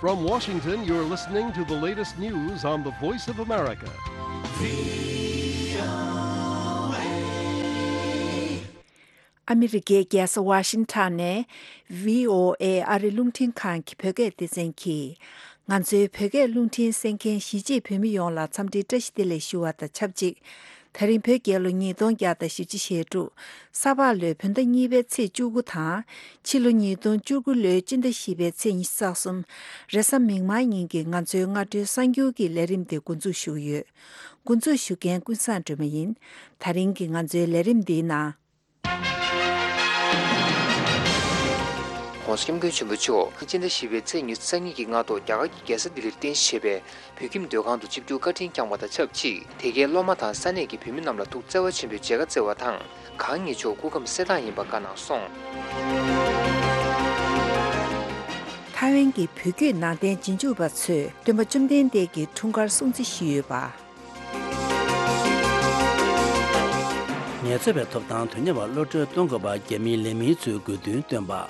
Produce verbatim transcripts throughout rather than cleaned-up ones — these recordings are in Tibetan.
From Washington, you're listening to the latest news on the Voice of America. ཨ་མི་རི་ཀའི་རྒྱལ་ས་ཝ་ཤིང་ཊོན་ནས་བྷི་ཨོ་ཨེ་ཨ་རི་རླུང་འཕྲིན་ཁང་གི་བོད་སྐད་སྡེ་ཚན་གྱིས། ང་ཚོའི་བོད་སྐད་རླུང་འཕྲིན་གསན་མཁན་གཞིས་བྱེས་བོད་མི་ཡོངས་ལ་འཚམས་འདྲིའི་བཀྲ་ཤིས་བདེ་ལེགས་ཞུ་བ་དང་ཆབས་ཅིག་ད་རིང་བོད་རྒྱལ་ལོ་ཉིས་སྟོང་བརྒྱ་དང་བཞི་བཅུ་ཞེ་དྲུག་ས་ཕག་ལོའི་བོད་ཟླ་གཉིས་པའི་ཚེས་བཅུ་དགུ་དང་། ཕྱི་ལོ་ཉིས་སྟོང་བཅུ་དགུ་ལོའི་སྤྱི་ཟླ་བཞི་པའི་ཚེས་ཉི་ཤུ་རྩ་གསུམ། རེས་གཟའ་མིག་དམར་ཉིན་གྱི་ང་ཚོའི་སྔ་དྲོའི་གསར་འགྱུར་གྱི་ལས་རིམ་དེ་འགོ་འཛུགས་ཞུ་གི་ཡོད། འགོ་འཛུགས་ཞུ་མཁན་ཀུན་བཟང་སྒྲོལ་མ་ཡིན། ད་རིང་གི་ང་ཚོའི་ལས་རིམ་འདིའི་ནང་།༸གོང་ས་༸སྐྱབས་མགོན་ཆེན་པོ་མཆོག་སྤྱི་ཟླ་བཞི་པའི་ཚེས་ཉི་ཤུ་རྩ་གཉིས་ཀྱི་སྔ་དྲོ་རྒྱ་གར་གྱི་རྒྱལ་ས་ལྡི་ལིར་རྟེན་གཞི་བྱས་པའི་བོད་ཁྱིམ་སྡོད་ཁང་དུ་ཆིབས་བསྒྱུར་བཀའ་དྲིན་བསྐྱངས་པ་དང་ཆབས་ཅིག་དེ་གའི་སློབ་མ་དང་ས་གནས་ཀྱི་བོད་མི་རྣམས་ལ་ཐུགས་བརྩེ་བ་ཆེན་པོས་མཇལ་ཁ་བསྩལ་བ་དང་། གང་ཉིད་མཆོག་སྐུ་ཁམས་གསལ་ཐང་ཡིན་པ་བཀའ་གནང་སོང་། ཐའེ་ཝན་གྱི་བོད་བརྒྱུད་ནང་བསྟན་རྗེས་འཇུག་པ་ཚོས་སྟོན་པ་བཅོམ་ལྡན་འདས་ཀྱི་འཁྲུངས་སྐར་སྲུང་བརྩི་ཞུས་ཡོད་པ། ངལ་རྩོལ་བའི་ཐོབ་ཐང་དོན་གཉེར་བར་གློད་གྲོལ་གཏོང་དགོས་པ། རྒྱ་མིའི་ལས་མི་ཚོས་དགོས་འདུན་བཏོན་པ།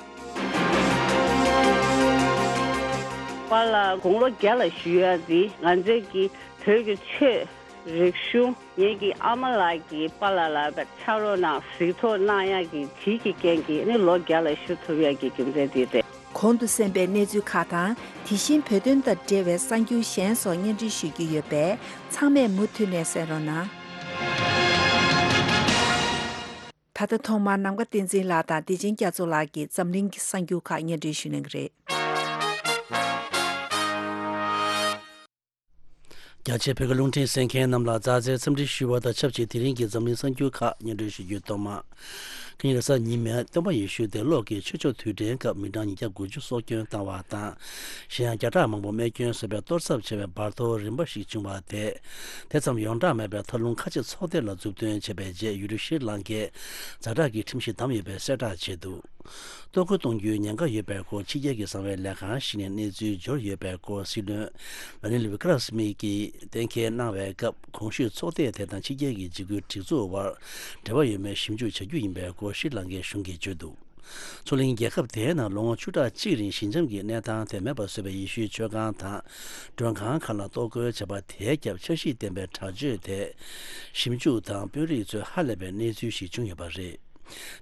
པཱ་ལགས་དགུང་ལོ་བརྒྱ་ལ་བཞུགས་ཡ་འདི་ང་ཚོའི་གི་བོད་ཀྱི་ཆོས་རིག་གཞུང་ངེད་ཀྱི་ཨ་མ་ལགས་ཀྱིས་པཱ་ལགས་ལ་ཕྱག་རོགས་གནང་གཟིགས་རྟོག་གནང་ཡ་གི་དེ་གི་རྐྱེན་གྱིས་ནི་ལོ་བརྒྱ་ལ་བཞུགས་ཐུབ་ཡ་གི་རྒྱུ་མཚན་འདི་རེད། གོང་དུ་གསན་པའི་གནས་ཚུལ་ཁག་དང་། དེ་བཞིན་བོད་དོན་དང་འབྲེལ་བའི་གསར་འགྱུར་གཞན་སོགས་སྙན་སྒྲོན་ཞུ་རྒྱུ་ཡོད་པས། ཚང་མས་མུ་མཐུད་ནས་གསན་རོགས་གནང་། ད་ལྟ་ཐོག་མར་ནམ་མཁའ་བསྟན་འཛིན་ལགས་དང་བདེ་ཆེན་རྒྱ་མཚོ་ལགས་ཀྱིས་འཛམ་གླིང་གི་གསར་འགྱུར་ཁག་སྙན་སྒྲོན་ཞུ་གནང་གི་རེད། རྒྱ་ཆེའི་བོད་ཀྱི་རླུང་འཕྲིན་གསན་མཁན་རྣམས་ལ་མཛའ་བརྩེའི་འཚམས་འདྲི་ཞུ་བ་དང་ཆབས་ཅིག་དེ་རིང་གི་འཛམ་གླིང་གསར་འགྱུར་ཁག་སྙན་སྒྲོན་ཞུ་རྒྱུའི་ཐོག་མ། ཁ་ཉིན་རེས་གཟའ་ཉི་མའི་སྟོན་པ་ཡེ་ཤུ་དེ་ལོ་གི་ཆོས་ཕྱོགས་དུས་དྲན་སྐབས་མི་གྲངས་ཉིས་བརྒྱ་དགུ་བཅུ་སྲོག་སྐྱོན་བཏང་བ་དང་། གཞན་ཡང་བརྒྱ་ཕྲག་མང་པོ་རྨས་སྐྱོན་བཟོས་པའི་གཏོར་ཚབས་ཆེ་བའི་འབར་གཏོར་རིམ་པ་ཞིག་བྱུང་བ་དེས། དེ་ཙམ་ཡོངས་གྲགས་མེད་པའི་མཐའ་ལྷུང་ཁ་ཆེ་ཚོགས་སྡེ་ལ་མཛུབ་སྟོན་བྱས་པའི་རྗེས། ཡུལ་གྲུ་ཤྲི་ལང་ཀས་ཛ་དྲག་གི་ཁྲིམས་གཞི་བསྡམས་ཡོད་པའི་གསལ་བསྒྲགས་བྱས་འདུག་གཏོར་རྒོལ་གཏོང་རྒྱུའི་ཉེན་ཁ་ཡོད་པའི་སྐོར་ཕྱི་རྒྱལ་གྱི་གསང་བའི་ལས་ཁང་ཞིག་ནས་གནས་ཚུལ་འབྱོར་ཡོད་པའི་སྐོར་སྲིད་བློན་ར་ནིལ་བི་ཀ་ར་སི་མི་གིས་གཏན་འཁེལ་གནང་བའི་སྐབས། གོང་ཞུས་ཚོགས་སྡེ་དེ་དང་ཕྱི་རྒྱལ་གྱི་འཇིགས་སྐུལ་སྒྲིག་འཛུགས་དབར་འབྲེལ་བ་ཡོད་མེད་ཞིབ་འཇུག་བྱ་རྒྱུ་ཡིན་པའི་སྐོར་ཤྲི་ལང་ཀའི་གཞུང་གིས་བརྗོད་འདུག་མཚོ་གླིང་རྒྱལ་ཁབ་དེའི་ནང་ལོ་ངོ་བཅུ་ཕྲག་གཅིག་རིང་ཞི་འཇམ་གྱི་གནས་སྟངས་དེ་མེད་པར་བཟོས་པའི་ཡེ་ཤུའི་མཆོད་ཁང་དང་མགྲོན་ཁང་ཁག་ལ་གཏོར་རྒོལ་བྱས་པ་དེའི་རྒྱབ་འཆར་གཞི་ལྡན་པའི་དྲག་སྤྱོད་དེ་ཞིབ་འཇུག་དང་དཔོན་རིགས་ཚོས་ཧ་ལས་པའི་གནས་ཚུལ་ཞིག་བྱུང་ཡོད་པ་རེད།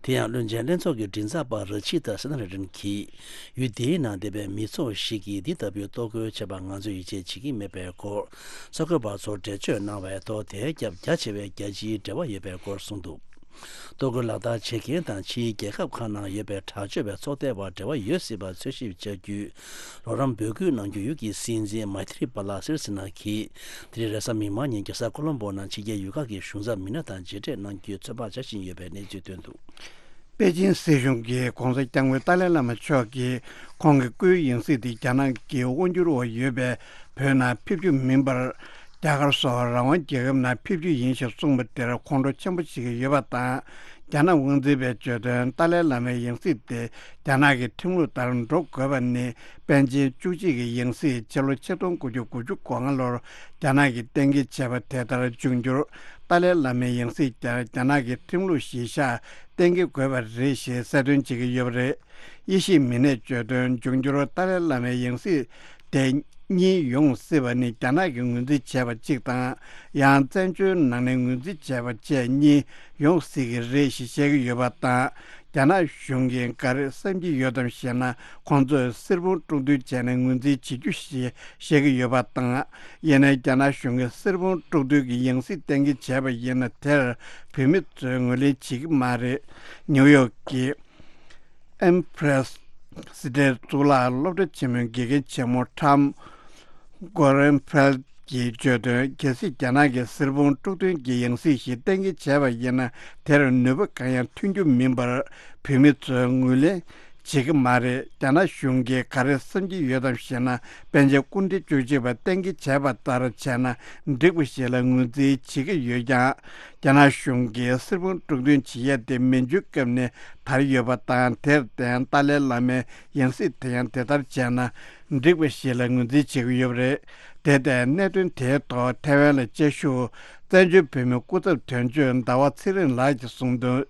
དེ་ཡང་བློན་ཆེན་ལྷན་ཚོགས་ཀྱི་མགྲིན་ཚབ་པ་ར་ཆི་ཏཱ་སེ་ན་ར་ཏན་གྱིས་ཡུལ་དེའི་ནང་བསྡད་པའི་མི་ཚོགས་ཤིག་གིས་འདི་ལྟ་བུའི་གཏོར་རྒོལ་བྱས་པར་ང་ཚོས་ཡིད་ཆེས་བྱེད་ཀྱི་མེད་པའི་སྐོར་གསར་འགོད་པ་ཚོར་འགྲེལ་བརྗོད་གནང་བའི་ཐོག་དེའི་རྒྱབ་རྒྱ་ཆེ་བའི་རྒྱལ་སྤྱིའི་འབྲེལ་བ་ཡོད་པའི་སྐོར་གསུངས་འདུག་གཏོར་རྒོལ་ལག་བསྟར་བྱེད་མཁན་དང་ཕྱིའི་རྒྱལ་ཁབ་ཁག་ནང་ཡོད་པའི་དྲག་སྤྱོད་པའི་ཚོགས་སྡེ་བར་འབྲེལ་བ་ཡོད་སྲིད་པར་འཚོལ་ཞིབ་བྱ་རྒྱུའི་རོགས་རམ་འབོད་སྐུལ་གནང་རྒྱུ་ཡུལ་གྱི་སྲིད་འཛིན་མཱི་ཐི་རི་པཱ་ལ་སིར་སི་ན་གིས་དེ་རིང་རེས་གཟའ་མིག་དམར་ཉིན་རྒྱལ་ས་ཀོ་ལོམ་པོ་ནང་ཕྱི་རྒྱལ་ཡུལ་ཁག་གི་གཞུང་ཚབ་མི་སྣ་དང་མཇལ་འཕྲད་གནང་རྒྱུའི་ཚོད་དཔག་བྱ་བཞིན་ཡོད་པའི་གནས་ཚུལ་བཏོན་འདུག་པེ་ཅིན་སྲིད་གཞུང་གིས་༸གོང་ས་༸སྐྱབས་མགོན་ཏཱ་ལའི་བླ་མ་མཆོག་གིས་ཁོང་གི་སྐུའི་ཡང་སྲིད་དེ་རྒྱ་ནག་གི་དབང་སྒྱུར་འོག་ཡོད་པའི་བོད་ནང་ཕེབས་རྒྱུ་མིན་པར། རྒྱ་གར་སོགས་རང་དབང་རྒྱལ་ཁབ་ནང་ཕེབས་རྒྱུ་ཡིན་ཞེས་གསུངས་པ་དེར་ཁོང་ཁྲོ་ཆེན་པོ་བྱེད་ཀྱི་ཡོད་པ་དང་། རྒྱ་ནག་དབང་འཛིན་པས་བརྗོད་དོན། ཏཱ་ལའི་བླ་མའི་ཡང་སྲིད་དེ་རྒྱ་ནག་གི་ཁྲིམས་ལུགས་ལྟར་འགྲོ་དགོས་པ་ནི། པཎ་ཆེན་བཅུ་གཅིག་གི་ཡང་སྲིད་ཕྱི་ལོ་ཆིག་སྟོང་དགུ་བརྒྱ་དགུ་བཅུ་གོ་ལྔ་ལོར་རྒྱ་ནག་གིས་གཏན་འཁེལ་བྱས་པ་དེ་ལྟར་འབྱུང་འགྱུར། ཏཱ་ལའི་བླ་མའི་ཡང་སྲིད་ཀྱང་རྒྱ་ནག་གི་ཁྲིམས་ལུགས་གཞིར་བཞག་གཏན་འཁེལ་དགོས་པ་རེད་ཞེས་གསལ་སྟོན་བྱེད་ཀྱི་ཡོད་པ་རེད། དབྱེ་ཞིབ་མི་སྣས་བརྗོད་དོན། འབྱུང་འགྱུར་ཏཱ་ལའི་བླ་མའི་ཡང་སྲིད་དེ་གཉིས་ཡོང་སྲིད་པ་ནི་རྒྱ་ནག་གིས་ངོས་འཛིན་བྱས་པ་གཅིག་དང་། ཡང་བཙན་བྱོལ་ནང་ནས་ངོས་འཛིན་བྱས་པ་བཅས་གཉིས་ཡོང་སྲིད་ཀྱི་རེད་ཞེས་བཤད་ཀྱི་ཡོད་པ་དང་། རྒྱ་ནག་གཞུང་གིས་ག་རེ་བསམ་གྱི་ཡོད་དམ་ཞེ་ན། ཁོང་ཚོས་གསེར་བུམ་དཀྲུག་འདོན་བྱས་ནས་ངོས་འཛིན་བྱེད་རྒྱུ་ཞེས་བཤད་ཀྱི་ཡོད་པ་དང་། ཡིན་ནའི་རྒྱ་ནག་གཞུང་གིས་གསེར་བུམ་དཀྲུག་འདོན་གྱི་ཡང་སྲིད་གཏན་འཁེལ་བྱས་པ་ཡིན་ན། དེར་བོད་མི་ཚོས་ངོས་ལེན་བྱེད་ཀྱི་མ་རེད། ནིའུ་ཡོག་གི་ཨེམ་པི་རེ་སི་སི་ཏྲའི་གཙུག་ལག་སློབ་གྲྭ་ཆེན་མོའི་དགེ་རྒན་ཆེན་མོ་ཁྲམ་གོ་རན་ཕེལ་གྱིས་བརྗོད་དོན། གལ་སྲིད་རྒྱ་ནག་གིས་གསེར་བུམ་དཀྲུག་འདོན་གྱི་ཡང་སྲིད་ཞིག་གཏན་འཁེལ་བྱས་པ་ཡིན་ན། དེར་ནུས་པ་གང་ཡང་ཐོན་རྒྱུ་མིན་པར་བོད་མི་ཚོས་ངོས་ལེན་བྱེད་ཀྱི་མ་རེད། རྒྱ་ནག་གཞུང་གིས་ག་རེ་བསམ་གྱི་ཡོད་དམ་ཞེ་ན། པཎ་ཆེན་སྐུ་ཕྲེང་བཅུ་གཅིག་པ་གཏན་འཁེལ་བྱས་པ་ལྟར་བྱས་ན་འགྲིག་པ་ཞིག་ལ་ངོས་འཛིན་བྱེད་ཀྱི་ཡོད་ཀྱང་། རྒྱ་ནག་གཞུང་གིས་གསེར་བུམ་དཀྲུག་འདོན་བྱེད་ཡས་དེ་མན་ཇུའི་སྐབས་ནས་དར་ཡོད་པ་དང་། དེར་བརྟེན་ཏཱ་ལའི་བླ་མའི་ཡང་སྲིད་དེ་ཡང་དེ་ལྟར་བྱས་ན་འགྲིག་པ་ཞིག་ལ་ངོས་འཛིན་བྱེད་ཀྱི་ཡོད་པ་རེད། དེ་ལྟར་གནད་དོན་དེའི་ཐོག་ཐའེ་ཝན་ལ་བཅའ་བཞུགས་བཙན་བྱོལ་བོད་མིའི་སྐུ་ཚབ་དོན་གཅོད་ཟླ་བ་ཚེ་རིང་ལགས་ཀྱིས་གསུངས་དོན།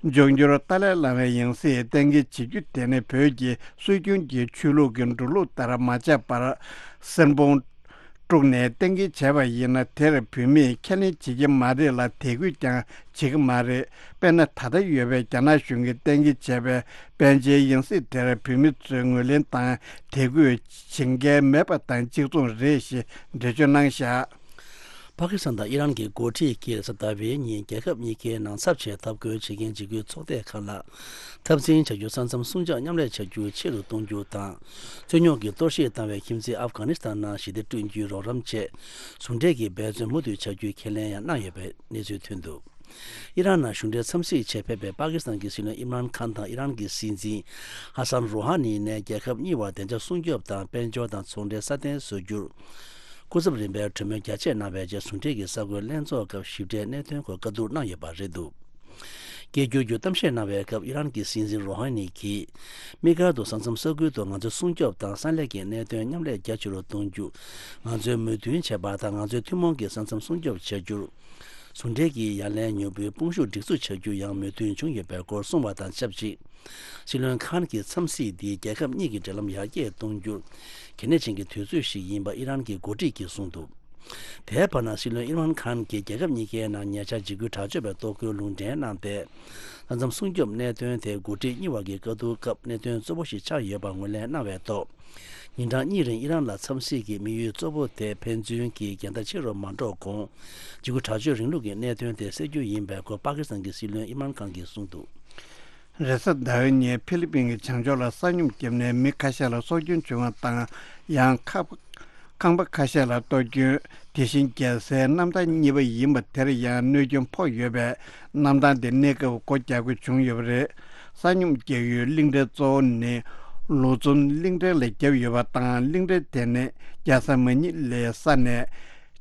འབྱུང་འགྱུར་ཏཱ་ལའི་བླ་མའི་ཡང་སྲིད་གཏན་འཁེལ་བྱེད་རྒྱུ་དེ་ནི་བོད་ཀྱི་སྲོལ་རྒྱུན་གྱི་ཆོས་ལུགས་ཀྱི་འགྲོ་ལུགས་ལྟར་མ་ཆགས་པར། གསེར་བུམ་དཀྲུགས་ནས་གཏན་འཁེལ་བྱས་པ་ཡིན་ན། དེར་བོད་མིས་ཁས་ལེན་བྱེད་ཀྱི་མ་རེད་ལ། དད་གུས་ཀྱང་བྱེད་ཀྱི་མ་རེད། དཔེར་ན། ད་ལྟ་ཡོད་པའི་རྒྱ་ནག་གཞུང་གིས་གཏན་འཁེལ་བྱས་པའི་པཎ་ཆེན་ཡང་སྲིད་དེར་བོད་མི་ཚོས་ངོས་ལེན་དང་དད་གུས་བྱེད་མཁན་མེད་པ་དང་གཅིག་མཚུངས་རེད་ཞེས་འགྲེལ་བརྗོད་གནང་བཞག་པ་ཀི་སི་ཐན་དང་ཨི་རན་གྱི་འགོ་ཁྲིད་ཀྱིས་རེས་གཟའ་ཟླ་བའི་ཉིན་རྒྱལ་ཁབ་གཉིས་ཀའི་ནང་ཚབས་ཆེའི་འཐབ་རྒོལ་བྱེད་མཁན་འཇིགས་སྐུལ་ཚོགས་སྡེ་ཁག་ལ་འཐབ་འཛིང་བྱ་རྒྱུ་ས་མཚམས་སྲུང་སྐྱོབ་མཉམ་ལས་བྱ་རྒྱུ་ཆེ་རུ་གཏོང་རྒྱུ་དང་། རྩོད་རྙོག་གི་གཏོར་བཤིག་བཏང་བའི་ཁྱིམ་མཚེས་ཨབ་གྷ་ནི་སི་ཐན་ནང་ཞི་བདེ་བསྐྲུན་རྒྱུའི་རོགས་རམ་ཆེད་ཟུང་འབྲེལ་གྱི་འབད་བརྩོན་མུ་མཐུད་བྱ་རྒྱུའི་ཁས་ལེན་ཡང་གནང་ཡོད་པའི་གནས་ཚུལ་ཐོན་འདུག་ཨི་རན་ནང་གཞུང་འབྲེལ་འཚམས་གཟིགས་ཆེད་ཕེབས་པའི་པ་ཀི་སི་ཐན་གྱི་སྲིད་བློན་ཨིམ་རཱན་ཁཱན་དང་ཨི་རན་གྱི་སྲིད་འཛིན་ཧ་སན་རོ་ཧ་ནི་ནས་རྒྱལ་ཁབ་གཉིས་བར་བདེ་འཇགས་སྲུང་སྐྱོབ་དང་དཔལ་འབྱོར་དང་ཚོང་འབྲེལ་སྲ་བརྟན་བཟོ་རྒྱུར་སྐུ་ཚབ་རིམ་པས་གྲོས་མོལ་རྒྱ་ཆེ་གནང་བའི་རྗེས། ཟུང་འབྲེལ་གྱི་གསར་འགོད་ལྷན་ཚོགས་སྐབས་ཞིབ་ཕྲའི་གནད་དོན་སྐོར་བཀའ་བསྡུར་གནང་ཡོད་པ་རེད་འདུག་སྐད་སྒྱུར་རྒྱུ་གཏམ་བཤད་གནང་བའི་སྐབས་ཨི་རན་གྱི་སྲིད་འཛིན་རོ་ཧ་ནི་གྱིས། དམིགས་བཀར་དུ་ས་མཚམས་ས་ཁུལ་དུ་ང་ཚོའི་སྲུང་སྐྱོབ་དང་ས་སླེབས་ཀྱི་གནད་དོན་མཉམ་ལས་རྒྱ་ཆེ་རུ་གཏོང་རྒྱུ། ང་ཚོའི་མོས་མཐུན་བྱས་པ་དང་ང་ཚོའི་ཐུན་མོང་གི་ས་མཚམས་སྲུང་སྐྱོབ་བྱ་རྒྱུར། ཟུང་འབྲེལ་གྱི་ཡ་ལན་མྱུར་པོའི་དཔུང་ཤུགས་སྒྲིག་འཛུགས་བྱ་རྒྱུ་ཡང་མོས་མཐུན་བྱུང་ཡོད་པའི་སྐོར་གསུངས་པ་དང་ཆབས་ཅིག་སྲིད་བློན་ཁཱན་གྱིས་འཚམས་གཟིགས་འདིས་རྒྱལ་ཁབ་གཉིས་ཀྱི་འབྲེལ་ལམ་ཡར་རྒྱས་གཏོང་རྒྱུར་གལ་གནད་ཅན་གྱི་དུས་ཚོད་ཞིག་ཡིན་པ་ཨི་རན་གྱི་འགོ་ཁྲིད་ཀྱིས་གསུངས་འདུག་དེའི་བར་ན་སྲིད་བློན་ཨིམ་རཱན་ཁཱན་གྱིས་རྒྱལ་ཁབ་གཉིས་ཀའི་ནང་ཉེ་ཆར་འཇིགས་སྐུལ་དྲག་སྤྱོད་པའི་གཏོར་རྒོལ་ལུང་འདྲེན་གནང་སྟེ། ས་མཚམས་སྲུང་སྐྱོབ་གནད་དོན་དེ་འགོ་ཁྲིད་གཉིས་བར་གྱི་བཀའ་བསྡུར་སྐབས་གནད་དོན་གཙོ་བོ་ཞིག་ཆགས་ཡོད་པ་ངོས་ལེན་གནང་བའི་ཐོག་ཉིན་གྲངས་གཉིས་རིང་ཨི་རན་ལ་འཚམས་གཟིགས་ཀྱི་དམིགས་ཡུལ་གཙོ་བོ་དེ་ཕན་ཚུན་གྱི་འགལ་ཟླ་ཆེ་རུ་མ་འགྲོ་གོང་། འཇིགས་སྐུལ་དྲག་སྤྱོད་རིང་ལུགས་ཀྱི་གནད་དོན་དེ་སེལ་རྒྱུ་ཡིན་པའི་སྐོར་པ་ཀི་སི་ཐན་གྱི་སྲིད་བློན་ཨིམ་རཱན་ཁཱན་གྱིས་གསུངས་འདུག་རེས་གཟའ་ཟླ་བའི་ཉིན་ཕི་ལི་པིན་གྱི་བྱང་ཕྱོགས་ལ་ས་སྙོམས་བརྒྱབ་ནས་མི་ཁ་ཤས་ལ་སྲོག་སྐྱོན་བྱུང་བ་དང་། ཡང་ཁག་ཁང་པ་ཁ་ཤས་ལ་གཏོར་སྐྱོན། དེ་བཞིན་རྒྱལ་སའི་གནམ་ཐང་གཉིས་པ་ཡིན་པ་དེར་ཡང་གནོད་སྐྱོན་ཕོག་ཡོད་པས། གནམ་ཐང་དེ་གནས་སྐབས་སྒོ་རྒྱག་དགོས་བྱུང་ཡོད་པ་རེད། ས་སྙོམས་རྒྱག་ཡུལ་གླིང་ཕྲན་གཙོ་བོ་ནི་ལུ་ཙུན་གླིང་ཕྲན་ལ་བརྒྱབ་ཡོད་པ་དང་། གླིང་ཕྲན་དེ་ནི་རྒྱལ་ས་མ་ཉི་ལའི་ས་ནས་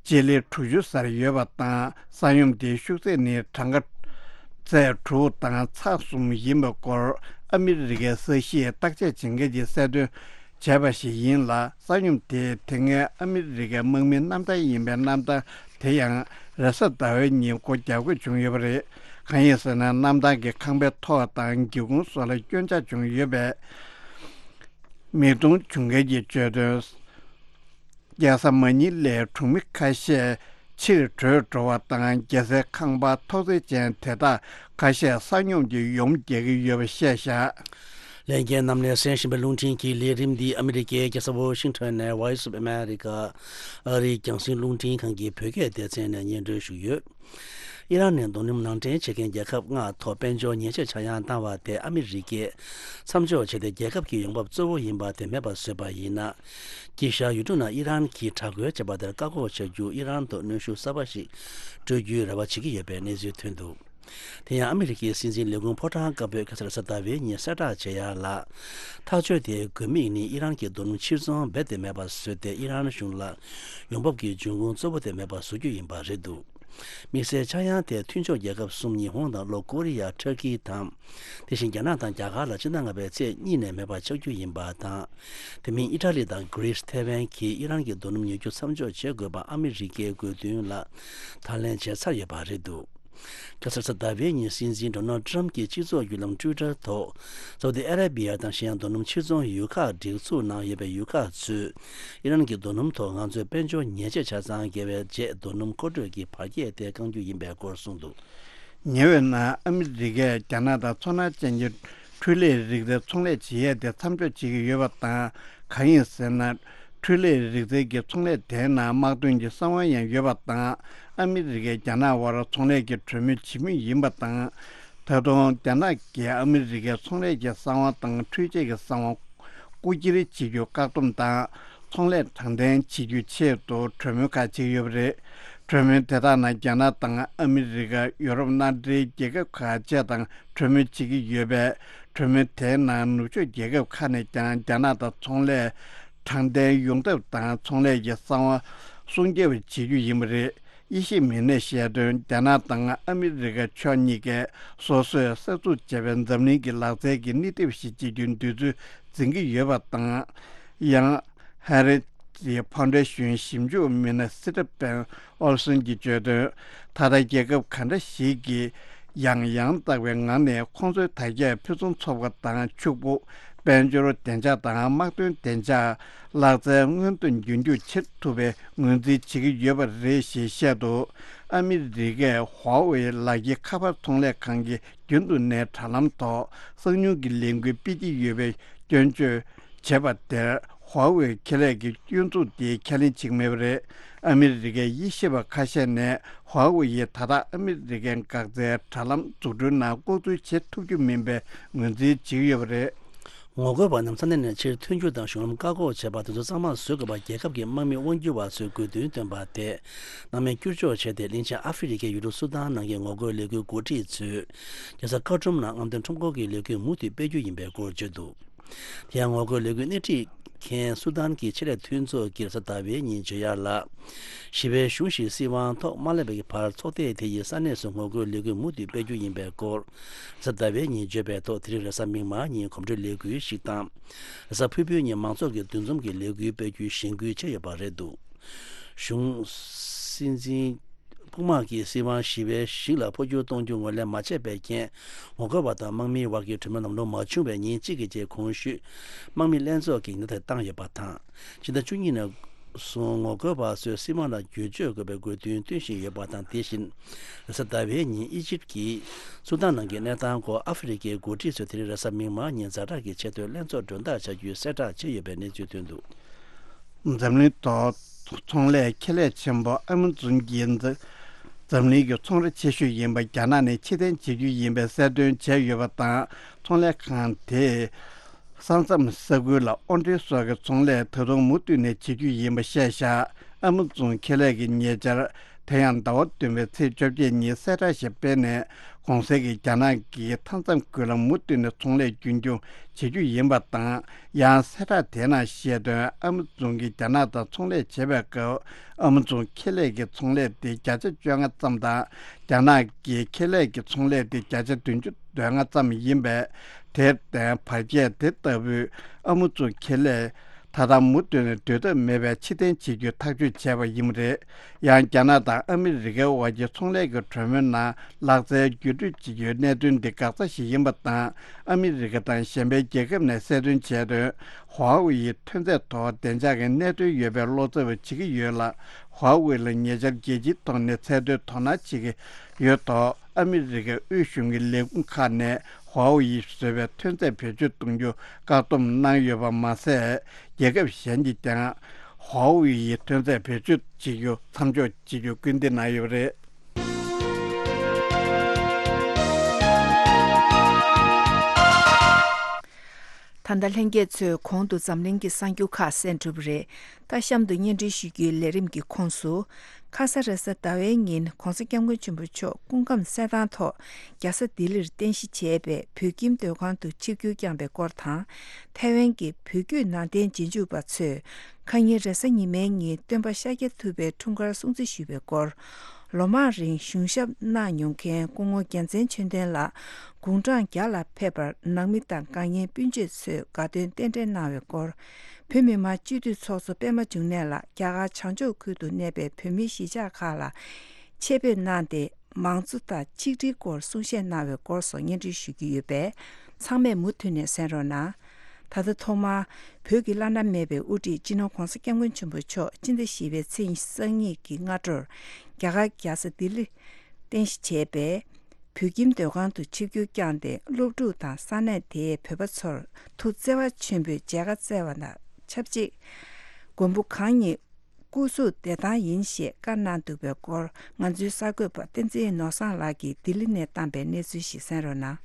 སྤྱི་ལེ་དྲུག་ཅུ་སར་ཡོད་པ་དང་། ས་སྙོམས་དེའི་ཤུགས་ཚད་ནི་གྲངས་ཀ་ཚད་དྲུག་དང་ཚེག་གསུམ་ཡིན་པའི་སྐོར་ཨ་མི་རི་ཀའི་ས་གཞིས་བརྟག་དཔྱད་བྱེད་མཁན་གྱིས་གསལ་སྟོན་བྱས་པ་ཞིག་ཡིན་ལ། ས་སྙོམས་དེས་དེ་སྔའི་ཨ་མི་རི་ཀའི་དམག་མིའི་གནམ་ཐང་ཡིན་པའི་གནམ་ཐང་དེ་ཡང་རེས་གཟའ་ཟླ་བའི་ཉིན་སྒོ་རྒྱག་དགོས་བྱུང་ཡོད་པ་རེད། གང་ཡིན་ཟེར་ན། གནམ་ཐང་གི་ཁང་པའི་ཐོག་དང་སྒེའུ་ཁུང་སོགས་ལ་སྐྱོན་ཆག་བྱུང་ཡོད་པས། མིག་མཐོང་བྱུང་མཁན་གྱིས་བརྗོད་དོན། རྒྱལ་ས་མ་ཉི་ལའི་གྲོང་མི་ཁ་ཤས་ཕྱིར་བྲོས་འགྲོ་བ་དང་། རྒྱལ་སའི་ཁང་པ་ཐོག་རྫས་ཅན་དེ་དག་ཁ་ཤས་ས་སྙོམས་ཀྱིས་ཡོངས་རྒྱག་གི་ཡོད་པ་བཤད་བཞག་ལྷན་རྒྱས་རྣམས་ལ་གསན་བཞིན་པའི་རླུང་འཕྲིན་གྱི་ལས་རིམ་འདི་ཨ་མི་རི་ཀའི་རྒྱལ་ས་ཝོ་ཤིང་ཊོན་ནས་Voice of America ཨ་རིའི་རྒྱང་སྲིང་རླུང་འཕྲིན་ཁང་གི་བོད་སྐད་སྡེ་ཚན་ནས་སྙན་སྒྲོན་ཞུས་ཡོད། ཨི་རན་ནས་རྡོ་སྣུམ་ནང་འདྲེན་བྱེད་མཁན་རྒྱལ་ཁབ་ལྔ་ཐོག་དཔལ་འབྱོར་ཉེས་ཆད་ཆག་ཡང་བཏང་བ་དེ་ཨ་མི་རི་ཀས་མཚམས་འཇོག་བྱས་ཏེ། རྒྱལ་ཁབ་ཀྱི་ཡོང་འབབ་གཙོ་བོ་ཡིན་པ་དེ་མེད་པར་བཟོས་པ་ཡིན་ན། དཀྱིལ་ཤར་ཡུལ་གྲུ་ནང་ཨི་རན་གྱིས་དྲག་རྒོལ་བྱས་པ་དེར་བཀག་འགོག་བྱ་རྒྱུར་ཨི་རན་དུ་གནོན་ཤུགས་གསར་པ་ཞིག་སྤྲོད་རྒྱུའི་རེ་བ་བྱེད་ཀྱི་ཡོད་པའི་གནས་ཚུལ་ཐོན་འདུག་དེ་ཡང་ཨ་མི་རི་ཀའི་སྲིད་འཛིན་ལས་ཁུངས་ཕོ་བྲང་དཀར་པོས་ཁ་སང་རེས་གཟའ་ཟླ་བའི་ཉིན་གསལ་བསྒྲགས་བྱས་ཡ་ལ། ཐག་གཅོད་དེའི་དགོས་དམིགས་ནི་ཨི་རན་གྱི་རྡོ་སྣུམ་ཕྱིར་ཚོང་རྦད་དེ་མེད་པར་བཟོས་ཏེ། ཨི་རན་གཞུང་ལ་ཡོང་འབབ་ཀྱི་འབྱུང་ཁུངས་གཙོ་བོ་དེ་མེད་པར་བཟོ་རྒྱུ་ཡིན་པ་རེད་འདུག་དམིགས་བསལ་ཆག་ཡང་དེ་མཐུན་ཕྱོགས་རྒྱལ་ཁབ་གསུམ། ཉི་ཧོང་དང་ལྷོ་ཀོ་རི་ཡ། ཊར་ཀི་དང་། དེ་བཞིན་རྒྱ་ནག་དང་རྒྱ་གར་ལ་སྤྱི་ཟླ་ལྔ་པའི་ཚེས་གཉིས་ནས་མེད་པ་ཆགས་རྒྱུ་ཡིན་པ་དང་། དེ་མིན་ཨི་ཊ་ལི་དང་གྷི་རིས། ཐའེ་ཝན་གྱིས་ཨི་རན་གྱི་རྡོ་སྣུམ་ཉོ་རྒྱུ་མཚམས་འཇོག་བྱེད་དགོས་པ་ཨ་མི་རི་ཀའི་དགོས་འདུན་ལ་དང་ལེན་བྱས་ཚར་ཡོད་པ་རེད་འདུག་ཁ་སང་རེས་གཟའ་ཟླ་བའི་ཉིན་སྲིད་འཛིན་ཌོ་ནལ་ཊམ་གྱིས་སྤྱི་ཚོགས་བརྒྱུད་ལམ་ཊུའི་ཊར་ཐོག་ས་ཨུ་ཏི་ཨ་ར་བི་ཡ་དང་གཞན་རྡོ་སྣུམ་ཕྱིར་ཚོང་ཡུལ་ཁག་སྒྲིག་འཛུགས་ནང་ཡོད་པའི་ཡུལ་ཁག་ཚོས་ཨི་རན་གྱི་རྡོ་སྣུམ་ཐོག་ང་ཚོས་དཔལ་འབྱོར་ཉེས་ཆད་ཆ་ཚང་བཀལ་བའི་རྗེས་རྡོ་སྣུམ་མཁོ་སྤྲོད་ཀྱི་བར་ཁྱད་དེ་བསྐང་རྒྱུ་ཡིན་པའི་སྐོར་གསུངས་འདུག་ཉེ་བའི་ནང་ཨ་མི་རི་ཀས་རྒྱ་ནག་དང་མཚོ་སྣ་ཅན་གྱི་འཕྲུལ་ལས་རིག་རྩལ་ཚོང་ལས་བྱེད་ཡས་དེ་མཚམས་འཇོག་བྱེད་ཀྱི་ཡོད་པ་དང་། གང་ཡིན་ཟེར་ན། འཕྲུལ་ལས་རིག་རྩལ་གྱི་ཚོང་ལས་དེའི་ནང་དམག་དོན་གྱི་གསང་བ་ཡང་ཡོད་པ་དང་། ཨ་མི་རི་ཀས་རྒྱ་ནག་དབར་ཚོང་ལས་ཀྱི་གྲོས་མོལ་བྱེད་མུས་ཡིན་པ་དང་། ད་དུང་རྒྱ་ནག་གིས་ཨ་མི་རི་ཀའི་ཚོང་ལས་ཀྱི་གསང་བ་དང་འཕྲུལ་ཆས་ཀྱི་གསང་བ་རྐུ་འཁྱེར་བྱེད་རྒྱུ་བཀག་སྡོམ་དང་། ཚོང་ལས་དྲང་བདེན་བྱེད་རྒྱུའི་ཆེད་དུ་གྲོས་མོལ་ཁག་བྱེད་ཀྱི་ཡོད་པ་རེད། གྲོས་མོལ་དེ་དག་ནང་རྒྱ་ནག་དང་ཨ་མི་རི་ཀ། ཡོ་རོབ་མནའ་འབྲེལ་རྒྱལ་ཁབ་ཁག་བཅས་དང་གྲོས་མོལ་བྱེད་ཀྱི་ཡོད་པས། གྲོས་མོལ་དེའི་ནང་ནུབ་ཕྱོགས་རྒྱལ་ཁབ་ཁག་ནས་ཀྱང་རྒྱ་ནག་དང་ཚོང་ལས་དྲང་བདེན་ཡོང་ཐབས་དང་། ཚོང་ལས་ཀྱི་གསང་བ་སྲུང་སྐྱོབ་བྱེད་རྒྱུ་ཡིན་པ་རེད། དབྱེ་ཞིབ་མི་སྣས་བཤད་དོན། རྒྱ་ནག་དང་ཨ་མི་རི་ཀ་ཕྱོགས་གཉིས་ཀས་སོ་སོས་གསར་འཛུགས་བྱས་པའི་འཛམ་གླིང་གི་ལག་རྩལ་གྱི་སྣེ་ཁྲིད་ཞིག་བྱེད་རྒྱུའི་འདོད་ཚུལ་འཛིན་གྱི་ཡོད་པ་དང་། ཡང་ཧེ་རི་ ཊི་ཕའུན་ཌེ་ཤན་ཞིབ་འཇུག་མི་སྣ་སི་ཊི་ཕན་ཨོལ་སོན་གྱིས་བརྗོད་དོན། ད་ལྟ་རྒྱལ་ཁབ་ག་འདྲ་ཞིག་གིས་ཡང་ཡང་དག་པའི་ངང་ནས་ཁོང་ཚོའི་དར་རྒྱས་ཕུན་སུམ་ཚོགས་པ་དང་ཕྱུག་པོ། དཔལ་འབྱོར་བདེ་འཇགས་དང་དམག་དོན་བདེ་འཇགས། ལག་རྩལ་སྔོན་དུ་རྒྱུན་འཁྱོངས་བྱེད་ཐུབ་པའི་ངོས་འཛིན་བྱེད་ཀྱི་ཡོད་པ་རེད་ཞེས་བཤད་འདུག་ཨ་མི་རི་ཀས་ཧྭ་ཝེ་ལག་འཁྱེར་ཁ་པར་ཚོང་ལས་ཁང་གི་རྒྱུན་དུ་ནས་དྲ་ལམ་ཐོག་གསང་མྱུལ་གྱི་ལས་འགུལ་སྤེལ་གྱི་ཡོད་པའི་སྐྱོན་བརྗོད་བྱས་པ་དེར། ཧྭ་ཝེ་ཁེ་ལས་ཀྱི་སྐྱོན་འཛུགས་དེ་ཁས་ལེན་བྱེད་ཀྱི་མེད་པ་རེད། ཨ་མི་རི་ཀའི་དབྱེ་ཞིབ་པ་ཁ་ཤས་ནས་ཧྭ་ཝེ་ཡིས་ད་ལྟ་ཨ་མི་རི་ཀའི་འགག་རྩའི་དྲ་ལམ་འཛུགས་སྐྲུན་ནང་ལྐོག་འཛུལ་བྱེད་ཐུབ་རྒྱུ་མིན་པའི་ངོས་འཛིན་བྱེད་ཀྱི་ཡོད་པ་རེད། ངོ་རྒོལ་བ་རྣམས་ས་གནས་ནས་ཕྱིར་ཐོན་རྒྱུ་དང་གཞུང་ལམ་བཀག་འགོག་བྱས་པ་དེ་ཚོ་གཙང་མ་བཟོ་དགོས་པ་རྒྱལ་ཁབ་ཀྱི་དམག་མི་དབང་སྒྱུར་བ་ཚོས་དགོས་འདུན་བཏོན་པ་དེ་སྣང་མེད་བསྐྱུར་བཅོས་བྱས་ཏེ། གླིང་ཆེན་ཨ་ཧྥེ་རི་ཁའི་ཡུལ་གྲུ་སུ་དཱན་ནང་གི་ངོ་རྒོལ་ལས་འགུལ་འགོ་ཁྲིད་ཚོས་རྒྱལ་ས་ཁར་ཊུམ་ནང་རྔམ་སྟོན་ཁྲོམ་སྐོར་གྱི་ལས་འགུལ་མུ་མཐུད་སྤེལ་རྒྱུ་ཡིན་པའི་སྐོར་བརྗོད་འདུག་དེ་ཡང་ངོ་རྒོལ་ལས་འགུལ་སྣེ་ཁྲིད་མཁན་སུ་དཱན་གྱི་ཆེད་ལས་མཐུན་ཚོགས་ཀྱིས་རེས་གཟའ་ཟླ་བའི་ཉིན་བརྗོད་ཡག་ལ། ཞི་བའི་གཞུང་ཞིག་སྲིད་དབང་ཐོག་མ་སླེབས་པའི་བར་ཚོགས་སྡེ་དེ་ཡིས་ས་གནས་སུ་ངོ་རྒོལ་ལས་འགུལ་མུ་མཐུད་སྤེལ་རྒྱུ་ཡིན་པའི་སྐོར། རེས་གཟའ་ཟླ་བའི་ཉིན་བརྗོད་པའི་ཐོག་དེ་རིང་རེས་གཟའ་མིག་དམར་ཉིན་གོམ་བགྲོད་ལས་འགུལ་ཞིག་དང་། རེས་གཟའ་ཕུར་བུའི་ཉིན་མང་ཚོགས་ཀྱི་འདུ་འཛོམས་ཀྱི་ལས་འགུལ་སྤེལ་རྒྱུའི་གཞེན་སྐུལ་བྱས་ཡོད་པ་རེད་འདུག་གཞུང་སྲིད་འཛིན། དཔུང་དམག་གིས་སྲིད་དབང་ཞི་བའི་ཞིང་ལ་འཕོ་འགྱུར་གཏོང་རྒྱུ་ངོས་ལེན་མ་བྱས་པའི་རྐྱེན། ངོ་རྒོལ་བ་དང་དམག་མིའི་དབར་གྱི་གྲོས་མོལ་ལམ་ལྷོང་མ་བྱུང་བའི་ཉིན་གཅིག་གི་རྗེས། གོང་ཞུས་དམག་མི་ལྷན་ཚོགས་ཀྱིས་ཉེན་བརྡ་བཏང་ཡོད་པ་དང་། ཕྱི་ཟླ་བཅུ་གཉིས་ནས་བཟུང་ངོ་རྒོལ་བ་ཚོས་སྲིད་དབང་ལ་བསྒྱུར་བཅོས་དགོས་པའི་དགོས་འདུན་བཏོན་བཞིན་ཡོད་པ་དང་། དེ་བཞིན་རེས་གཟའ་ཟླ་བའི་ཉིན་ཨི་ཇིབ་ཀྱིས་སུ་དཱན་ནང་གི་གནས་སྟངས་སྐོར་ཨ་ཧྥེ་རི་ཁའི་འགོ་ཁྲིད་ཚོས་དེ་རིང་རེས་གཟའ་མིག་དམར་ཉིན་ཛ་དྲག་གི་ཆེས་མཐོའི་ལྷན་ཚོགས་མགྲོན་བདག་བྱ་རྒྱུའི་གསལ་བསྒྲགས་བྱས་ཡོད་པའི་གནས་ཚུལ་ཐོན་འདུག་འཛམ་གླིང་ཐོག་ཚོང་ལས་ཁེ་ལས་ཆེན་པོ་ཨ་མ་ཛོན་གྱིས་འཛམ་གླིང་གི་ཚོང་ར་ཆེ་ཤོས་ཡིན་པ་རྒྱ་ནག་ནས་ཕྱིར་འཐེན་བྱེད་རྒྱུ་ཡིན་པའི་གསལ་སྟོན་བྱས་ཡོད་པ་དང་། ཚོང་ལས་ཁང་དེས་ས་མཚམས་ས་ཁུལ་ལ་དབོར་འདྲེན་སོགས་ཀྱི་ཚོང་ལས་ད་དུང་མུ་མཐུད་ནས་བྱེད་རྒྱུ་ཡིན་པ་བཤད་བཞག་ཨ་མ་ཛོན་ཁེ་ལས་ཀྱི་ཉེ་ཆར། དེ་ཡང་ཟླ་བ་བདུན་པའི་ཚེས་བཅོ་བརྒྱད་ཉིན་གསལ་བསྒྲགས་ཤིག་སྤེལ་ནས། གོང་གསལ་གྱི་རྒྱ་ནག་གི་མཐའ་མཚམས་ཁུལ་ལ་མུ་མཐུད་ནས་ཚོང་ལས་རྒྱུན་འཁྱོངས་བྱེད་རྒྱུ་ཡིན་པ་དང་། ཡང་གསལ་བསྒྲགས་དེའི་ནང་བཤད་དོན། ཨ་མ་ཛོན་གྱིས་རྒྱ་ནག་དང་ཚོང་ལས་བྱེད་པའི་སྐབས། ཨ་མ་ཛོན་ཁེ་ལས་ཀྱི་ཚོང་ལས་དེ་བརྒྱ་ཆ་བཅོ་ལྔ་ཙམ་དང་། རྒྱ་ནག་གི་ཁེ་ལས་ཀྱི་ཚོང་ལས་དེ་བརྒྱ་ཆ་བདུན་ཅུ་དོན་ལྔ་ཙམ་ཡིན་པས། དེར་བརྟེན་བར་ཁྱད་དེ་ལྟ་བུའི་ཨ་མ་ཛོན་ཁེ་ལས། ད་ལྟ་མུ་མཐུད་ནས་སྡོད་ཐབས་མེད་པའི་ཕྱིར་འཐེན་བྱེད་རྒྱུའི་ཐག་གཅོད་བྱས་པ་ཡིན་པ་རེད། ཡང་རྒྱ་ནག་དང་ཨ་མི་རི་ཀའི་དབར་གྱི་ཚོང་ལས་ཀྱི་གྲོས་མོལ་ནང་ལག་རྩལ་བརྒྱུད་སྤྲོད་བྱེད་རྒྱུའི་གནད་དོན་འདི་འགག་རྩ་ཞིག་ཡིན་པ་དང་། ཨ་མི་རི་ཀ་དང་གཞན་པའི་རྒྱལ་ཁབ་ནས་གསལ་སྟོན་བྱས་དོན། ཧྭ་ཝེ་ཡི་ཐོན་རྫས་ཐོག་བདེ་འཇགས་ཀྱི་གནད་དོན་ཡོད་པའི་བློ་འཚབ་བྱེད་ཀྱི་ཡོད་ལ། ཧྭ་ཝེ་ལ་ཉེ་ཆར་རྒྱལ་སྤྱིའི་ཐོག་ནས་ཚད་མཐོའི་དོ་སྣང་བྱེད་ཀྱི་ཡོད་ཐོག་ཨ་མི་རི་ཀའི་དབུས་གཞུང་གི་ལས་ཁུངས་ཁག་ནས་ཧྭ་ཝེ་ཡིས་བཟོས་པའི་ཐོན་རྫས་བེད་སྤྱོད་གཏོང་རྒྱུ་བཀག་སྡོམ་གནང་ཡོད་པ་མ་ཟད། རྒྱལ་ཁབ་གཞན་གྱིས་ཀྱང་ཧྭ་ཝེ་ཡི་ཐོན་རྫས་བེད་སྤྱོད་བྱེད་རྒྱུ་མཚམས་འཇོག་བྱེད་རྒྱུ་སྐུལ་འདེད་གནང་ཡོད་པ་རེད། ད་ལྟ་ལྷན་རྒྱས་ཚོས་གོང་དུ་འཛམ་གླིང་གི་གསར་འགྱུར་ཁག་གསན་གྲུབ་པ་རེད། ད་གཤམ་དུ་སྙན་སྒྲོན་ཞུ་རྒྱུའི་ལས་རིམ་གྱི་ཁོངས་སུ། ཁ་ས་རེས་གཟའ་ཟླ་བའི་ཉིན་༧གོང་ས་༧སྐྱབས་མགོན་ཆེན་པོ་མཆོག་སྐུ་ཁམས་གསལ་ཐང་ཐོག་རྒྱལ་ས་ལྡི་ལིར་རྟེན་གཞི་བྱས་པའི་བོད་ཁྱིམ་སྡོད་ཁང་དུ་ཆིབས་བསྒྱུར་བསྐྱངས་པའི་སྐོར་དང་། ཐའེ་ཝན་གྱི་བོད་བརྒྱུད་ནང་བསྟན་རྗེས་འཇུག་པ་ཚོས་ཁ་ཉིན་རེས་གཟའ་ཉི་མའི་ཉིན་སྟོན་པ་ཤཱཀྱ་ཐུབ་པའི་འཁྲུངས་སྐར་སྲུང་བརྩི་ཞུས་པའི་སྐོར། ལོ་མང་རིང་གཞུང་ཞབས་གནང་མྱོང་མཁན་སྐུ་ངོ་རྒྱལ་མཚན་ཆོས་ལྡན་ལགས་དགུང་གྲངས་བརྒྱ་ལ་ཕེབས་པར་ནང་མི་དང་དགའ་ཉེ་སྤུན་མཆེད་ཚོས་དགའ་སྟོན་རྟེན་འབྲེལ་གནང་བའི་སྐོར། བོད་མི་མང་སྤྱི་འཐུས་ཚོགས་གཙོ་པད་མ་འབྱུང་གནས་ལགས་རྒྱ་གར་བྱང་ཕྱོགས་ཁུལ་དུ་གནས་པའི་བོད་མིའི་གཞིས་ཆགས་ཁག་ལ་ཆེད་ཕེབས་གནང་སྟེ། མང་གཙོ་དང་ཆིག་སྒྲིལ་སྐོར་གསུང་བཤད་གནང་བའི་སྐོར་སོགས་སྙན་སྒྲོན་ཞུ་རྒྱུ་ཡོད་པས། ཚང་མས་མུ་མཐུད་ནས་གསན་རོགས་གནང་། ད་ལྟ་ཐོག་མར་བོད་ཀྱི་བླ་ན་མེད་པའི་དབུ་ཁྲིད་སྤྱི་ནོར་༧གོང་ས་༧སྐྱབས་མགོན་ཆེན་པོ་མཆོག་སྤྱི་ཟླ་བཞི་པའི་ཚེས་ཉི་ཤུ་རྩ་གཉིས་ཀྱི་སྔ་དྲོར་རྒྱ་གར་རྒྱལ་ས་ལྡི་ལི་རྟེན་གཞི་བྱས་པའི་བོད་ཁྱིམ་སྡོད་ཁང་དུ་ཆིབས་བསྒྱུར་བསྐྱངས་ཏེ། སློབ་ཕྲུག་དང་ས་གནས་དེའི་བོད་པ་ཚོར་ཐུགས་བརྩེ་བ་ཆེན་པོས་མཇལ་ཁ་བསྩལ་བ་དང་ཆབས་ཅིག་མགོན་པོ་གང་ཉིད་སྐུ་གཟུགས་བདེ་ཐང་ཡིན་ཞེས་བཀའ་གནང་འདུག་པའི་སྐོར། ང་ཚོའི་གསར་འགོད་པ་བསྟན་འཛིན་ནོར་བཟང་ལགས་ཀྱིས་ལྡི་ལི་ནས་བཏང་པའི་གནས་ཚུལ་ཞིག་གསན་རོགས་གནང་།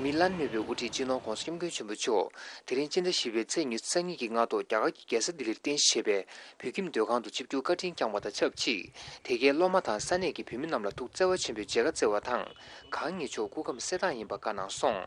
བོད་མིའི་བླ་ན་མེད་པའི་དབུ་ཁྲིད་སྤྱི་ནོར་༧གོང་ས་༧སྐྱབས་མགོན་ཆེན་པོ་མཆོག་དེ་རིང་སྤྱི་ཟླ་བཞི་པའི་ཚེས་ཉི་ཤུ་རྩ་གཉིས་ཀྱི་སྔ་དྲོ་རྒྱ་གར་གྱི་རྒྱལ་ས་ལྡི་ལིར་རྟེན་གཞི་བྱས་པའི་བོད་ཁྱིམ་སྡོད་ཁང་དུ་ཆིབས་བསྒྱུར་བཀའ་དྲིན་བསྐྱངས་པ་དང་ཆབས་ཅིག་དེ་གའི་སློབ་མ་དང་ས་གནས་ཀྱི་བོད་མི་རྣམས་ལ་ཐུགས་བརྩེ་བ་ཆེན་པོས་མཇལ་ཁ་བསྩལ་བ་དང་། གང་ཉིད་མཆོག་སྐུ་ཁམས་གསལ་ཐང་ཡིན་པ་བཀའ་གནང་སོང་།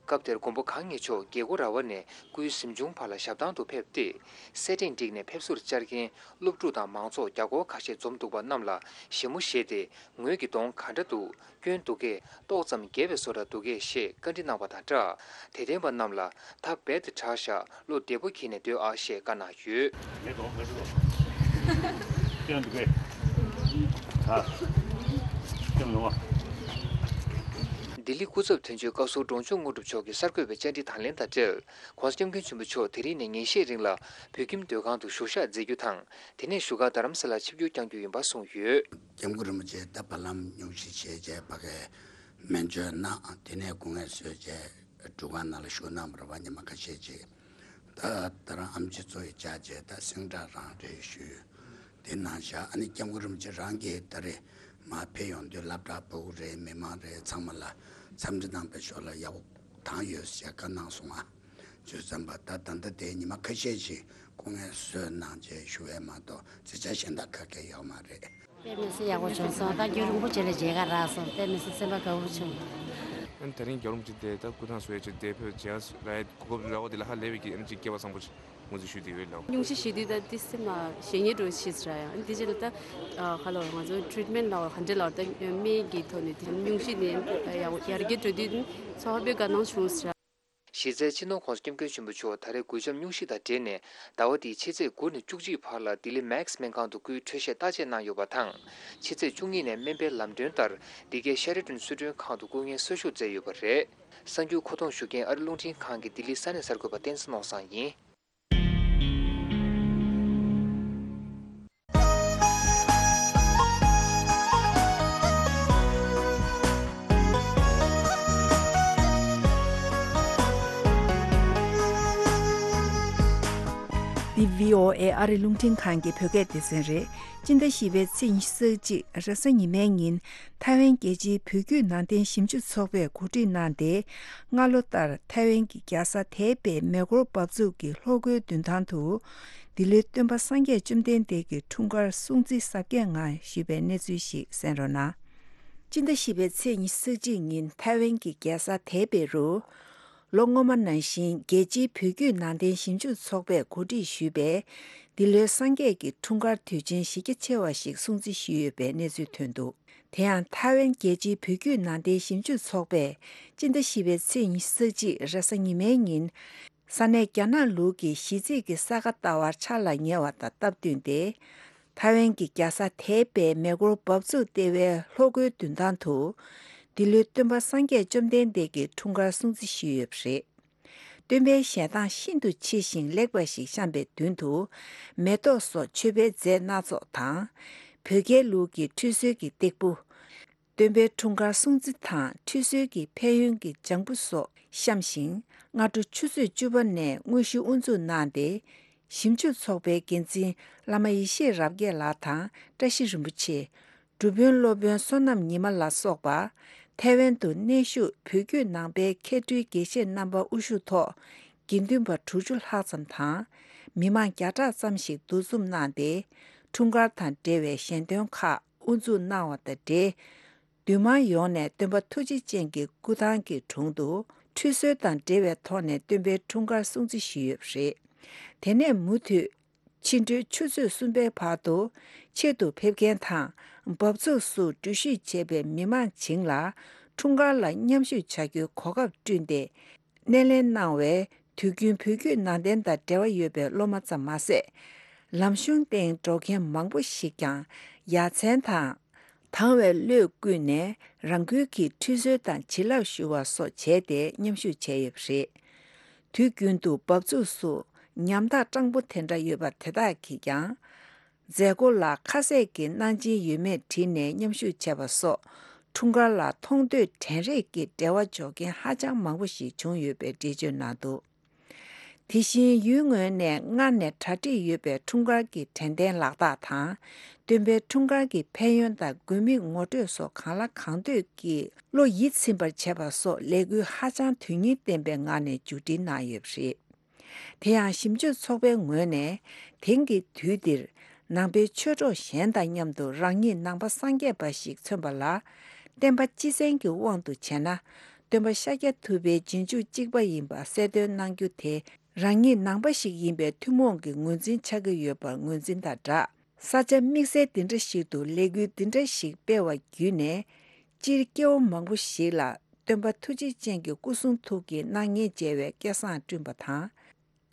སྐབས་དེར་མགོན་པོ་གང་ཉིད་མཆོག་རྒྱལ་སྒོ་ར་བ་ནས་སྐུའི་གཟིམ་ཆུང་བར་ལ་ཞབས་ཐང་དུ་ཕེབས་ཏེ། སེར་ཕྲེང་བསྒྲིགས་ནས་ཕེབས་བསུར་བཅར་མཁན་སློབ་ཕྲུག་དང་མང་ཚོགས་བརྒྱ་སྐོར་ཁ་ཤས་འཛོམས་འདུག་པ་རྣམས་ལ་ཞལ་མོ་བཞེས་ཏེ། ངོས་ཀྱི་གདོང་ག་འདྲ་འདུག་སྐྱོན་འདུག་གས། ཏོག་ཙམ་རྒྱས་པའི་བཟོ་འདྲ་འདུག་གས་ཞེས་བཀའ་འདྲི་གནང་བ་དང་སྦྲགས། དད་ལྡན་པ་རྣམས་ལ་ད་རྦད་དེ་དྲག་ཤག་བློ་བདེ་པོ་གྱིས་ནས་སྡོད་ཨ་ཞེས་བཀའ་གནང་ཡོད། ངའི་གདོང་ག་འདྲ་འདུག་སྐྱོན་འདུག་གས། ད་སྐྱོན་མི་འོང་། ལྡི་ལི་སྐུ་ཚབ་དོན་གཅོད་བཀའ་ཟུར་འབྲོང་ཆུང་དངོས་གྲུབ་མཆོག་གིས་གསར་འགོད་པའི་བཅར་འདྲི་དང་ལེན་དང་འབྲེལ། ྋགོང་ས་ྋསྐྱབས་མགོན་ཆེན་པོ་མཆོག་དེ་རིང་ནས་ཉིན་ཤས་རིང་ལ་བོད་ཁྱིམ་སྡོད་ཁང་དུ་བཞུགས་ཞག་མཛད་རྒྱུ་དང་། དེ་ནས་བཞུགས་སྒར་རྡ་རམ་ས་ལར་ཆིབས་བསྒྱུར་བསྐྱང་རྒྱུ་ཡིན་པ་གསུངས་ཡོད། སྐྱབས་མགོན་རིན་པོ་ཆེ་ད་བར་ལམ་སྙུང་གཞི་བྱས་རྗེས་ཕ་གིར་སྨན་བཅོས་གནང་། དེ་ནས་སྐུ་ངལ་གསོས་རྗེས་སྒྲུབ་ཁང་ནང་ལ་བཞུགས་གནང་བ་རེད་པ། ཉི་མ་ཁ་ཤས་ཅིག་ད་ད་རང་ཨེམ་ཆི་ཚོ་ཡི་བཅར་རྗེས་ད་སེང་བྲག་རང་རེད་ཞུས། དེ་གནང་བཞག་ཨ་ནི་སྐྱབས་མགོན་རིན་པོ་ཆེ་རང་གིས་ད་རེས་མར་ཕེབས་ཡོང་དུས་སློབ་གྲྭ་ཕྲུ་གུ་རེད། མི་མང་རེད། ཚང་མ་ལ་འཚམས་འདྲི་གནང་བའི་ཞོར་ལ་ཡག་པོ་བཏང་ཡོད་ཟེར་བཀའ་གནང་སོང་ང་། བྱས་ཙང་པ་ད་ད་ལྟ་དེ་ཉི་མ་ཁ་ཤས་ཤིག་སྐུ་ངལ་གསོས་གནང་བྱས་བཞུགས་པ་མ་གཏོགས་རྩིས་ཆ་གཞན་དག་ག་གེ་ཡོད་མ་རེད། དཔེ་མི་སྲིད་ཡག་པོ་བྱུང་སོང་། ད་རྒྱུན་རིང་པོ་བྱས་ལ་མཇལ་ཁ་རག་སོང་། དཔེ་མི་སྲིད་སེམས་པ་དགའ་པོ་བྱུང་། ཨ་ནི་དེ་རིང་རྒྱལ་བ་རིན་པོ་ཆེ་དེ་ད་སྐུ་ཐང་བཟོ་ཡས་ཆེད་དེ་ཕེབས་བྱས་ལ་གོ་སྐབས་རག་པ་དེ་ལ་ཧ་ལས་པའི་གི་ཨ་ནི་ཅིག་སྐལ་བ་བཟང་པོ་ཞིག་ངོས་འཛིན་ཞུས་བསྡད་ཡོད་ལགས། སྙུང་གཞི་བཞེས་དུས་ད་དེ་སེམས་ལ་ཞེ་སྙིང་འདྲ་བོ་ཞིག་རག་ཡང་དེ་རྗེས་ལ་ད་ཨ་ཧ་ལོ་ང་ཚོ་ཊི་རི་ཊི་མེན་ཊི་ལ་ག་འདྲ་ལ་ད་སྨན་གྱི་ཐོག་ནས་དེ་སྙུང་གཞི་ནས་ཡར་རྒྱས་འགྲོ་དུས་ཚོར་བའི་དགའ་སྣང་བྱུང་ཟེར། གཞི་རྩའི་སྤྱི་ནོར་ྋགོང་ས་ྋསྐྱབས་མགོན་ཆེན་པོ་མཆོག་ད་རེས་འགུལ་འཇམ་སྙུང་གཞི་དང་འབྲེལ་ནས་ཟླ་བ་འདིའི་ཕྱི་ཚེས་དགུ་ནས་བཅུ་གཅིག་བར་ལ་ལྡི་ལི་མེག་སི་སྨན་ཁང་དུ་སྐུའི་འཕྲོད་བཞེས་བརྟག་དཔྱད་གནང་ཡོད་པ་དང་། ཕྱི་ཚེས་བཅུ་གཉིས་ནས་སྨན་པའི་ལམ་གྲོན་ལྟར་འདི་གའི་ཤ་རི་ཏོན་གསོལ་མགྲོན་ཁང་དུ་སྐུ་ངལ་གསོ་བཞུགས་མཛད་ཡོད་པ་རེད། གསར་འགྱུར་མཁོ་གཏོང་ཞུ་མཁན་ཨ་རི་རླུང་འཕྲིན་ཁང་གི་ལྡི་ལི་ས་གནས་གསར་འགོད་པ་བསྟན་འཛིན་ནོར་བཟང་ཡིན། འདི་བྷི་ཨོ་ཨེ་ཨ་རི་རླུང་འཕྲིན་ཁང་གི་བོད་སྐད་སྡེ་ཚན་རེད། སྤྱི་ཟླ་བཞི་པའི་ཚེས་ཉི་ཤུ་རྩ་གཅིག་རེས་གཟའ་ཉི་མའི་ཉིན། ཐའེ་ཝན་རྒྱལ་སྤྱིའི་བོད་བརྒྱུད་ནང་བསྟན་ཞིབ་འཇུག་ཚོགས་པས་གོ་སྒྲིག་གནང་སྟེ། སྔ་ལོ་ལྟར་ཐའེ་ཝན་གྱི་རྒྱལ་ས་ཐའེ་པེའི་མེ་འཁོར་འབབ་ཚུགས་ཀྱི་ལྷོ་སྒོའི་མདུན་ཐང་དུ། འདི་ལོའི་སྟོན་པ་སངས་རྒྱས་བཅོམ་ལྡན་འདས་ཀྱི་འཁྲུངས་སྐར་སྲུང་བརྩི་གཟབ་རྒྱས་ངང་ཞུས་པའི་གནས་ཚུལ་ཞིག་གསན་རོགས་གནང་། སྤྱི་ཟླ་བཞི་པའི་ཚེས་ཉི་ཤུ་རྩ་གཅིག་ཉིན་ཐའེ་ཝན་གྱི་རྒྱལ་ས་ཐའེ་པེ་རུ། ལོ་སྔོན་མ་ནང་བཞིན་རྒྱལ་སྤྱིའི་བོད་བརྒྱུད་ནང་བསྟན་ཞིབ་འཇུག་ཚོགས་པས་གོ་སྒྲིག་ཞུས་པའི་འདི་ལོའི་སངས་རྒྱས་ཀྱི་འཁྲུངས་སྐར་དུས་ཆེན་གཞི་རྒྱ་ཆེ་བ་ཞིག་སྲུང་བརྩི་ཞུས་ཡོད་པའི་གནས་ཚུལ་ཐོན་འདུག་དེ་ཡང་ཐའེ་ཝན་རྒྱལ་སྤྱིའི་བོད་བརྒྱུད་ནང་བསྟན་ཞིབ་འཇུག་ཚོགས་པས་སྤྱི་ཟླ་བཞི་པའི་ཚེས་ཉི་ཤུ་རྩ་གཅིག་རེས་གཟའ་ཉི་མའི་ཉིན། ས་གནས་རྒྱ་ནག་ལུགས་ཀྱི་གཞིས་རྩིས་ཀྱི་ས་ག་ཟླ་བར་འཆར་ལ་ཉེ་བ་དང་སྟབས་བསྟུན་ཏེ། ཐའེ་ཝན་གྱི་རྒྱལ་ས་ཐའེ་པེའི་མེ་འཁོར་འབབ་ཚུགས་ལྟེ་བའི་ལྷོ་སྒོའི་མདུན་ཐང་དུ། འདི་ལོའི་སྟོན་པ་སངས་རྒྱས་བཅོམ་ལྡན་འདས་ཀྱི་འཁྲུངས་སྐར་སྲུང་བརྩི་ཞུས་ཡོད་པ་རེད། སྟོན་པའི་ཞལ་ཐང་ཤིན་ཏུ་ཆེ་ཞིང་ལེགས་པ་ཞིག་བཤམས་པའི་མདུན་དུ། མེ་ཏོག་སོགས་མཆོད་པའི་རྫས་སྣ་ཚོགས་དང་། བོད་རྒྱལ་ལུགས་ཀྱི་ཁྲུས་གསོལ་གྱི་སྟེགས་བུ། སྟོན་པའི་འཁྲུངས་སྐར་སྲུང་བརྩི་དང་ཁྲུས་གསོལ་གྱི་ཕན་ཡོན་གྱི་ལྗང་བུ་སོགས་བཤམས་ཤིང་། སྔ་དྲོ་ཆུ་ཚོད་བཅུ་པ་ནས་དངོས་གཞི་དབུ་འཛུགས་གནང་སྟེ། ཞིབ་འཇུག་ཚོགས་པའི་འགན་འཛིན་བླ་མ་ཡེ་ཤེས་རབ་རྒྱས་ལགས་དང་བཀྲ་ཤིས་རིན་པོ་ཆེ། སྒྲུབ་དཔོན་སློབ་དཔོན་བསོད་ནམས་ཉི་མ་ལ་སོགས་པ། ཐའེ་ཝན་དུ་གནས་བཞུགས་བོད་བརྒྱུད་ནང་པའི་མཁས་སྤྲུལ་དགེ་བཤེས་རྣམ་པ་དབུ་བཞུགས་ཐོག་དགེ་འདུན་པ་དྲུག་ཅུ་ལྷག་ཙམ་དང་། མི་མང་བརྒྱ་ཕྲག་ཙམ་ཞིག་འདུ་འཛོམས་གནང་སྟེ། འཁྲུངས་སྐར་དང་འབྲེལ་བའི་ཞལ་འདོན་ཁག་དབུ་འཛུགས་གནང་བ་དང་འབྲེལ། འདུས་མང་ཡོངས་ནས་སྟོན་པ་ཐུགས་རྗེ་ཅན་གྱི་སྐུ་ཐང་གི་དྲུང་དུ་ཁྲུས་གསོལ་དང་འབྲེལ་བའི་ཐོག་ནས་སྟོན་པའི་འཁྲུངས་སྐར་སྲུང་བརྩི་ཞུས་ཡོད་པ་རེད། དེ་ནས་མུ་མཐུད། ཕྱི་དྲོའི་ཆུ་ཚོད་གསུམ་པའི་བར་དུ་ཆེད་དུ་ཕེབས་མཁན་དང་འབབ་ཚུགས་སུ་འགྲུལ་བཞུད་བྱས་པའི་མི་མང་བྱིངས་ལ་འཁྲུངས་སྐར་ལ་མཉམ་ཞུགས་བྱ་རྒྱུའི་གོ་སྐབས་བསྐྲུན་ཏེ། སྣེ་ལེན་གནང་བའི་དུས་རྒྱུན་བོད་བརྒྱུད་ནང་བསྟན་དང་འབྲེལ་བ་ཡོད་པའི་སློབ་མ་ཙམ་མ་ཟད། ལམ་གཞུང་སྟེང་འགྲོ་མཁན་མང་པོ་ཞིག་ཀྱང་ཡ་མཚན་དང་། དྭངས་བའི་བློས་བསྐུལ་ནས་རང་འགུལ་གྱིས་ཁྲུས་གསོལ་དང་བྱིན་རླབས་ཞུ་བ་སོགས་བྱས་ཏེ་མཉམ་ཞུགས་བྱས་ཡོད་པ་རེད། དུས་རྒྱུན་དུ་འབབ་ཚུགས་སུ་ཉམ་ཐག་སྤྲང་པོ་དེ་འདྲ་ཡོད་པ་དེ་དག་གིས་ཀྱང་། མཛད་སྒོ་ལ་ཁ་ཟས་ཀྱི་གནང་སྦྱིན་ཡོད་མེད་དྲིས་ནས་མཉམ་ཞུགས་བྱས་པ་སོགས་འཁྲུངས་སྐར་ལ་མཐོང་ཐོས་དྲན་རེག་གི་འབྲེལ་བ་འཇོག་མཁན་ཧ་ཅང་མང་པོ་ཞིག་བྱུང་ཡོད་པའི་འགྲེལ་བརྗོད་གནང་འདུག་དེ་བཞིན་ཡུལ་ངོས་ནས་སྔར་ནས་གྲ་སྒྲིག་ཡོད་པའི་འཁྲུངས་སྐར་གྱི་དྲན་རྟེན་ལག་རྟགས་དང་། སྟོན་པའི་འཁྲུངས་སྐར་གྱི་ཕན་ཡོན་དང་དགོས་དམིགས་ངོ་སྤྲོད་སོགས་གང་ལ་གང་འདོད་ཀྱིས་བློ་ཡིད་ཚིམ་པར་བྱས་པ་སོགས་ལས་འགུལ་ཧ་ཅང་དོན་སྙིང་ལྡན་པའི་ངང་ནས་མཇུག་སྒྲིལ་གནང་ཡོད་པ་རེད། དེ་ཡང་ཞིབ་འཇུག་ཚོགས་པའི་ངོས་ནས་དེང་གི་དུས་འདིར་ནང་པའི་ཆོས་གྲོགས་གཞན་དང་མཉམ་དུ་རང་ཉིད་ནང་པ་སངས་རྒྱས་པ་ཞིག་མཚོན་པ་ལ། བསྟན་པ་སྤྱི་བཙན་གྱི་དབང་དུ་བྱས་ན། སྟོན་པ་ཤཱཀྱ་ཐུབ་པའི་རྗེས་འཇུག་གཅིག་པ་ཡིན་པ་གསལ་སྟོན་གནང་རྒྱུ་དེ་རང་ཉིད་ནང་པ་ཞིག་ཡིན་པའི་ཐུན་མོང་གི་ངོས་འཛིན་ཆགས་ཀྱི་ཡོད་པར་ངོས་འཛིན་དང་སྦྲགས། ས་ཆ་དམིགས་བསལ་འདི་འདྲ་ཞིག་ཏུ་ལས་འགུལ་འདི་འདྲ་ཞིག་སྤེལ་བ་བརྒྱུད་ནས། སྤྱིར་སྐྱེ་བོ་མང་པོ་ཞིག་ལ་སྟོན་པ་ཐུགས་རྗེ་ཅན་གྱི་སྐུ་གསུང་ཐུགས་ཀྱི་སྣང་བརྙན་མཇལ་བའི་སྐལ་བཟང་བསྐྲུན་པ་དང་།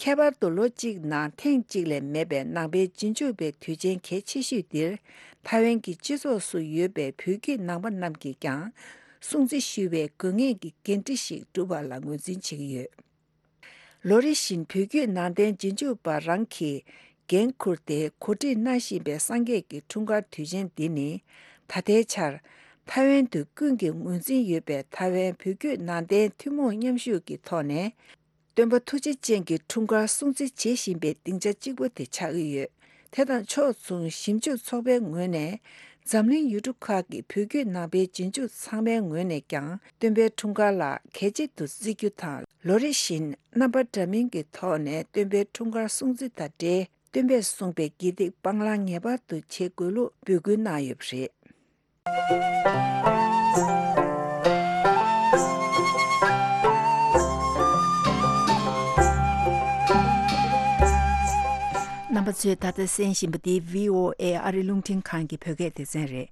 ཁྱད་པར་དུ་ལོ་གཅིག་ནང་ཐེངས་གཅིག་ལས་མེད་པའི་ནང་པའི་རྗེས་འཇུག་པའི་དུས་ཆེན་གལ་ཆེ་ཤོས་འདིར། ཐའེ་ཝན་གྱི་སྤྱི་ཚོགས་སུ་ཡོད་པའི་བོད་བརྒྱུད་ནང་པ་རྣམས་ཀྱིས་ཀྱང་སྲུང་བརྩི་ཞུ་བའི་དགོས་ངེས་ཀྱི་འགན་འཁྲི་ཞིག་བསྒྲུབས་པ་ལ་ངོས་འཛིན་བྱེད་ཀྱི་ཡོད། ལོ་རེ་བཞིན་བོད་བརྒྱུད་ནང་བསྟན་རྗེས་འཇུག་པ་རང་གིས་འགན་འཁུར་ཏེ་གོ་སྒྲིག་གནང་བཞིན་པའི་སངས་རྒྱས་ཀྱི་འཁྲུངས་སྐར་དུས་ཆེན་འདི་ནི། ད་ལྟའི་ཆར་ཐའེ་ཝན་དུ་ཀུན་གྱིས་ངོས་འཛིན་ཡོད་པའི་ཐའེ་ཝན་བོད་བརྒྱུད་ནང་བསྟན་ཐུན་མོང་མཉམ་ཞུགས་ཀྱི་ཐོག་ནས། སྟོན་པ་ཐུགས་རྗེ་ཅན་གྱི་འཁྲུངས་སྐར་སྲུང་བརྩི་བྱེད་བཞིན་པའི་སྡིངས་ཆ་གཅིག་པུ་དེ་ཆགས་ཀྱི་ཡོད། དེ་དང་ཕྱོགས་མཚུངས་ཞིབ་འཇུག་ཚོགས་པའི་ངོས་ནས། འཛམ་གླིང་ཡུལ་གྲུ་ཁག་གི་བོད་བརྒྱུད་ནང་པའི་རྗེས་འཇུག་ཚང་མའི་ངོས་ནས་ཀྱང་སྟོན་པའི་འཁྲུངས་སྐར་ལ་གལ་ཆེན་དུ་བརྩི་རྒྱུ་དང་། ལོ་རེ་བཞིན་རྣམ་པ་འདྲ་མིན་གྱི་ཐོག་ནས་སྟོན་པའི་འཁྲུངས་སྐར་སྲུང་བརྩི་དང་འབྲེལ། སྟོན་པས་གསུངས་པའི་དགེ་སྡིག་སྤང་བླང་ངེས་པར་དུ་བྱེད་དགོས་ལུགས་འབོད་སྐུལ་གནང་ཡོད་པ་རེད། རྣམ་པ་ཚོས་ད་ལྟ་གསན་བཞིན་པ་འདི་བྷི་ཨོ་ཨེ་ཨ་རིའི་རླུང་འཕྲིན་ཁང་གི་བོད་སྐད་སྡེ་ཚན་རེད།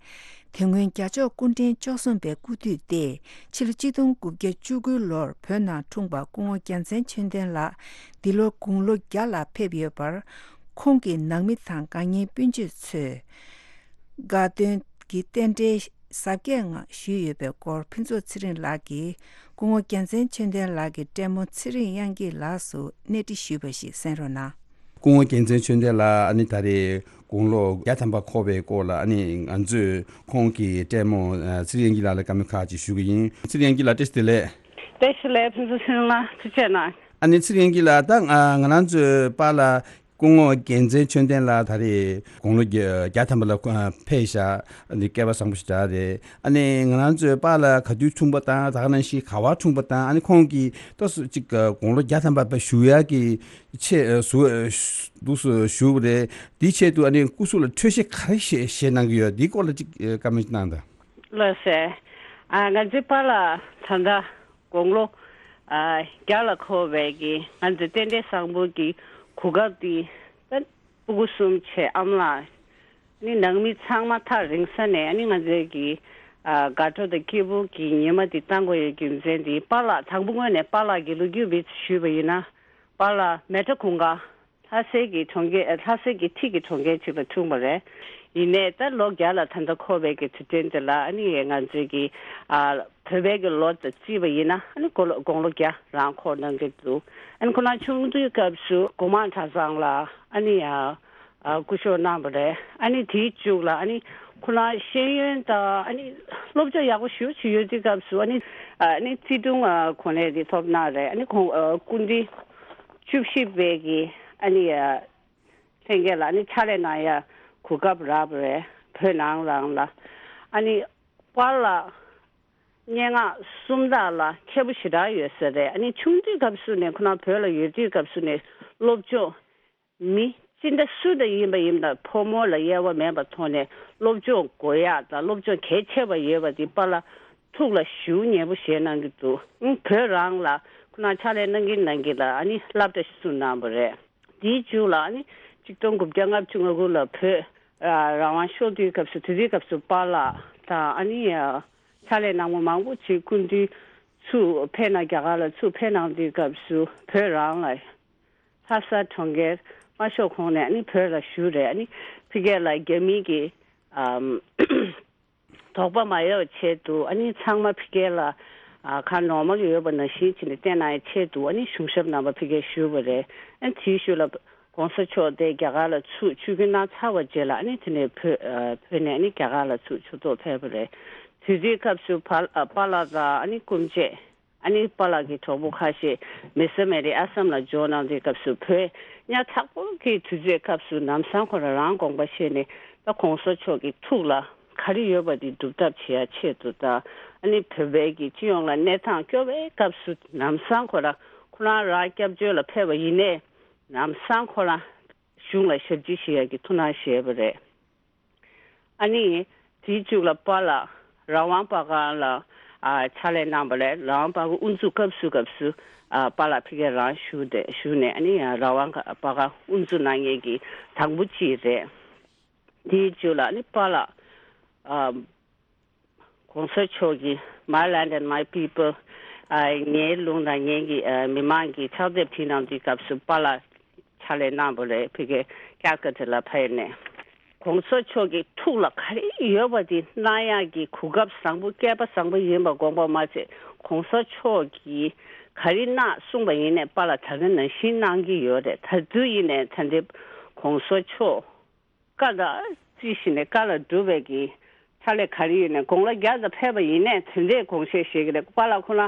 དེ་སྔོན་རྒྱལ་མཆོག་སྐུ་ཕྲེང་བཅུ་གསུམ་པའི་སྐུ་དུས་ཏེ་ཕྱི་ལོ་གཅིག་སྟོང་དགུ་བརྒྱ་བཅུ་དགུ་ལོར་བོད་ནང་འཁྲུངས་པ་སྐུ་ངོ་རྒྱལ་མཚན་ཆོས་ལྡན་ལགས་འདི་ལོ་དགུང་ལོ་བརྒྱ་ལ་ཕེབས་ཡོད་པར། ཁོང་གི་ནང་མི་དང་དགའ་ཉེ་སྤུན་མཆེད་ཚོས་དགའ་སྟོན་གྱི་རྟེན་འབྲེལ་གཟབ་རྒྱས་ངང་ཞུས་ཡོད་པའི་སྐོར་ཕུན་ཚོགས་ཚེ་རིང་ལགས་ཀྱིས་སྐུ་ངོ་རྒྱལ་མཚན་ཆོས་ལྡན་ལགས་ཀྱི་བཀྲས་མོ་ཚེ་རིང་དབྱངས་སྐྱིད་ལགས་སུ་གནས་འདྲི་ཞུས་པ་ཞིག་གསན་རོགས་གནང་། སྐུ་ངོ་རྒྱལ་མཚན་ཆོས་ལྡན་ལགས་ཨ་ནི་ད་རེས་དགུང་ལོ་བརྒྱ་ཐམ་པ་འཁོར་བའི་སྐོར་ལ་ཨ་ནི་ང་ཚོས་ཁོང་གི་བཀྲས་མོ་ཚེ་རིང་དབྱངས་སྐྱིད་ལགས་ལ་བཀའ་མོལ་ཁག་ཅིག་ཞུ་གི་ཡིན། ཚེ་རིང་དབྱངས་སྐྱིད་ལགས་བཀྲ་ཤིས་བདེ་ལེགས། བཀྲ་ཤིས་བདེ་ལེགས། ཕུན་ཚོགས་ཚེ་རིང་ལགས་ཐུགས་རྗེ་གནང་། ཨ་ནི་ཚེ་རིང་དབྱངས་སྐྱིད་ལགས་ད་ང་ང་རང་ཚོའི་པཱ་ལགས་སྐུ་ངོ་རྒྱལ་མཚན་ཆོས་ལྡན་ལགས་ད་རེས་དགུང་ལོ་བརྒྱ་བརྒྱ་ཐམ་པ་ལ་ཕེབས་ཤག་འདི་སྐལ་བ་བཟང་པོ་ཞིག་རེད། ཨ་ནི་ང་རང་ཚོའི་པཱ་ལགས་ག་དུས་འཁྲུངས་པ་དང་ད་ག་ནང་བཞིན་ག་བར་འཁྲུངས་པ་དང་ཨ་ནི་ཁོང་གིས་ཏོག་ཙམ་ཅིག་དགུང་ལོ་བརྒྱ་ཐམ་པ་བཞུགས་ཡག་གི་ཆེད་ཟུར་དུ་ཞུ་བ་རེད། དེའི་ཆེད་དུ་ཨ་ནི་སྐུ་གཟུགས་ལ་འཕྲོད་བཞེས་ག་རེ་བཞེས་བཞེས་གནང་གི་ཡོད། འདིའི་སྐོར་ལ་ཅིག་བཀའ་མོལ་གནང་དང་། ལགས་སེ། ང་ཚོའི་པཱ་ལགས་ད་ལྟ་དགུང་ལོ་བརྒྱ་ལ་འཁོར་བའི་གི་ང་ཚོའི་རྟེན་འབྲེལ་བཟང་པོ་གི་གོ་སྐབས་འདི་ད་སྤུ་གུ་གསུམ་བྱས་ཨ་མ་ལགས་ནི་ནང་མི་ཚང་མ་ཐག་རིང་ས་ནས་ཨ་ནི་ང་ཚོའི་གི་དགའ་སྤྲོ་དང་སྐྱིད་པོ་གི་ཉི་མ་འདི་བཏང་དགོས་ཡོད་རྒྱུ་མཚན་འདི་པཱ་ལགས་དང་པོ་ངོས་ནས་པཱ་ལགས་ཀྱི་ལོ་རྒྱུས་བེད་ཞུས་པ་ཡིན་ན་པཱ་ལགས་མེ་ཏྲ་གུང་དཀར་ལྷ་སའི་གི་གྲོང་ཁྱེར་ལྷ་སའི་གི་འཁྲིས་ཀྱི་གྲོང་ཁྱེར་ཅིག་ལ་འཁྲུངས་པ་རེད། ཡིན་ནའི་ད་ལོ་བརྒྱ་ལ་ད་ལྟ་འཁོར་བའི་གི་དུས་དྲན་དེ་ལ་ཨ་ནི་ང་ཚོའི་གི་བོད་པའི་གི་ལོ་དང་བརྩིས་པ་ཡིན་ན་ཨ་ནི་དགུང་ལོ་དགུང་ལོ་བརྒྱ་རང་འཁོར་གནང་གི་འདུག་ཨ་ནི་ཁོ་རང་ཆུང་དུས་སྐབས་སུ་གོང་མ་གྲྭ་ཚང་ལ་ཨ་ནི་སྐུ་ཞབས་གནང་བ་རེད། ཨ་ནི་དེའི་མཇུག་ལ་ཨ་ནི་ཁོ་རང་ཤེས་ཡོན་དང་ཨ་ནི་སློབ་སྦྱོང་ཡག་པོ་ཞེ་པོ་བྱེད་ཡོད་དུས་སྐབས་སུ་ཨ་ནི་ཨ་ནི་བརྩི་སྲུང་གོ་གནས་དེ་ཐོབ་གནང་རེད། ཨ་ནི་ཁོང་སྐུ་ཕྲེང་བཅུ་བཞི་པའི་གི་ཨ་ནི་ལྷན་རྒྱས་ལ་ཨ་ནི་ཕྱག་ལས་གནང་ཡ་གོ་སྐབས་རག་པ་རེད། བོད་ནང་ལའང་ལ་ཨ་ནི་པཱ་ལགས་སྙན་ངག་སུམ་རྟགས་ལ་མཁས་པོ་ཞེ་དྲག་ཡོད་ས་རེད། ཨ་ནི་ཆུང་དུས་སྐབས་སུ་ནས་ཁོ་རང་བོད་ལ་ཡོད་དུས་སྐབས་སུ་ནས་སློབ་སྦྱོང་མི་ཅི་འདྲ་སུ་འདྲ་ཡིན་པ་ཡིན་ན་ཕོ་མོ་ལ་དབྱེ་བ་མེད་པ་ཐོག་ནས་སློབ་སྦྱོང་དགོས་ཡག་དང་སློབ་སྦྱོང་གལ་ཆེ་བ་ཡོད་པ་དེ་པཱ་ལགས་ཐུགས་ལ་ཞེ་པོ་ཉེ་པོ་བཞེས་གནང་གི་འདུག་ཨང་བོད་རང་ལ་ཁོ་རང་ཕྱག་ལས་གནང་གིན་གནང་གིན་ལ་ཨ་ནི་སློབ་གྲྭ་ཞིག་བཙུགས་གནང་བ་རེད། དེའི་མཇུག་ལ་ཨ་ནི་གཅིག་སྟོང་དགུ་བརྒྱ་ལྔ་བཅུ་ང་དགུ་ལ་བོད་རང་དབང་ཤོར་དུས་སྐབས་སུ་དེ་དུས་སྐབས་སུ་པཱ་ལགས་དང་ཨ་ནི་ཕྱག་ལས་གནང་བ་མང་པོ་ཅིག་སྐུ་མདུན་ཚུར་ཕེབས་གནང་རྒྱ་གར་ལ་ཚུར་ཕེབས་གནང་དུས་སྐབས་སུ་བོད་རང་ལ་ལྷ་ས་གྲོང་ཁྱེར་དམར་ཤོག་ཁོངས་ནས་ཨ་ནི་བོད་ལ་བཞུགས་རེད། ཨ་ནི་ཕ་གི་ལ་རྒྱ་མི་གི་ཨམ་དོགས་པ་མ་ཡོང་བའི་ཆེད་དུ་ཨ་ནི་ཚང་མ་ཕ་གི་ལ་ཨ་ག་ནོར་མལ་ཡོད་པ་ནང་བཞིན་བྱས་ནས་བསྟན་གནང་བའི་ཆེད་དུ་ཨ་ནི་གཞུང་ཞབས་རྣམ་པ་ཕ་གིར་བཞུགས་པ་རེད། ཨ་ནི་དེའི་ཤུལ་ལ་༸གོང་ས་མཆོག་དེ་རྒྱ་གར་ལ་ཚུར་ཆིབས་བསྒྱུར་གནང་ཚར་བ་རྗེས་ལ་ཨ་ནི་དེ་ནས་བོད་ཨ་བོད་ནས་ཨ་ནི་རྒྱ་གར་ལ་ཚུར་ཆིབས་ཐོག་ཕེབས་པ་རེད། དུས་དེའི་སྐབས་སུ་པཱ་ཨ་པཱ་ལགས་དང་ཨ་ནི་སྐུ་མཆེད་ཨ་ནི་པཱ་ལགས་ཀྱི་གྲོགས་པོ་ཁ་ཤས་མེ་ས་མེ་རི་ཨ་སམ་ལ་འབྱོར་གནང་དུས་སྐབས་སུ་བོད་ཉག་ཕྲ་པོ་གི་དུས་ཚོད་སྐབས་སུ་ལམ་སང་ཁོ་རང་རང་དགོངས་པ་བཞེས་ནས་ད་༸གོང་ས་མཆོག་གི་ཐུགས་ལ་ག་རེ་ཡོད་པ་དེ་སྒྲུབ་ཐབས་བྱེད་ཡ་ཆེད་དུ་དང་ཨ་ནི་བོད་པའི་གི་སྤྱི་ཡོངས་ལ་གནས་སྟངས་སྐྱོ་བའི་སྐབས་སུ་ལམ་སང་ཁོ་རང་ཁོ་རང་རང་སྐྱབས་བཅོལ་ལ་ཕེབས་པ་ཡིན་ནའི་ལམ་སང་ཁོ་རང་གཞུང་ལ་ཞབས་ཕྱི་ཞུ་ཡ་གི་ཐུགས་སྣང་བཞེས་པ་རེད། ཨ་ནི་དེའི་མཇུག་ལ་པཱ་ལགས་རང་དབང་པར་ཁང་ལ་ ཨ་ཕྱག་ལས་གནང་བ་ལས་རང་དབང་པ་ཀ་དབུ་འཛུགས་སྐབས་སུ་སྐབས་སུ་ཨ་པཱ་ལགས་ཕ་གིར་རང་བཞུགས་ཏེ་བཞུགས་ནས་ཨ་ནི་ཡང་རང་དབང་པ་ཀ་དབུ་འཛུགས་གནང་མཁན་གྱི་དང་པོ་གཅིག་རེད། དེའི་མཇུག་ལ་ཨ་ནི་པཱ་ལགས་ཨ་གོང་ས་མཆོག་གིས་My Land and My People ཨ་ངའི་ལུང་དང་ངའི་གི་ཨ་མི་མང་གི་ཕྱག་དེབ་བྲིས་གནང་དུས་སྐབས་སུ་པཱ་ལགས་ཕྱག་ལས་གནང་བ་རེད། ཕ་གི་ཀལ་ཀ་ཏ་ལ་ཕེབས་ནས། གོང་ས་མཆོག་གི་ཐུགས་ལ་ག་རེ་ཡོད་པ་དེ་གནང་ཡག་གི་གོ་སྐབས་བཟང་པོ་སྐལ་པ་བཟང་པོ་ཡིན་པ་དགོངས་པ་མ་ཚད་གོང་ས་མཆོག་གིས་ག་རེ་གནང་གསུངས་པ་ཡིན་ནའི་པཱ་ལགས་ད་ག་ནང་བཞིན་གནང་གི་ཡོད་རེད། ད་དུས་ཡིན་ནའི་ད་འདི་གོང་ས་མཆོག་བཀའ་ལ་བརྩི་ཞིང་ནས་བཀའ་ལ་སྒྲུབ་པའི་གི་ཕྱག་ལས་ག་རེ་ཡོད་ནའི་དགུང་ལོ་བརྒྱ་ཙམ་ཕེབས་པ་ཡིན་ནའི་དེ་འདྲའི་དགོངས་བཞེས་བཞེས་ཀྱི་རེད། པཱ་ལགས་ཁོ་ན་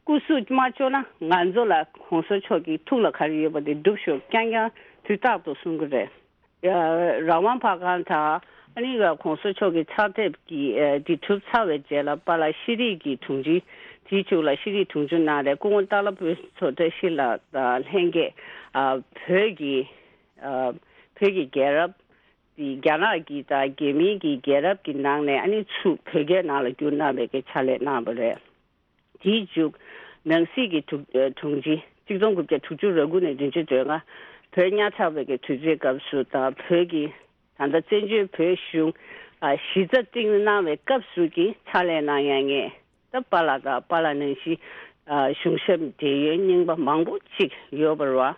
སྐུ་གཟུགས་མ་སྐྱོ་ན་ང་ཚོ་ལ་གོང་ས་མཆོག་གི་ཐུགས་ལ་ག་རེ་ཡོད་པ་དེ་སྒྲུབ་ཤོག་རྐྱང་རྐྱང་དུས་རྟག་ཏུ་གསུང་གི་རེད། ཡ། རང་དབང་པར་ཁང་དང་ཨ་ནི་གོང་ས་མཆོག་གི་ཕྱག་དེབ་ཀྱི་ཨ་འདི་གྲུབ་ཚར་བའི་རྗེས་ལ་པཱ་ལགས་ཤེས་རིག་གི་དྲུང་ཆེ། དེའི་མཇུག་ལ་ཤེས་རིག་དྲུང་ཆེ་གནང་རེད། སྐུ་ངོ་སྟག་ལྷ་བུ་ཚོ་བཀྲ་ཤིས་ལགས་དང་ལྷན་རྒྱས་ཨ་བོད་ཀྱི་ཨ་བོད་ཀྱི་རྒྱལ་རབས་དེ་རྒྱ་ནག་གི་དང་རྒྱ་མིའི་གི་རྒྱལ་རབས་ཀྱི་ནང་ནས་ཨ་ནི་ཚུར་བོད་སྐད་ནང་ལ་བསྒྱུར་གནང་བའི་གི་ཕྱག་ལས་གནང་བ་རེད། དེའི་མཇུག་ནང་སྲིད་ཀྱི་དྲུང་ཨ་དྲུང་ཆེ་ཆིག་སྟོང་དགུ་བརྒྱ་དྲུག་ཅུ་རེ་དགུ་ནས་བདུན་ཅུ་དོན་ལྔ་བོད་ཉག་ཕྲ་བའི་གི་དུས་ཚོད་སྐབས་སུ་དང་བོད་ཀྱི་ད་ལྟ་བཙན་བྱོལ་བོད་གཞུང་ཨ་གཞི་རྩ་བཏིང་གནང་བའི་སྐབས་སུ་གི་ཕྱག་ལས་གནང་ཡ་ངས་ད་པཱ་ལགས་དང་པཱ་ལགས་ནང་བཞིན་ཨ་གཞུང་ཞབས་འབྲེལ་ཡོད་རྙིང་པ་མང་པོ་ཅིག་ཡོད་པ་རེད་བ།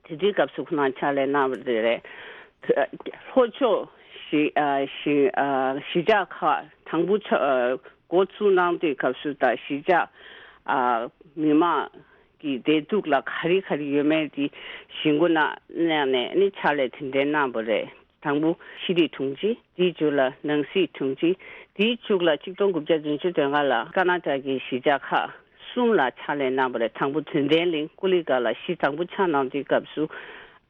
དེ་དུས་སྐབས་སུ་ཁོ་རང་ཕྱག་ལས་གནང་བ་རེད། ལྷོ་ཕྱོགས་གཞིས་ཨ་གཞིས་ཨ་གཞིས་ཆགས་ཁག་དང་པོ་ཕྱོགས་ཨ་འགོ་བཙུགས་གནང་དུས་སྐབས་སུ་དང་གཞིས་ཆགས་ཨ་མི་མང་གི་བདེ་སྡུག་ལ་ག་རེ་ག་རེ་ཡོད་མེད་དེ་གཞིས་འགོ་གནང་གནང་ནས་ནི་ཕྱག་ལས་དེ་འདྲའི་གནང་བ་རེད། དང་པོ་ཤེས་རིག་དྲུང་ཆེ། དེའི་མཇུག་ལ་ནང་སྲིད་དྲུང་ཆེ། དེའི་མཇུག་ལ་ཆིག་སྟོང་དགུ་བརྒྱ་བདུན་ཅུ་དོན་ལྔ་ལ་ཀ་ན་ཏ་གི་གཞིས་ཆགས་ཁག་གསུམ་ལ་ཕྱག་ལས་གནང་བ་རེད། དང་པོ་དོན་ལྡན་གླིང་ཀུ་ལི་ཀ་ལ་གཞིས་དང་པོ་ཆགས་གནང་དུས་སྐབས་སུ་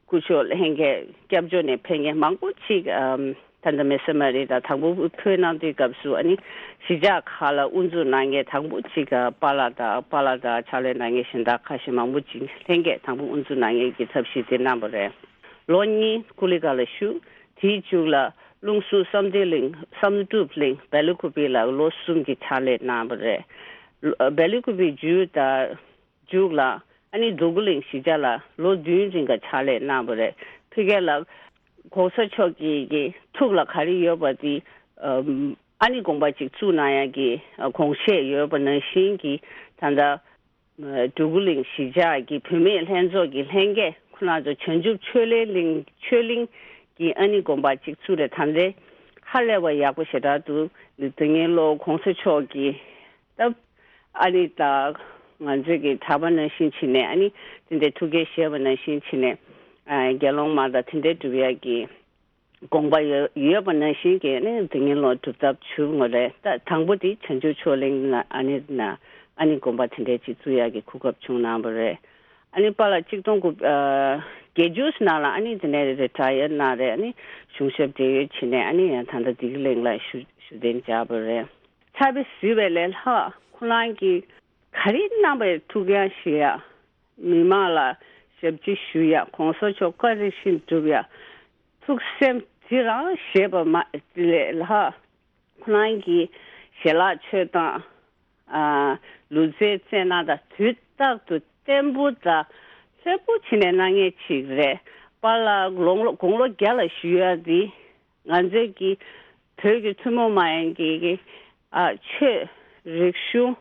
སྐུ་ཞབས་ལྷན་རྒྱས་སྐྱབས་བཅོལ་ནས་ཕེབས་མཁན་མང་པོ་ཅིག་ཨམ་ད་ལྟ་མེ་སེ་མ་རི་དང་དང་པོ་ཕེབས་གནང་དུས་སྐབས་སུ་ཨ་ནི་གཞིས་ཆགས་ཁག་ལ་དབུ་འཛུགས་གནང་མཁན་དང་པོ་ཅིག་ཨ་པཱ་ལགས་དང་པཱ་ལགས་དང་ཕྱག་ལས་གནང་མཁན་གཞན་དག་ཁ་ཤས་མང་པོ་ཅིག་ལྷན་རྒྱས་དང་པོ་དབུ་འཛུགས་གནང་མཁན་གྱི་ཐབས་ཤེས་དེ་གནང་བ་རེད། ལོ་གཉིས་ཀུ་ལི་ཀ་ལ་བཞུགས། དེའི་མཇུག་ལ་ལུང་སུ་བསམ་གཏན་གླིང་བསམ་གྲུབ་གླིང་བེ་ལི་ཀུ་པི་ལ་ལོ་གསུམ་གྱི་ཕྱག་ལས་གནང་བ་རེད། ལོ་བེ་ལི་ཀུ་པི་མཇུག་དང་མཇུག་ལ་ཨ་ནི་འདུ་ཁུ་གླིང་གཞིས་ཆགས་ལ་ལོ་བདུན་རིང་ག་ཕྱག་ལས་གནང་བ་རེད། ཕ་གི་ལ་གོང་ས་མཆོག་གི་གི་ཐུགས་ལ་ག་རེ་ཡོད་པ་དེ་ཨ་ཨ་ནི་དགོངས་པ་ཅིག་བཙུགས་གནང་ཡ་གི་དགོངས་བཞེས་ཡོད་པ་ནང་བཞིན་གྱི་ད་ལྟ་འབྲུ་གུ་གླིང་གཞིས་ཆགས་ཀྱི་བུད་མེད་ལྷན་ཚོགས་ཀྱི་ལྷན་རྒྱས་ཁོ་རང་ཚོ་བྱང་ཆུབ་ཆོས་གླིང་གླིང་ཆོས་གླིང་གི་ཨ་ནི་དགོན་པ་གཅིག་བཙུགས་རེད། ད་ལྟའི་ཧ་ལས་པ་ཡག་པོ་ཞེ་དྲག་འདུག་དེ་སྔོན་ལོ་གོང་ས་མཆོག་གིས་ད་ཨ་ནི་ད་ང་ཚོས་ཀྱི་གྲྭ་པ་ནང་བཞིན་བྱས་ནས་ཨ་ནི་དེ་འདྲའི་ཐུགས་འགན་བཞེས་པ་ནང་བཞིན་བྱས་ནས་ཨ་དགེ་སློང་མ་དང་དེ་འདྲའི་སྒྲུབ་ཡག་གི་དགོངས་པ་ཡོད་ཡོད་པ་ནང་བཞིན་གྱི་ནི་དེ་སྔོན་ལོ་སྒྲུབ་ཐབས་བྱུང་བ་རེད། ད་དང་པོ་དེ་བྱང་ཆུབ་ཕྱོགས་གླིང་ན་ཨ་ནི་ན་ཨ་ནི་དགོན་པ་དེ་འདྲའི་ཅིག་བཙུགས་ཡག་གི་གོ་སྐབས་བྱུང་གནང་བ་རེད། ཨ་ནི་པཱ་ལགས་ཆིག་སྟོང་དགུ་ཨ་བརྒྱད་ཅུ་ནང་ལ་ཨ་ནི་དེ་ནས་རི་ཊ་ཡར་གནང་རེད། ཨ་ནི་གཞུང་ཞབས་བགྲེས་ཡོལ་བྱས་ནས་ཨ་ནི་ཡང་ད་ལྟ་བདེ་སྐྱིད་གླིང་ལ་ཞུ་ཞུ་གཏན་འཇགས་པ་རེད། ཕྱག་དཔེ་གཟིགས་པའི་ལས་ལྷག་ཁོ་རང་གིས་ག་རེ་གནང་པའི་ཐུགས་འགན་བཞེས་ཡ། མི་མང་ལ་ཞབས་ཕྱི་ཞུ་ཡ། གོང་ས་མཆོག་བཀའ་རིགས་བཞིན་སྒྲུབ་ཡ། ཐུགས་སེམས་དེ་རང་བཞེས་པ་མ་ལས་ལྷག་ཁོ་རང་གི་ཞལ་ལག་མཆོད་སྟངས་ཨ་ལུས་རྩལ་རྩེད་གནང་དང་དུས་རྟག་ཏུ་བརྟན་པོ་དང་ལྷོད་པོ་བྱས་ནས་གནང་མཁན་ཅིག་རེད། པཱ་ལགས་དགུང་ལོ་དགུང་ལོ་བརྒྱ་ལ་བཞུགས་ཡ་འདི་ང་ཚོའི་གི་བོད་ཀྱི་ཐུན་མོང་མ་ཡིན་གྱི་གི་ཨ་ཆོས་རིག་གཞུང་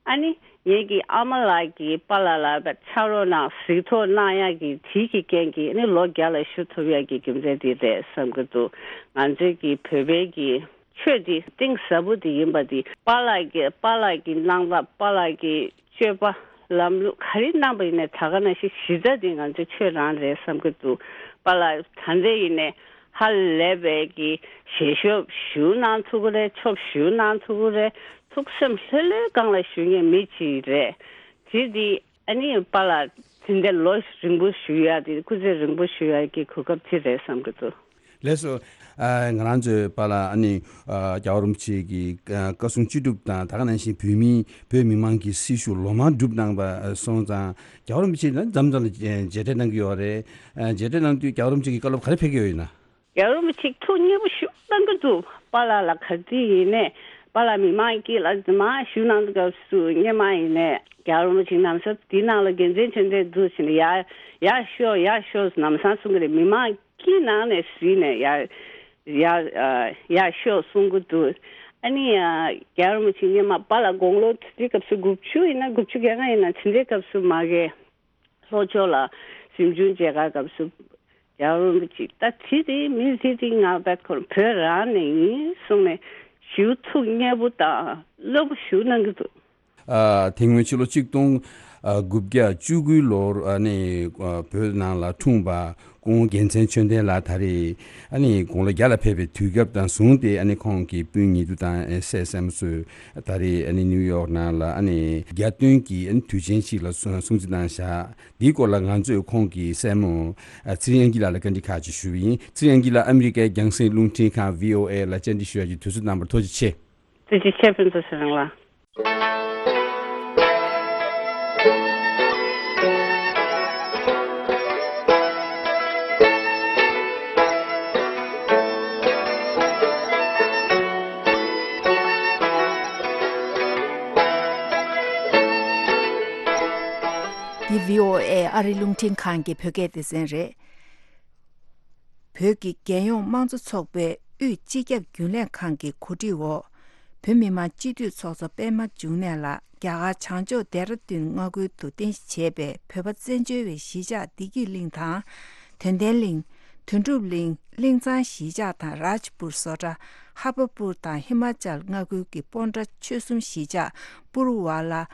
ཨ་ནི་ངེད་ཀྱི་ཨ་མ་ལགས་ཀྱིས་པཱ་ལགས་ལ་ཕྱག་རོགས་གནང་གཟིགས་རྟོག་གནང་ཡག་གི་དེའི་གི་རྐྱེན་གྱིས་ཨ་ནི་ལོ་བརྒྱ་ལ་བཞུགས་ཐུབ་ཡག་གི་རྒྱུ་མཚན་དེ་རེད་བསམ་གྱི་འདུག་ང་ཚོའི་གི་བོད་པའི་གི་ཆོས་དེ་གཏིང་ཟབ་པོ་དེ་ཡིན་པ་དེ་པཱ་ལགས་ཀྱི་པཱ་ལགས་ཀྱི་གནང་སྟངས་པཱ་ལགས་ཀྱི་སྤྱོད་པ་ལམ་ལུགས་ག་རེ་གནང་པ་ཡིན་ནའི་ད་ག་ནང་བཞིན་གཞི་རྩ་དེ་ང་ཚོའི་ཆོས་རང་རེད་བསམ་གྱི་འདུག་པཱ་ལགས་ད་ལྟ་ཡིན་ནའི་ཧ་ལས་པའི་གི་ཞལ་ཤོབ་ཞུ་གནང་ཐུབ་ཀྱི་རེད། ཆོབ་ཞུ་གནང་ཐུབ་ཀྱི་རེད། ཐུགས་སེམས་ལྷོད་ལྷོད་སྒང་ལ་ཞུ་མཁན་མི་གཅིག་རེད། དེ་དེ་ཨ་ནི་པཱ་ལགས་དེ་འདྲ་ལོ་རིང་པོ་བཞུགས་ཡག་དེ་སྐུ་ཚེ་རིང་པོ་བཞུགས་ཡག་གི་གོ་སྐབས་དེ་རེད་བསམ་གྱི་འདུག་ལགས་སོ། ཨ་ང་རང་ཚོའི་པཱ་ལགས་ཨ་ནི་ཨ་རྒྱལ་བ་རིན་པོ་ཆེ་གི་ཨ་བཀའ་གསུང་ཅི་སྒྲུབ་དང་ད་ག་ནང་བཞིན་བོད་མི་བོད་མི་མང་གི་སྲི་ཞུ་ལོ་མང་བསྒྲུབས་གནང་པ་སོང་ཙང་རྒྱལ་བ་རིན་པོ་ཆེ་ལ་མཚམས་མཚམས་ལ་མཇལ་འཕྲད་གནང་གི་ཡོད་རེད། ཨ་མཇལ་འཕྲད་གནང་དུས་རྒྱལ་བ་རིན་པོ་ཆེ་གི་བཀའ་སློབ་ག་རེ་ཕེབས་ཀྱི་ཡོད་ཡིན་ན། རྒྱལ་བ་རིན་པོ་ཆེ་ཐུགས་མཉེས་པོ་ཞེ་པོ་གནང་གི་འདུག་པཱ་ལགས་ལ་ག་དུས་ཡིན་ནའི་ པཱ་ལགས་མི་མང་སྐད་ལ་མར་ཞུ་གནང་དུས་སྐབས་སུ་སྔོན་མ་ཡིན་ནས་རྒྱལ་བ་རིན་པོ་ཆེ་ལམ་སང་དེའི་ནང་ལ་དགེ་མཚན་མཆོད་རྟེན་འདུག་ཟེར་ནས་ཡར་ཡར་ཤོག་ཡར་ཤོག་ལམ་སང་གསུང་གི་རེད། མི་མང་སྐད་ནང་ནས་གཟིགས་ནས་ཡར་ཡར་ཨ་ཡར་ཤོག་གསུང་གི་འདུག་ཨ་ནི་ཨ་རྒྱལ་བ་རིན་པོ་ཆེ་སྔོན་མ་པཱ་ལགས་དགུང་ལོ་དེ་དུས་སྐབས་སུ་དགུ་བཅུ་ཡིན་ན་དགུ་བཅུ་གྱ་ལྔ་ཡིན་ན་དེ་འདྲའི་སྐབས་སུ་མ་གི་ལྷོ་ཕྱོགས་ལ་གཟིམ་ཆུང་མཇལ་ཁ་སྐབས་སུ་རྒྱལ་བ་རིན་པོ་ཆེ་ད་དེ་དེ་མི་དེ་དེ་ང་བད་ཁོར་བོད་རང་ནས་ཡིན་གསུངས་ནས་ཞུ་ཐུགས་མཉེས་པོ་དང་རླབས་པོ་ཞུ་གནང་གི་འདུག་ཨ། དེ་སྔོན་ཕྱི་ལོ་གཅིག་སྟོང་དགུ་བརྒྱ་བཅུ་དགུའི་ལོར་ཨ་ནི་ཨ་བོད་ནང་ལ་འཁྲུངས་པ་སྐུ་ངོ་རྒྱལ་མཚན་ཆོས་ལྡན་ལགས་ད་རེས་ཨ་ནི་དགུང་ལོ་བརྒྱ་ལ་ཕེབས་པའི་དུས་སྐབས་དང་བཟུང་སྟེ་ཨ་ནི་ཁོང་གི་སྤུན་ཉེ་དུ་དང་སྲས་སྲས་མོ་ཚོས་ད་རེས་ཨ་ནི་ནིའུ་ཡོག་ནང་ལ་ཨ་ནི་རྒྱ་སྟོན་གྱི་ཨ་ནི་དུས་ཆེན་ཞིག་ལ་སྲུང་སྲུང་བརྩི་གནང་བཞག་འདིའི་སྐོར་ལ་ང་ཚོས་ཁོང་གི་སྲས་མོ་ཨ་ཚེ་རིང་དབྱངས་སྐྱིད་ལགས་ལ་བཀའ་འདྲི་ཁག་ཅིག་ཞུས་པ་ཡིན། ཚེ་རིང་དབྱངས་སྐྱིད་ལགས་ཨ་མི་རི་ཀའི་རྒྱང་སྲིང་རླུང་འཕྲིན་ཁང་བྷི་ཨོ་ཨེ་ལ་བཅར་འདྲི་ཞུ་ཡག་གི་དུས་ཚོད་གནང་བར་ཐུགས་རྗེ་ཆེ། ཐུགས་རྗེ་ཆེ་ཕུན་ཚོགས་ཚེ་རིང་ལགས། འདི་བྷི་ཨོ་ཨེ་ཨ་རི་རླུང་འཕྲིན་ཁང་གི་བོད་སྐད་སྡེ་ཚན་རེད། བོད་ཀྱི་རྒྱལ་ཡོངས་དམངས་གཙོ་ཚོགས་པའི་དབུས་སྤྱི་ཁྱབ་རྒྱུན་ལས་ཁང་གི་གོ་སྒྲིག་འོག་བོད་མི་མང་སྤྱི་འཐུས་ཚོགས་གཙོ་པད་མ་འབྱུང་གནས་ལགས་རྒྱ་གར་བྱང་ཕྱོགས་ལྡེ་ར་ལྡུན་མངའ་ཁུལ་དུ་རྟེན་གཞི་བྱས་པའི་བོད་པ་བཙན་བྱོལ་བའི་གཞིས་ཆགས་བདེ་སྐྱིད་གླིང་དང་། དོན་ལྡན་གླིང་། དོན་གྲུབ་གླིང་། གླིང་ཚང་གཞིས་ཆགས་དང་རཱཇ་པུར་བཟོ་གྲྭ། ཧ་པ་པུར་དང་ཧི་མ་ཅལ་མངའ་ཁུལ་གྱི་སྤོན་ཊ་ཆོལ་གསུམ་གཞིས་ཆགས་པུར་ཝ་ལ་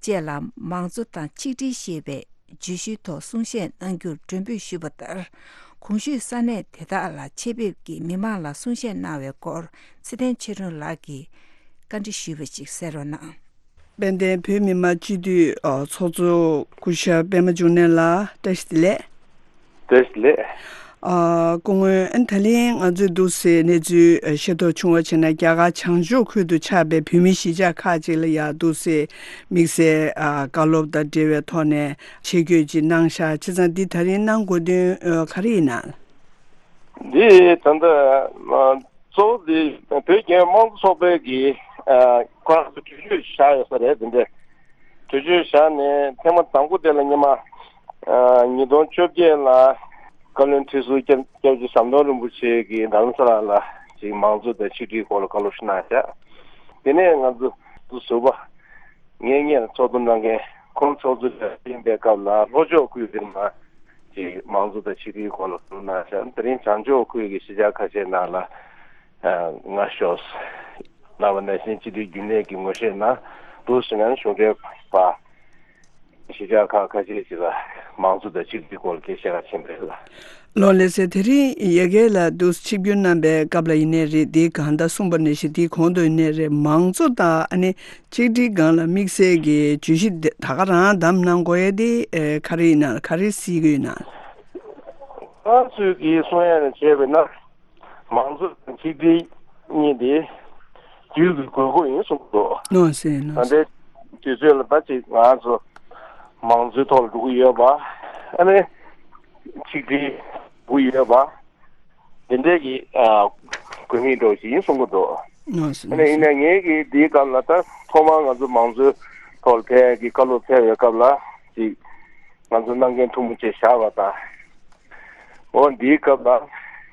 བཅས་ལ་མང་གཙོ་དང་ཆིག་སྒྲིལ་ཞེས་པའི་བརྗོད་གཞིའི་ཐོག་གསུང་བཤད་གནང་རྒྱུར་མགྲོན་འབོད་ཞུས་པ་ལྟར། གོང་ཞུས་ས་གནས་དེ་དག་ལ་ཆེད་ཕེབས་ཀྱིས་མི་མང་ལ་གསུང་བཤད་གནང་བའི་སྐོར་ཚེ་བརྟན་ཆོས་སྒྲོན་ལགས་ཀྱིས་བཀའ་འདྲི་ཞུས་པ་ཞིག་གསན་རོགས་གནང་། དཔལ་ལྡན་བོད་མི་མང་སྤྱི་འཐུས་ཨ་ཚོགས་གཙོ་སྐུ་ཞབས་པད་མ་འབྱུང་གནས་ལགས་བཀྲ་ཤིས་བདེ་ལེགས། བཀྲ་ཤིས་བདེ་ལེགས། ཨ་སྐུ་ངོ་ཨན་ད་ལན་ང་ཚོས་འདུག་སེ་གནས་ཚུལ་ཨ་ཤེས་རྟོགས་བྱུང་བ་བྱས་ན་རྒྱ་གར་བྱང་ཕྱོགས་ཁུལ་དུ་ཆགས་པའི་བོད་མི་གཞིས་ཆགས་ཁག་ཅིག་ལ་ཡང་འདུག་སེ་དམིགས་བསལ་ཨ་བཀའ་སློབ་དང་འབྲེལ་བའི་ཐོག་ནས་ཆེད་བསྐྱོད་ཅིག་གནང་ཤག་བྱས་ཙང་འདི་ད་རིང་གནང་དགོས་དོན་ཨ་ག་རེ་ཡིན་ན། འདི་ད་ལྟ་ཨ་གཙོ་བོ་དེ་བོད་རྒྱལ་ཡོངས་དམངས་གཙོ་ཚོགས་པའི་གི་ཨ་ཁོ་རང་ཚོ་གྲོས་ཆོད་བཞག་ཡོད་ས་རེད། དེ་འདྲའི་གྲོས་ཆོད་བཞག་ནས་ཐེངས་མ་དང་པོ་དེ་ལ་སྔོན་མ་ཨ་ཉིས་སྟོང་བཅོ་བརྒྱད་ལ་བཀའ་བློན་ཁྲི་ཟུར་སྐྱབས་སྐྱབས་རྗེ་ཟམ་གདོང་རིན་པོ་ཆེ་གིས་རྡ་རམ་ས་ལ་ལ་ཅིག་མང་གཙོ་དང་ཆིག་སྒྲིལ་སྐོར་ལ་བཀའ་སློབ་ཞིག་གནང་བཞག་དེ་ནས་ང་ཚོ་ཟུར་པ་ངེད་གཉིས་ལ་ཚོགས་འདུ་གནང་མཁན་ཁོང་ཚོགས་གཙོ་ཡིན་པའི་སྐབས་ལ་ལྷོ་ཕྱོགས་ཁུལ་དེར་མ་ཅིག་མང་གཙོ་དང་ཆིག་སྒྲིལ་སྐོར་ལ་བསམ་བློ་གནང་ཤག་དེ་རིང་བྱང་ཕྱོགས་ཁུལ་གྱི་གཞིས་ཆགས་ཁ་ཤས་ནང་ལ་ཨ་ང་ཤོག་གནང་བ་ནང་བཞིན་སྤྱི་འཐུས་རྒྱུན་ལས་ཀྱི་ངོ་ཤེས་ནང་འདུག་ཟེར་ན་གཞུང་འབྲེལ་པ་གཞིས་ཆགས་ཁག་ཁ་ཤས་ཤིག་ལ་མང་གཙོ་དང་ཆིག་སྒྲིལ་སྐོར་ལ་སྐད་ཆ་ག་ཕྱིན་པ་རེད་ལ། ལགས་ལགས་སེ། དེ་རིང་ཡ་གི་ལ་འདུག་ཆིབས་བསྒྱུར་གནང་པའི་སྐབས་ལ་ཡིན་ནའི་རེད། དེའི་སྒང་ད་གསུངས་པ་ནང་བཞིན་དེའི་གོང་དུ་ཡིན་ནའི་རེད། མང་གཙོ་དང་ཨ་ནི་ཆིག་སྒྲིལ་སྒང་ལ་དམིགས་བསལ་གྱི་བརྗོད་གཞི་འདི་ད་ག་རང་བདམས་གནང་དགོས་ཡ་དེ་ཨེ་ག་རེ་ཡིན་ན། ག་རེ་གཟིགས་ཀྱི་ཡོད་ན། ང་ཚོས་ཀྱི་གསུང་ཡ་ནས་བྱས་པས་ན། མང་གཙོ་དང་ཆིག་སྒྲིལ་གཉིས་དེ་དུས་ཀྱི་དགོས་མཁོ་ཡིན་གསུངས་འདུག་ནོ་སེ་ནོ་ད་སེ། ལྟའི་དུས་ཚོད་ལ་ད་ཅིག་ང་ཚོ་མང་གཙོའི་ཐོག་ལ་འགྲོ་གི་ཡོད་པ། ཨ་ནི་ཆིག་སྒྲིལ་འགྲོ་གི་ཡོད་པ། དེ་འདྲའི་གི་ཨ་དགོས་མཁོ་འདྲ་བོ་ཞིག་ཡིན་གསུང་གི་འདུག་ནོ་སེ་ཨ་ནི་ཡིན་ནའི་ངས་ཀྱི་འདིའི་སྐབས་ལ་ད་ཐོག་མར་ང་ཚོ་མང་གཙོའི་ཐོག་ལ་ཕེབས་ཀྱི་བཀའ་སློབ་ཕེབས་པའི་སྐབས་ལ་ཅིག་ང་ཚོ་གནང་མཁན་ཐུན་མོང་ཆེ་བཞག་པ་དང་། འོ་འདིའི་སྐབས་ལ་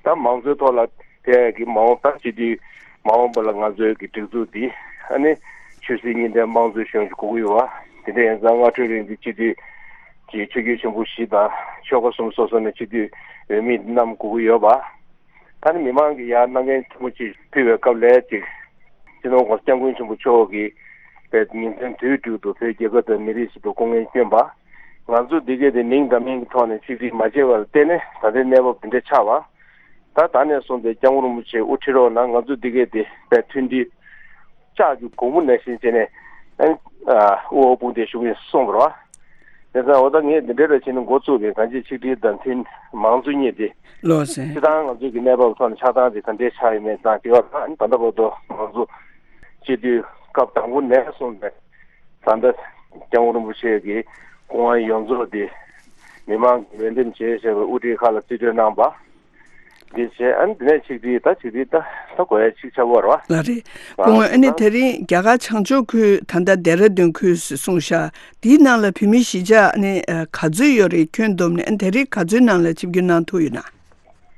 ད་མང་གཙོའི་ཐོག་ལ་ཕེབས་ཀྱི་མ་འོངས་ད་སྤྱི་འཐུས་མ་འོངས་པ་ལ་ང་ཚོའི་གི་སྒྲིག་འཛུགས་འདི་ཨ་ནི་ཆོས་སྲིད་གཉིས་ལྡན་དམངས་གཙོའི་གཞུང་ཞིག་དགོས་ཀྱི་ཡོད་པ། དེ་འདྲ་ཡིན་ཙང་སྔ་འཕྲོས་རིང་གི་སྤྱི་འཐུས་ཀྱི་ཆོས་བརྒྱུད་ཆེན་པོ་བཞི་དང་ཆོལ་ཁ་གསུམ་སོ་སོ་ནས་སྤྱི་འཐུས་འོས་མི་རྣམས་དགོས་ཀྱི་ཡོད་པ། ད་ནི་མི་མང་གིས་ཡར་གནང་མཁན་ཐུན་མོང་ཆེ་ཕུལ་བའི་སྐབས་ལ་ཅིག་སྤྱི་ནོར་༸གོང་ས་༸སྐྱབས་མགོན་ཆེན་པོ་མཆོག་གིས་པའི་ཉིན་མཚན་དུས་དྲུག་ཏུ་བོད་རྒྱལ་ཁབ་དང་མི་རིགས་ཆེད་དུ་སྐུ་ངལ་བསྐྱོན་པ། ང་ཚོ་འདི་གས་དེ་མིང་འདྲ་མིན་གྱི་ཐོག་ནས་ཆིག་སྒྲིལ་མ་བྱས་པར་བརྟེན་ནས་ད་ལྟའི་གནས་བབ་འདི་འདྲ་ཆགས་པ། ད་ད་ནས་བཟུང་སྟེ་༸སྐྱབས་མགོན་རིན་པོ་ཆེ་དབུ་ཁྲིད་རོགས་གནང་། ང་ཚོ་འདི་གས་དེ་པའི་མཐུན་སྒྲིལ་ལྕགས་ཀྱི་གོང་བུ་ནང་བཞིན་བྱས་ནས་ཨ་དབུ་འོག་དཔུང་འདེགས་ཞུ་གི་ཡིན་གསུངས་པ་རེད་བ། དེ་ཙང་འོ་ད་ངས་འདི་འདྲ་རེ་བྱས་ནས་འགོ་བཙུགས་པའི་གང་ཅི་ཆིག་སྒྲིལ་དང་མཐུན་མང་གཙོ་གཉིས་དེ་ལགས་སེ། སྤྱིར་བཏང་ང་ཚོའི་གི་གནས་བབ་ཐོག་ནས་ཆགས་སྟངས་དེ་ག་འདྲའི་ཆགས་ཡོད་མེད་དང་དེ་བ་དང་ད་ལྟ་བར་དུ་ང་ཚོ་སྤྱི་འཐུས་སྐབས་དང་པོ་ནས་བཟུང་ནས་ད་ལྟ་༸སྐྱབས་མགོན་རིན་པོ་ཆེ་གི་སྐུ་དབང་ཡོངས་རྫོགས་དེ་མི་མང་གིས་འོས་འདེམས་བྱས་བྱས་པའི་དབུ་ཁྲིད་ཁག་ལ་རྩིས་སྤྲོད་གནང་པ། འདི་བྱས། ཨ་ནི་འདི་ནས་ཆིག་སྒྲིལ། ད་ཆིག་སྒྲིལ་ད་ད་དགོས་ཡ་ཆིག་ཆ་བོ་རེད་བ། ལགས་རེད། སྐུ་ངོ། ཨ་ནི་དེ་རིང་རྒྱ་གར་བྱང་ཕྱོགས་ཁུལ། ད་ལྟ་ལྡེ་ར་ལྡུན་ཁུལ་ཟེར་གསུངས་ཤག་འདིའི་ནང་ལ་བོད་མིའི་གཞིས་ཆགས་ནི་ག་ཚོད་ཡོད་རེད། ཁྱོན་བསྡོམས་ནས། ཨ་ནི་དེ་རིང་ག་ཚོད་ནང་ལ་ཆིབས་བསྒྱུར་གནང་ཐུབ་ཡོད་ན།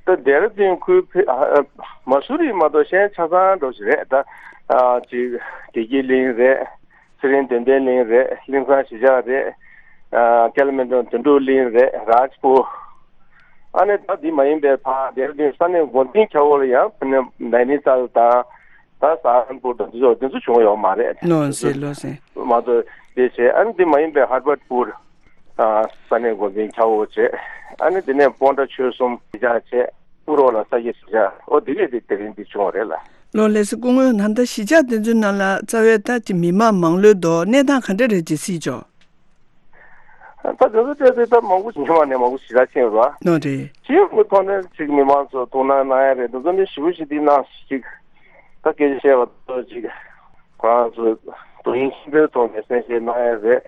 ད་ལྡེ་ར་ལྡུན་ཁུལ་ཕེ་ཨ་ཨ་མ་སུ་རི་མ་གཏོགས་གཞན་ཆ་ཚང་འགྲོ་ཞིག་རེད། ད་ཨ་ཅིག་བདེ་སྐྱིད་གླིང་རེད། ཚེ་རིང་དོན་ལྡན་གླིང་རེད། གླིང་ཚང་གཞིས་ཆགས་རེད། ཨ་ཀལ་མན་ཌོ་དོན་གྲུབ་གླིང་རེད། རཱཇ་པུར། ཨ་ནི་ད་འདི་མ་ཡིན་པའི་ཕར་ལྡེ་ར་ལྡུན་ས་གནས་འགོ་འཛིན་ཁྱ་བོ་ལ་ཡང་ཕ་ནས་ནའི་ནི་ཏཱལ་དང་། ད་སཱ་ཧ་རན་པུར་དང་འདི་ཚོ་འདི་ཚོ་བྱུང་ཡོད་མ་རེད། ལགས་སེ། ལགས་སེ། མ་གཏོགས་དེ་བྱས། ཨ་ནི་འདི་མ་ཡིན་པའི་ཧར་བར་པུར། ཨ་ས་གནས་འགོ་འཛིན་ཁྱ་བོ་བྱས། ཨ་ནི་དེ་ནས་སྤོན་ཊ་ཆོལ་གསུམ་གཞིས་ཆགས་བྱས། ཀུ་རོ་ལ་ས་སྐྱ་གཞིས་ཆགས། ཨོ་དེ་གས་དེ་དེ་རིང་འདི་བྱུང་བ་རེད་ལ། ལགས་ལགས་སེ། སྐུ་ངོ། ད་ལྟ་གཞིས་ཆགས་དེ་ཚོའི་ནང་ལ་རྩ་བའི་ད་ཅིག་མི་མང་མང་ལོས་འདུག་གནས་སྟངས་ག་འདྲ་རེད་ཅེས་གཟིགས་ཆོག་ད་དེ་ཚོ་བལྟས་ཚེ་ད་མང་པོ་ཞིག་ཉི་མ་ནས་མང་པོ་ཞིག་ར་ཕྱིན་རོ། ནོ་རེད། ཕྱིན་གྱི་ཐོག་ནས་ཅིག་མི་མང་ཚོ་ཐུགས་སྣང་གནང་ཡ་རེད། དེ་ཚོ་ནི་ཞེ་པོ་ཞིག་འདི་གནང་ཞིག་ད་སྐད་ཆ་བཤད་པ་ཚོ་ཅིག་ཁོ་རང་ཚོ་དོ་དབྱིངས་ཆེན་པོའི་ཐོག་ནས་གསན་བཞེས་གནང་ཡ་རེད།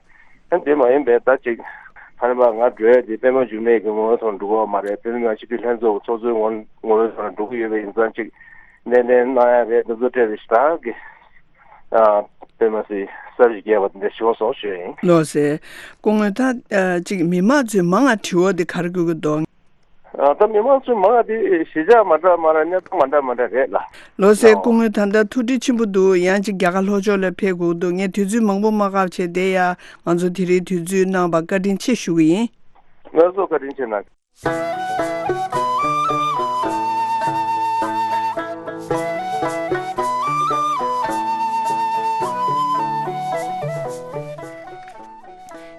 ཨ་འདི་མ་ཡིན་པའི་ད་ཅིག་ཕ་ནི་པ་ང་འགྲོ་ཡ་དེ་པད་མ་འབྱུང་གནས་ཀྱི་ངོ་བོའི་ཐོག་འགྲོ་གི་ཡོད་མ་རེད། པད་མ་ང་སྤྱི་འཐུས་ལྷན་ཚོགས་ཀྱི་ཚོགས་གཙོའི་ངོ་ངོ་བོའི་ཐོག་འགྲོ་གི་ཡོད་པ་ཡིན་ཙང་ཅིག་གནས་ལེན་གནང་ཡ་རེད། འདི་ཚོ་སྤྲད་རེ་ཞིག་ད་གི་ཨ་པད་མ་སི་གསར་ཞིག་རྒྱས་པ་འདི་འདྲ་ཞིག་སོང་ཞུ་ཡ་ཡིན། ལགས་སེ། སྐུ་ངོ། ད་ཨ་ཅིག་མི་མང་ཚོས་མང་ང་དྲི་བ་འདི་ག་རེ་དགོས་ཀྱི་འདུག་ཨ་ད་མི་མང་ཚོས་མང་ང་འདི་གཞིས་ཆགས་མ་འདྲ་མ་འདྲ། གནས་སྟངས་མ་འདྲ་མ་འདྲ་རེད་ལ། ལགས་སེ། ཨོ། སྐུ་ངོ། ད་ལྟ་ཐུགས་འདྲི་ཆེན་པོ་འདུག་ཡང་ཅིག་རྒྱ་གར་ལྷོ་ཕྱོགས་ལ་ཕེབས་དགོས་འདུག་ངས་དུས་ཚོད་མང་པོ་མ་བཀག་བྱས་བསྡད་ཡ། ང་ཚོ་དེ་རིང་དུས་ཚོད་གནང་བར་བཀའ་དྲིན་ཆེ་ཞུ་གི་ཡིན། ང་ཚོ་བཀའ་དྲིན་ཆེ་གནང་།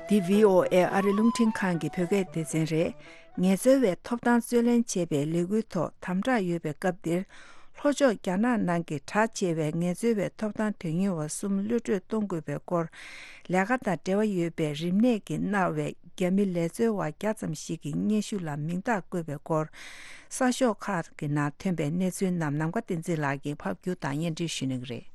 འདི་བྷི་ཨོ་ཨེ་ཨ་རི་རླུང་འཕྲིན་ཁང་གི་བོད་སྐད་སྡེ་ཚན་རེད། ངལ་རྩོལ་བའི་ཐོབ་ཐང་རྩོད་ལེན་བྱེད་པའི་ལས་འགུལ་ཐོག་དམ་དྲག་ཡོད་པའི་སྐབས་འདིར། ལྷོ་ཕྱོགས་རྒྱ་ནག་ནང་གི་གྲགས་ཆེ་བའི་ངལ་རྩོལ་བའི་ཐོབ་ཐང་དོན་གཉེར་བ་གསུམ་གློད་གྲོལ་གཏོང་དགོས་པའི་སྐོར། ལས་ཀ་དང་འབྲེལ་བ་ཡོད་པའི་རིམས་ནད་ཀྱིས་མནར་བའི་རྒྱ་མི་ལས་རྩོལ་བ་བརྒྱ་ཙམ་ཞིག་གི་སྙན་ཞུ་ལ་མིང་རྟགས་བཀོད་པའི་སྐོར། གསར་ཤོག་ཁག་གི་ནང་ཐོན་པའི་གནས་ཚུལ་རྣམས་ནམ་མཁའ་བསྟན་འཛིན་ལགས་ཀྱིས་ཕབ་སྒྱུར་དང་སྙན་སྒྲོན་ཞུ་གནང་གི་རེད།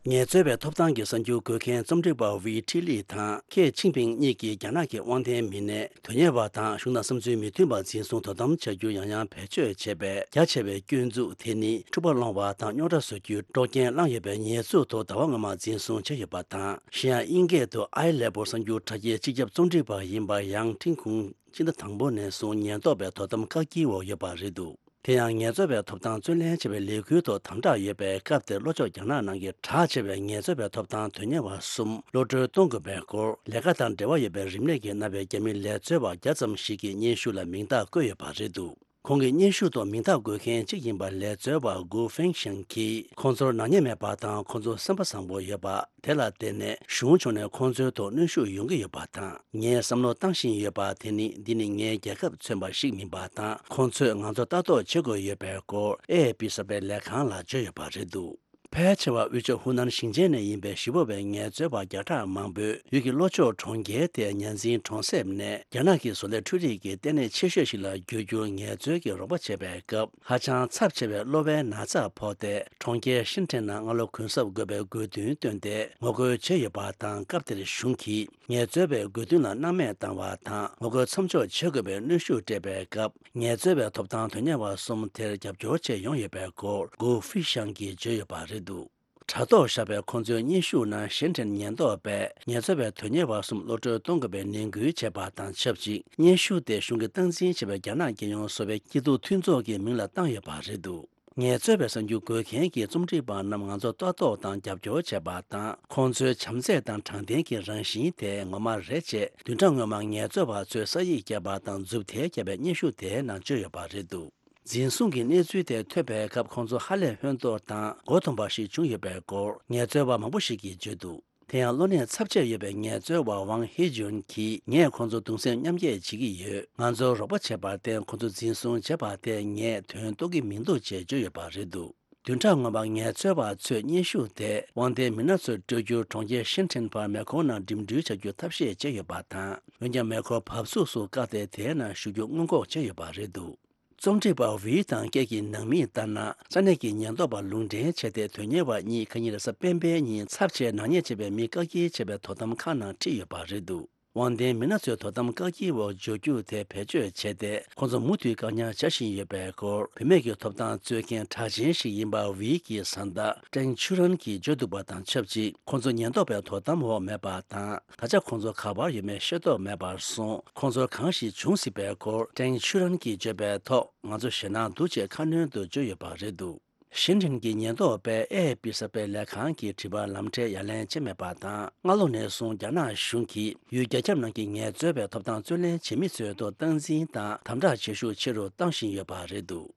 ངལ་རྩོལ་བའི་ཐོབ་ཐང་གི་གསར་འགྱུར་འགོད་མཁན་རྩོམ་སྒྲིག་པ་ཝི་ཁྲི་ལི་དང་ཁེ་ཆིང་ཕིང་གཉིས་ཀྱིས་རྒྱ་ནག་གི་དབང་ལྡན་མི་སྣས་དོན་གཉེར་བ་དང་གཞུང་དང་བསམ་ཚུལ་མི་མཐུན་པ་འཛིན་བཟུང་དོ་དམ་བྱ་རྒྱུ་ཡང་ཡང་བེད་སྤྱོད་བྱས་པའི་རྒྱ་ཆེ་བའི་སྐྱོན་འཛུགས་དེ་ནི་འཁྲུག་པ་སློང་བ་དང་རྙོག་དྲ་བཟོ་རྒྱུའི་དཀྲོག་རྐྱེན་བསླངས་ཡོད་པའི་ཉེས་འཛུགས་ཐོག་ཟླ་བ་སྔོན་མ་འཛིན་བཟུང་བྱས་ཡོད་པ་དང་། གཞན་ཡང་དབྱིན་སྐད་དུ་ཨའི་ལེ་པོ་གསར་འགྱུར་དྲ་རྒྱའི་སྤྱི་ཁྱབ་རྩོམ་སྒྲིག་པ་ཡིན་པ་ཡང་ཁྲིན་ཁུང་སྤྱི་ཟླ་དང་པོ་ནས་བཟུང་ཉེན་རྟོག་པའི་དོ་དམ་བཀག་སྐྱིལ་འོག་ཡོད་པ་རེད་འདུག་དེ་ཡང་ངལ་རྩོལ་བའི་ཐོབ་ཐང་རྩོད་ལེན་བྱེད་པའི་ལས་འགུལ་ཐོག་དམ་དྲག་ཡོད་པའི་སྐབས་དེར་ལྷོ་ཕྱོགས་རྒྱ་ནག་ནང་གི་གྲགས་ཆེ་བའི་ངལ་རྩོལ་བའི་ཐོབ་ཐང་དོན་གཉེར་བ་གསུམ་གློད་གྲོལ་གཏོང་དགོས་པའི་སྐོར། ལས་ཀ་དང་འབྲེལ་བ་ཡོད་པའི་རིམས་ནད་ཀྱིས་མནར་བའི་རྒྱ་མི་ལས་རྩོལ་བ་བརྒྱ་ཙམ་ཞིག་གི་སྙན་ཞུ་ལ་མིང་རྟགས་བཀོད་ཡོད་པ་རེད་འདུག་ཁོང་གི་སྙན་ཞུ་ཐོག་མིང་རྟགས་འགོད་མཁན་གཅིག་ཡིན་པ་ལས་རྩོལ་བ་གུ་ཧྥེང་ཤང་གིས། ཁོང་ཚོར་ནག་ཉེས་མེད་པ་དང་ཁོང་ཚོ་སེམས་པ་བཟང་པོ་ཡོད་པ། དེ་ལ་བརྟེན་ནས་གཞུང་ཕྱོགས་ནས་ཁོང་ཚོའི་ཐོག་གནོན་ཤུགས་ཡོང་གི་ཡོད་པ་དང་། ངས་བསམ་བློ་བཏང་བཞིན་ཡོད་པ་དེ་ནི། འདི་ནི་ངའི་རྒྱལ་ཁབ་མཚོན་པ་ཞིག་མིན་པ་དང་། ཁོང་ཚོས་ང་ཚོ་ལྟ་རྟོག་བྱེད་དགོས་ཡོད་པའི་སྐོར་ཨེ་ཨེ་པི་གསར་པའི་ལས་ཁང་ལ་བརྗོད་ཡོད་པ་རེད་འདུག་ཕལ་ཆེ་བ་དབུས་ཕྱོགས་ཧུ་ནན་ཞིང་ཆེན་ནས་ཡིན་པའི་ཞི་བ་བའི་ངལ་རྩོལ་བ་བརྒྱ་ཕྲག་མང་པོས་ཡུལ་གྱི་ལྷོ་ཕྱོགས་གྲོང་ཁྱེར་དེའི་ཉ་འཛིན་གྲོང་གསེབ་ནས་རྒྱ་ནག་གི་བཟོ་ལས་འཕྲུལ་རིག་གི་ལྟེ་གནས་ཆེ་ཤོས་ཤིག་ལ་འགྱུར་རྒྱུར་ངལ་རྩོལ་གྱི་རོགས་པ་བྱས་པའི་སྐབས། ཧ་ཅང་ཚབས་ཆེ་བའི་གློ་བའི་ན་ཚ་ཕོག་སྟེ། གྲོང་ཁྱེར་ཤིན་ཁྲེན་ནང་སྔ་ལོ་གུན་གསབ་དགོས་པའི་དགོས་འདུན་བཏོན་ཏེ་ངོ་རྒོལ་བྱས་ཡོད་པ་དང་། སྐབས་དེར་གཞུང་གིས་ངལ་རྩོལ་བའི་དགོས་འདུན་ལ་སྣང་མེད་བཏང་བ་དང་། ངོ་རྒོལ་མཚམས་འཇོག་བྱེད་དགོས་པའི་གནོན་ཤུགས་སྤྲད་པའི་སྐབས། ངལ་རྩོལ་བའི་ཐོབ་ཐང་དོན་གཉེར་བ་གསུམ་དེར་རྒྱབ་སྐྱོར་བྱས་ཡོང་ཡོད་པའི་སྐོར་གུ་ཧྥི་ཤང་གིས་བརྗོད་ཡོད་པ་རེད་འདུག་དྲ་ཐོག་བཞག་པའི་ཁོང་ཚོའི་སྙན་ཞུ་ནང་ཤིན་ཁྲེན་ཉེན་རྟོག་པས་ངལ་རྩོལ་བའི་དོན་གཉེར་བ་གསུམ་གློད་གྲོལ་གཏོང་དགོས་པའི་ནན་སྐུལ་བྱས་པ་དང་ཆབས་ཅིག་སྙན་ཞུ་དེ་གཞུང་གིས་སྟངས་འཛིན་བྱས་པའི་རྒྱ་ནག་རྒྱལ་ཡོངས་བཟོ་པའི་སྐྱིད་སྡུག་མཐུན་ཚོགས་ཀྱི་མིང་ལ་བཏང་ཡོད་པ་རེད་འདུག་ངལ་རྩོལ་བའི་གསར་འགྱུར་འགོད་མཁན་གྱི་རྩོམ་སྒྲིག་པ་རྣམས་ང་ཚོ་ལྟ་རྟོག་དང་རྒྱབ་སྐྱོར་བྱས་པ་དང་། ཁོང་ཚོའི་བྱམས་བརྩེ་དང་དྲང་བདེན་གྱི་རང་བཞིན་དེ་ངོ་མ་རེད་ཅེས་བདུན་ཕྲག་སྔོན་མ་ངལ་རྩོལ་བ་ཚོས་ས་ཡིག་བརྒྱབ་པ་དང་མཛུབ་ཐེལ་བརྒྱབ་པའི་སྙན་ཞུ་དེའི་ནང་བཅོས་ཡོད་པ་རེད་འདུག་འཛིན་བཟུང་གི་གནས་ཚུལ་དེ་ཐོས་པའི་སྐབས་ཁོང་ཚོ་ཧ་ལས་ཧོན་ཏོར་དང་མགོ་འཐོམས་པ་ཞིག་བྱུང་ཡོད་པའི་སྐོར། ངལ་རྩོལ་བ་མང་པོ་ཞིག་གིས་བརྗོད་འདུག་དེ་ཡང་གློ་ནད་ཚབས་ཆེ་ཡོད་པའི་ངལ་རྩོལ་བ་ཝང་ཧི་ཇོན་གྱིས། ངས་ཁོང་ཚོ་གདུང་སེམས་མཉམ་སྐྱེད་བྱེད་ཀྱི་ཡོད། ང་ཚོར་རོགས་པ་བྱས་པར་བརྟེན་ཁོང་ཚོ་འཛིན་བཟུང་བྱས་པ་དེ་ངས་དོན་རྟོགས་ཀྱི་མི་འདུག་ཅེས་བརྗོད་ཡོད་པ་རེད་འདུག་བདུན་ཕྲག་སྔོན་མར་ངལ་རྩོལ་བ་ཚོས་སྙན་ཞུ་དེ་དབང་ལྡན་མི་སྣ་ཚོར་སྤྲོད་རྒྱུར་གྲོང་ཁྱེར་ཤིན་ཁྲེན་བར་མེ་འཁོར་ནང་འགྲིམ་འགྲུལ་བྱ་རྒྱུ་ཐབས་ཤེས་བྱས་ཡོད་པ་དང་། འོན་ཀྱང་མེ་འཁོར་བབས་ཚུགས་སུ་བཀག་སྟེ་དེའི་ནང་ཞུགས་རྒྱུ་སྔོན་འགོག་བྱས་ཡོད་པ་རེད་འདུག་རྩོམ་སྒྲིག་པ་ཝི་དང་སྐད་ཀྱི་ནང་མིས་ལྟར་ན། ས་གནས་ཀྱི་ཉེན་རྟོག་པ་ལུང་འདྲེན་བྱས་ཏེ། དོན་གཉེར་བ་གཉིས་ཁ་ཉིན་རེས་གཟའ་སྤེན་པའི་ཉིན་ཚབས་ཆེའི་ནག་ཉེས་བྱས་པའི་མི་བཀག་སྐྱིལ་བྱས་པའི་དོ་དམ་ཁང་ནང་ཁྲིད་ཡོད་པ་རེད་འདུག་དབང་ལྡན་མི་སྣ་ཚོའི་དོ་དམ་བཀག་སྐྱིལ་འོག་འཇུག་རྒྱུ་དེ་བེད་སྤྱོད་བྱས་ཏེ། ཁོང་ཚོ་མུ་མཐུད་བཀག་ཉར་བྱ་བཞིན་ཡོད་པའི་སྐོར། བུད་མེད་ཀྱི་ཐོབ་ཐང་རྩོད་མཁན་གྲགས་ཅན་ཞིག་ཡིན་པ་ཝི་གི་བཟའ་ཟླ་ཀྲེང་ཆུ་རན་གྱིས་བརྗོད་འདུག་པ་དང་ཆབས་ཅིག་ཁོང་ཚོ་ཉེན་རྟོག་པའི་དོ་དམ་འོག་མེད་པ་དང་། ད་ཆ་ཁོང་ཚོ་ག་པར་ཡོད་མེད་ཤེས་རྟོགས་མེད་པར་སོང་། ཁོང་ཚོར་གང་ཞིག་བྱུང་སྲིད་པའི་སྐོར། ཀྲེང་ཆུ་རན་གྱིས་བརྗོད་པའི་ཐོག་ང་ཚོ་ཞེད་སྣང་འདུག་ཅེས་ཁ་སྣོན་དུ་བརྗོད་ཡོད་པ་རེད་འདུག་ཤིན་ཀྲིན་གྱི་ཉེན་རྟོག་པས་ཨེ་ཨེ་པི་གསར་སྤེལ་ལས་ཁང་གི་དྲི་བར་ལམ་ཁྲལ་ཡ་ལན་བྱས་མེད་པ་དང་། སྔ་ལོ་ནས་བཟུང་རྒྱ་ནག་གཞུང་གིས་ཡུལ་རྒྱ་ཁྱབ་ནང་གི་ངལ་རྩོལ་བའི་ཐོབ་ཐང་རྩོད་ལེན་བྱེད་མི་ཚོའི་ཐོག་སྟངས་འཛིན་དང་དམ་དྲག་བྱེད་ཤུགས་ཆེ་རུ་བཏང་བཞིན་ཡོད་པ་རེད་འདུག་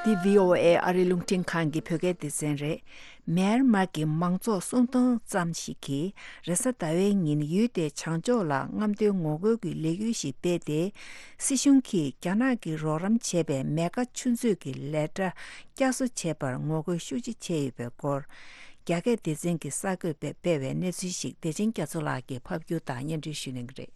འདི་བྷི་ཨོ་ཨེ་ཨ་རི་རླུང་འཕྲིན་ཁང་གི་བོད་སྐད་སྡེ་ཚན་རེད། མེན་མར་གྱི་མང་ཚོགས་སུམ་སྟོང་ཙམ་ཞིག་གིས་རེས་གཟའ་ཟླ་བའི་ཉིན་ཡུལ་དེའི་བྱང་ཕྱོགས་ལ་རྔམ་སྟོན་ངོ་རྒོལ་གྱི་ལས་འགུལ་ཞིག་སྤེལ་ཏེ། སྲིད་གཞུང་གིས་རྒྱ་ནག་གིས་རོགས་རམ་བྱས་པའི་མེ་མཁའ་ཆུ་མཛོད་ཀྱི་ལས་གྲྭ་བསྐྱར་གསོ་བྱས་པར་ངོ་རྒོལ་ཤུགས་ཆེ་བྱས་ཡོད་པའི་སྐོར། རྒྱ་སྐད་སྡེ་ཚན་གྱི་གསར་འགོད་པས་སྤེལ་བའི་གནས་ཚུལ་ཞིག་བདེ་ཆེན་རྒྱ་མཚོ་ལགས་ཀྱིས་ཕབ་སྒྱུར་དང་སྙན་སྒྲོན་ཞུ་གནང་གི་རེད།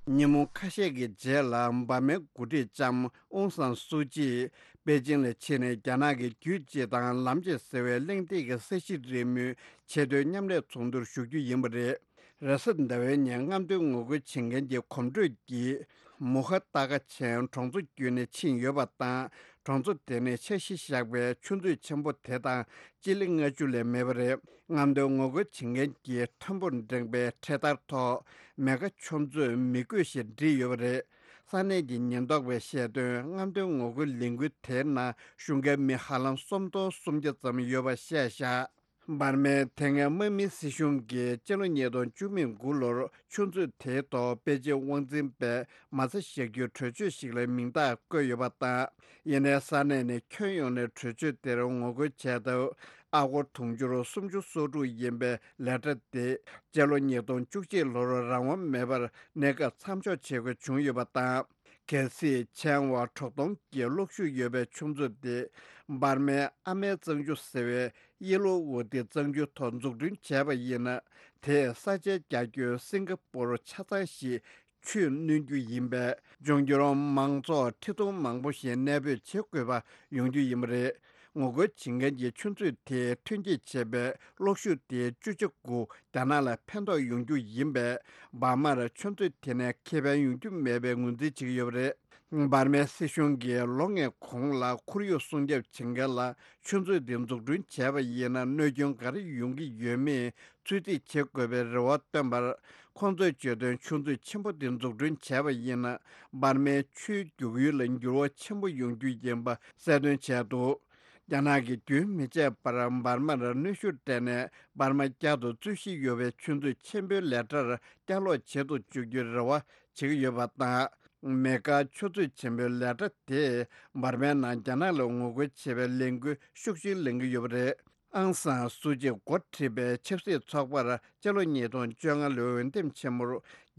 ཉིན་མོ་ཁ་ཤས་ཀྱི་རྗེས་ལ་འབར་མའི་འགོ་ཁྲིད་ལྕམ་ཨུང་སན་སུའུ་ཅི་པེ་ཅིང་ལ་ཕྱིན་ནས་རྒྱ་ནག་གི་རྒྱུད་སྤྱི་དང་ལམ་སྤྱི་ཟེར་བའི་གླེང་སྟེགས་ཀྱི་ས་གཞི་རིལ་མོའི་ཆེས་མཐོའི་མཉམ་ལས་ཚོགས་འདུར་ཞུགས་རྒྱུ་ཡིན་པ་རེད། རེས་གཟའ་ཟླ་བའི་ཉིན་རྔམ་སྟོན་ངོ་རྒོལ་བྱེད་མཁན་གྱི་གོམ་བགྲོད་ཀྱིས་མུ་ཁ་ཏ་ཀ་ཆེན་གྲོང་ཚོ་བརྒྱུད་ནས་ཕྱིན་ཡོད་པ་དང་། གྲོང་ཚོ་དེ་ནས་འཆར་གཞི་བཞག་པའི་ཆུ་མཛོད་ཆེན་པོ་དེ་དང་སྤྱི་ལེ་ལྔ་བཅུ་ལས་མེད་པ་རེད། རྔམ་སྟོན་ངོ་རྒོལ་བྱེད་མཁན་གྱིས་མཐོན་པོར་འགྲེང་པའི་འཕྲེད་དར་ཐོག་མེ་མཁའ་ཆུ་མཛོད་མི་དགོས་ཞེས་བྲིས་ཡོད་པ་རེད། ས་གནས་ཀྱི་ཉེན་རྟོག་པས་བཤད་དོན། རྔམ་སྟོན་ངོ་རྒོལ་ལས་འགུལ་དེའི་ནང་ཞུགས་མཁན་མི་ཧ་ལམ་སུམ་སྟོང་སུམ་བརྒྱ་ཙམ་ཡོད་པ་བཤད་བཞག་འབར་མའི་དེ་སྔའི་དམག་མིའི་སྲིད་གཞུང་གིས་སྤྱི་ལོ་ཉིས་སྟོང་བཅུ་མེད་དགུ་ལོར་ཆུ་མཛོད་དེའི་ཐོག་པེ་ཅིན་དབང་འཛིན་པས་མ་རྩ་བཞག་རྒྱུའི་གྲོས་ཆོད་ཞིག་ལ་མིང་རྟགས་བཀོད་ཡོད་པ་དང་། ཡིན་ནའི་ས་གནས་ནས་ཁྱོན་ཡོངས་ནས་གྲོས་ཆོད་དེར་ངོ་རྒོལ་བྱས་སྟབས། ཨ་སྒོར་དུང་ཕྱུར་སུམ་ཅུ་སོ་དྲུག་ཡིན་པའི་ལས་གྲྭ་དེ་སྤྱི་ལོ་ཉིས་སྟོང་བཅུ་གཅིག་ལོར་རང་དབང་མེད་པར་གནས་སྐབས་མཚམས་འཇོག་བྱེད་དགོས་བྱུང་ཡོད་པ་དང་། གལ་སྲིད་ཕྱེད་དབང་བ་དྲུག་སྟོང་གི་གློག་ཤུགས་ཡོད་པའི་ཆུ་མཛོད་དེ་འབར་མའི་ཨ་མའི་གཙང་ཆུ་ཟེར་བའི་ཡེ་ལོ་ཝུ་ཏི་གཙང་ཆུའི་ཐོག་འཛུགས་སྐྲུན་བྱས་པ་ཡིན་ན། དེས་ས་ཆའི་རྒྱ་ཁྱོན་སིང་ག་པོར་ཆ་ཚང་ཞིག་ཆུས་བསྣུན་རྒྱུ་ཡིན་པས། འབྱུང་འགྱུར་མང་ཚོགས་ཁྲི་སྟོང་མང་པོ་ཞིག་གནས་སྤོས་བྱེད་དགོས་པ་ཡོང་རྒྱུ་ཡིན་པ་རེད། ངོ་རྒོལ་བྱེད་མཁན་གྱི་ཆུ་མཛོད་དེས་ཐོན་སྐྱེད་བྱས་པའི་གློག་ཤུགས་དེའི་བཅུ་ཆ་དགུ་རྒྱ་ནག་ལ་ཕན་ཐོགས་ཡོང་རྒྱུ་ཡིན་པས། འབར་མར་ཆུ་མཛོད་དེ་ནས་ཁེ་ཕན་ཡོང་རྒྱུ་མེད་པའི་ངོས་འཛིན་བྱེད་ཀྱི་ཡོད་པ་རེད། འབར་མའི་སྲིད་གཞུང་གིས་ལོ་ལྔའི་གོང་ལ་ཁོར་ཡུག་སྲུང་སྐྱོབ་བྱེད་མཁན་ལ་ཆུ་མཛོད་འདི་འཛུགས་སྐྲུན་བྱས་པ་ཡིན་ན་གནོད་སྐྱོན་ག་རེ་ཡོང་གི་ཡོད་མེད་ཚོད་རྩིས་བྱེད་དགོས་པའི་རེ་བ་བཏོན་པར། ཁོང་ཚོས་བརྗོད་དོན། ཆུ་མཛོད་ཆེན་པོ་འདི་འཛུགས་སྐྲུན་བྱས་པ་ཡིན་ན། འབར་མའི་ཆུའི་རྒྱུག་ཡུལ་ལ་འགྱུར་བ་ཆེན་པོ་ཡོང་རྒྱུ་ཡིན་པ་གསལ་སྟོན་བྱས་འདུག་རྒྱ་ནག་གིས་རྒྱུན་མི་ཆད་པར་འབར་མར་གནོན་ཤུགས་སྤྲད་ནས། འབར་མ་བསྐྱར་དུ་རྩོད་གཞི་ཡོད་པའི་ཆུ་མཛོད་ཆེན་པོའི་ལས་གྲྭར་བསྐྱར་ལོག་བྱེད་དུ་འཇུག་རྒྱུའི་རེ་བ་བྱེད་ཀྱི་ཡོད་པ་དང་། མེ་མཁའ་ཆུ་མཛོད་ཆེན་པོའི་ལས་གྲྭ་དེས་འབར་མའི་ནང་རྒྱ་ནག་ལ་ངོ་རྒོལ་བྱེད་པའི་ལས་འགུལ་ཤུགས་ཆེན་ལེན་གྱི་ཡོད་པ་རེད། ཨང་སང་སུ་ཅིས་འགོ་ཁྲིད་པའི་ཆབ་སྲིད་ཚོགས་པར་སྤྱི་ལོ་ཉིས་སྟོང་བཅོ་ལྔ་ལོའི་འོས་འདེམས་ཆེན་མོར་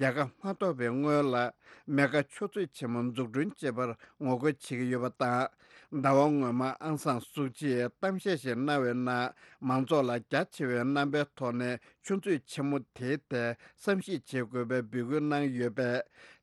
རྒྱལ་ཁ་མ་ཐོབ་པའི་སྔོན་ལ། མེ་མཁའ་ཆུ་མཛོད་ཆེན་མོ་འཛུགས་སྐྲུན་བྱེད་པར་ངོ་རྒོལ་བྱེད་ཀྱི་ཡོད་པ་དང་། ཟླ་བ་སྔོན་མ་ཨང་སང་སུ་ཅིས་གཏམ་བཤད་ཞིག་གནང་བའི་ནང་། མང་ཚོགས་ལ་རྒྱ་ཆེ་བའི་རྣམ་པའི་ཐོག་ནས་ཆུ་མཛོད་ཆེན་མོ་དེའི་ཐད་བསམ་གཞིག་བྱེད་དགོས་པའི་འབོད་སྐུལ་གནང་ཡོད་པས།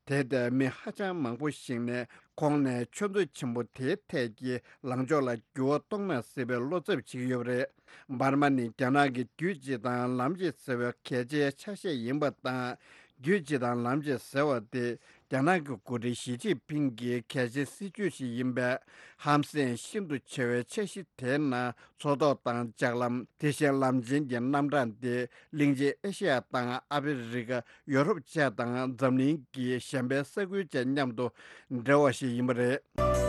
དེ་ལྟར་མི་ཧ་ཅང་མང་པོ་ཞིག་ནས་ཁོང་ནས་ཆུ་མཛོད་ཆེན་པོ་དེའི་ཐད་ཀྱི་ལངས་ཕྱོགས་ལ་འགྱུར་བ་གཏོང་ན་སྲིད་པའི་བློ་འཚབ་བྱེད་ཀྱི་ཡོད་པ་རེད། འབར་མ་ནི་རྒྱ་ནག་གི་རྒྱུད་སྤྱི་དང་ལམ་སྤྱི་ཟེར་བའི་གལ་ཆེའི་ཆ་ཤས་ཡིན་པ་དང་། རྒྱུད་སྤྱི་དང་ལམ་སྤྱི་ཟེར་བ་དེ་རྒྱ་ནག་གི་འགོ་ཁྲིད་ཞི་ཅིན་ཕིང་གི་གལ་ཆེའི་སྲིད་ཇུས་ཤིག་ཡིན་པས། ཧམ་སེམས་ཤིན་ཏུ་ཆེ་བའི་འཆར་གཞི་དེའི་ནང་མཚོ་ཐོག་དང་ལྗགས་ལམ། དེ་བཞིན་ལམ་ཆེན་གྱི་རྣམ་གྲངས་དེ་གླིང་ཆེན་ཨེ་ཤེ་ཡ་དང་ཨ་ཕི་རི་ཀ། ཡོ་རོབ་བཅས་དང་འཛམ་གླིང་གི་གཞན་པའི་ས་ཁུལ་བཅས་མཉམ་དུ་འབྲེལ་བ་ཞིག་ཡིན་པ་རེད།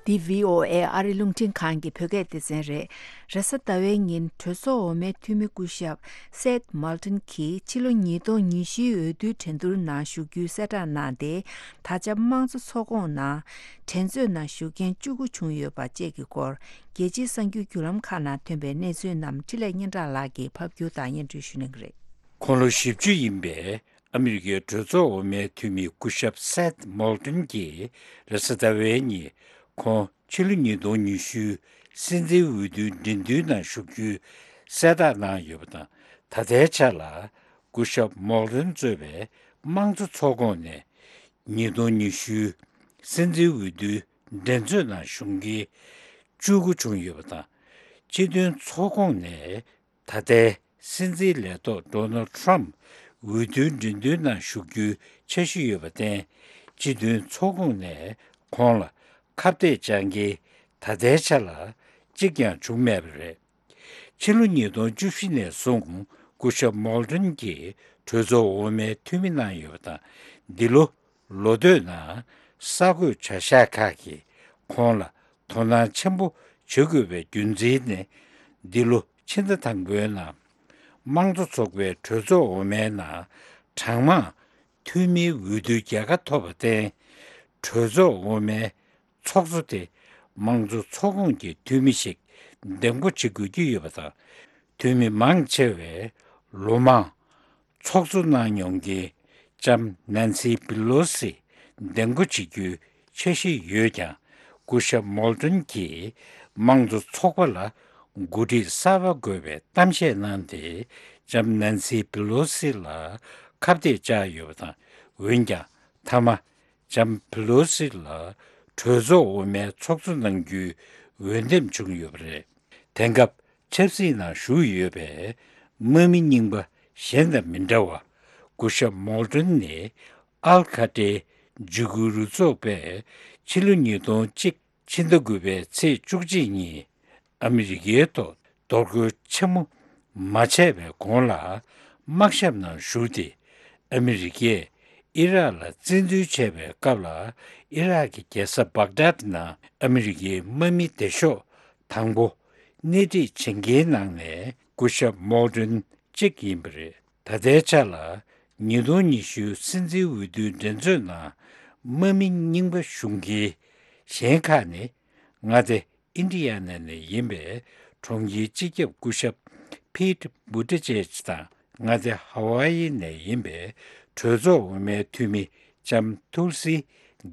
འདི་བྷི་ཨོ་ཨེ་ཨ་རི་རླུང་འཕྲིན་ཁང་གི་བོད་སྐད་སྡེ་ཚན་རེད། རེས་གཟའ་ཟླ་བའི་ཉིན་གྲོས་ཚོགས་འོག་མའི་འཐུས་མི་སྐུ་ཞབས་སེད་མོལ་ཏོན་གྱིས་ཕྱི་ལོ་ཉིས་སྟོང་ཉི་ཤུའི་འོས་བསྡུའི་འགྲན་བསྡུར་ནང་ཞུགས་རྒྱུའི་གསལ་བསྒྲགས་གནང་སྟེ། ད་ཆ་དམངས་གཙོ་ཚོགས་ཁོངས་ནང་འགྲན་རྩོད་ནང་ཞུགས་མཁན་བཅུ་དགུ་བྱུང་ཡོད་པ་བཅས་ཀྱི་སྐོར། རྒྱལ་སྤྱིའི་གསར་འགྱུར་བརྒྱུད་ལམ་ཁག་ནང་ཐོན་པའི་གནས་ཚུལ་རྣམས་འཕྲིན་ལས་སྙན་གྲགས་ལགས་ཀྱིས་ཕབ་སྒྱུར་དང་སྙན་སྒྲོན་ཞུ་གནང་གི་རེད། ཁོང་ལོ་བཞི་བཅུ་ཡིན་པའི་ཨ་མི་རི་ཀའི་གྲོས་ཚོགས་འོག་མའི་འཐུས་མི་སྐུ་ཞབས་སེད་མོལ་ཏོན་གྱིས་རེས་གཟའ་ཟླ་བའི་ཉིན། ཁོང་ཕྱི་ལོ་ཉིས་སྟོང་ཉི་ཤུ་སྲིད་འཛིན་འོས་བསྡུའི་འགྲན་བསྡུར་ནང་ཞུགས་རྒྱུའི་གསལ་བསྒྲགས་གནང་ཡོད་པ་དང་། ད་ལྟའི་ཆ་ལ་སྐུ་ཞབས་མོལ་ཏོན་གཙོས་པའི་དམངས་གཙོ་ཚོགས་ཁོངས་ནས་ཉིས་སྟོང་ཉི་ཤུ་སྲིད་འཛིན་འོས་བསྡུའི་འགྲན་རྩོད་ནང་ཞུགས་མཁན་བཅུ་དགུ་བྱུང་ཡོད་པ་དང་། སྤྱི་མཐུན་ཚོགས་ཁོངས་ནས་ད་ལྟའི་སྲིད་འཛིན་ལས་ཐོག་ཌོ་ནལ་ཊམ་འོས་བསྡུའི་འགྲན་བསྡུར་ནང་ཞུགས་རྒྱུའི་འཆར་གཞི་ཡོད་པར་བརྟེན། སྤྱི་མཐུན་ཚོགས་ཁོངས་ནས་ཁོང་ལ་ཁ་གཏད་བཅག་མཁན་ད་ལྟའི་ཆ་ལ་གཅིག་ཀྱང་བྱུང་མེད་པ་རེད། ཕྱི་ལོ་ཉིས་སྟོང་བཅུ་བཞི་ནས་བཟུང་སྐུ་ཞབས་མོལ་ཏོན་གྱིས་གྲོས་ཚོགས་འོག་མའི་འཐུས་མི་གནང་ཡོད་པ་དང་། འདི་ལོ་ལོ་སྟོད་ནང་གསར་འགོད་བྱ་གཞག་ཁག་གིས་ཁོང་ལ་དོ་སྣང་ཆེན་པོ་བྱེད་དགོས་པའི་རྒྱུ་མཚན་ནི། འདི་ལོ་ཕྱི་ཟླ་དང་པོའི་ནང་དམངས་གཙོ་ཚོགས་པའི་གྲོས་ཚོགས་འོག་མའི་ནང་གྲངས་མང་འཐུས་མིའི་འོས་བསྡུ་རྒྱལ་ཁ་ཐོབ་པར་བརྟེན། གྲོས་ཚོགས་འོག་མའི་ཚོགས་གཙོ་དེ་དམངས་གཙོ་ཚོགས་ཁོངས་ཀྱི་འཐུས་མི་ཞིག་འདེམས་བསྐོ་བྱེད་དགོས་ཀྱི་ཡོད་པ་དང་། འཐུས་མི་མང་ཆེ་བས་ལོ་མང་ཚོགས་གཙོ་གནང་མྱོང་མཁན་ལྕམ་ནན་སི་པི་ལོ་སི་འདེམས་བསྐོ་བྱེད་རྒྱུའི་འཆར་གཞི་ཡོད་ཀྱང་། སྐུ་ཞབས་མོལ་ཏོན་གྱིས་དམངས་གཙོ་ཚོགས་པ་ལ་འགོ་ཁྲིད་གསར་པ་དགོས་པའི་གཏམ་བཤད་གནང་སྟེ། ལྕམ་ནན་སི་པི་ལོ་སི་ལ་ཁ་གཏད་བཅག་ཡོད་པ་དང་། འོན་ཀྱང་མཐའ་མ་ལྕམ་པི་ལོ་སི་ལ་གྲོས་ཚོགས་འོག་མའི་ཚོགས་གཙོ་གནང་རྒྱུའི་འོས་འདེམས་བྱུང་ཡོད་པ་རེད། དེང་སྐབས་ཆབ་སྲིད་ནང་ཞུགས་ཡོད་པའི་དམག་མི་རྙིང་པ་གཞན་དང་མི་འདྲ་བར། སྐུ་ཞབས་མོལ་ཏོན་ནི་ཨལ་ཁ་ཏྲའི་འཇིགས་སྐུལ་རུ་ཚོགས་པས་ཕྱི་ལོ་ཉིས་སྟོང་གཅིག་ཕྱི་ཟླ་དགུ་པའི་ཚེས་བཅུ་གཅིག་ཉིན་ཨ་མི་རི་ཀའི་ཐོག་གཏོར་རྒོལ་ཆེན་མོ་མ་བྱས་པའི་གོང་ལ་དམག་ཞབས་ནང་ཞུགས་ཏེ། ཨ་མི་རི་ཀས་ཨི་རག་ལ་བཙན་འཛུལ་བྱས་པའི་སྐབས་ལ། ཨི་རག་གི་རྒྱལ་ས་བག་དཱད་ནང་ཨ་མི་རི་ཀའི་དམག་མི་སྡེ་ཤོག་དང་པོ་སྣེ་ཁྲིད་བྱེད་མཁན་ནང་ནས་སྐུ་ཞབས་མོལ་ཏོན་གཅིག་ཡིན་པ་རེད། ད་ལྟའི་ཆ་ལ་ཉིས་སྟོང་ཉི་ཤུ་སྲིད་འཛིན་འོས་བསྡུའི་འགྲན་རྩོད་ནང་དམག་མི་རྙིང་པ་ཞུགས་མཁན་གཞན་ཁག་ནི། མངའ་སྡེ་ཨིན་ཌི་ཡ་ན་ནས་ཡིན་པའི་གྲོང་ཁྱེར་སྤྱི་ཁྱབ་སྐུ་ཞབས་ཕིད་བུ་ཏི་ཇེཇ་དང་། མངའ་སྡེ་ཧ་ཝཱ་ཡི་ནས་ཡིན་པའི་གྲོས་ཚོགས་འོག་མའི་འཐུས་མི་ལྕམ་ཐུལ་སི་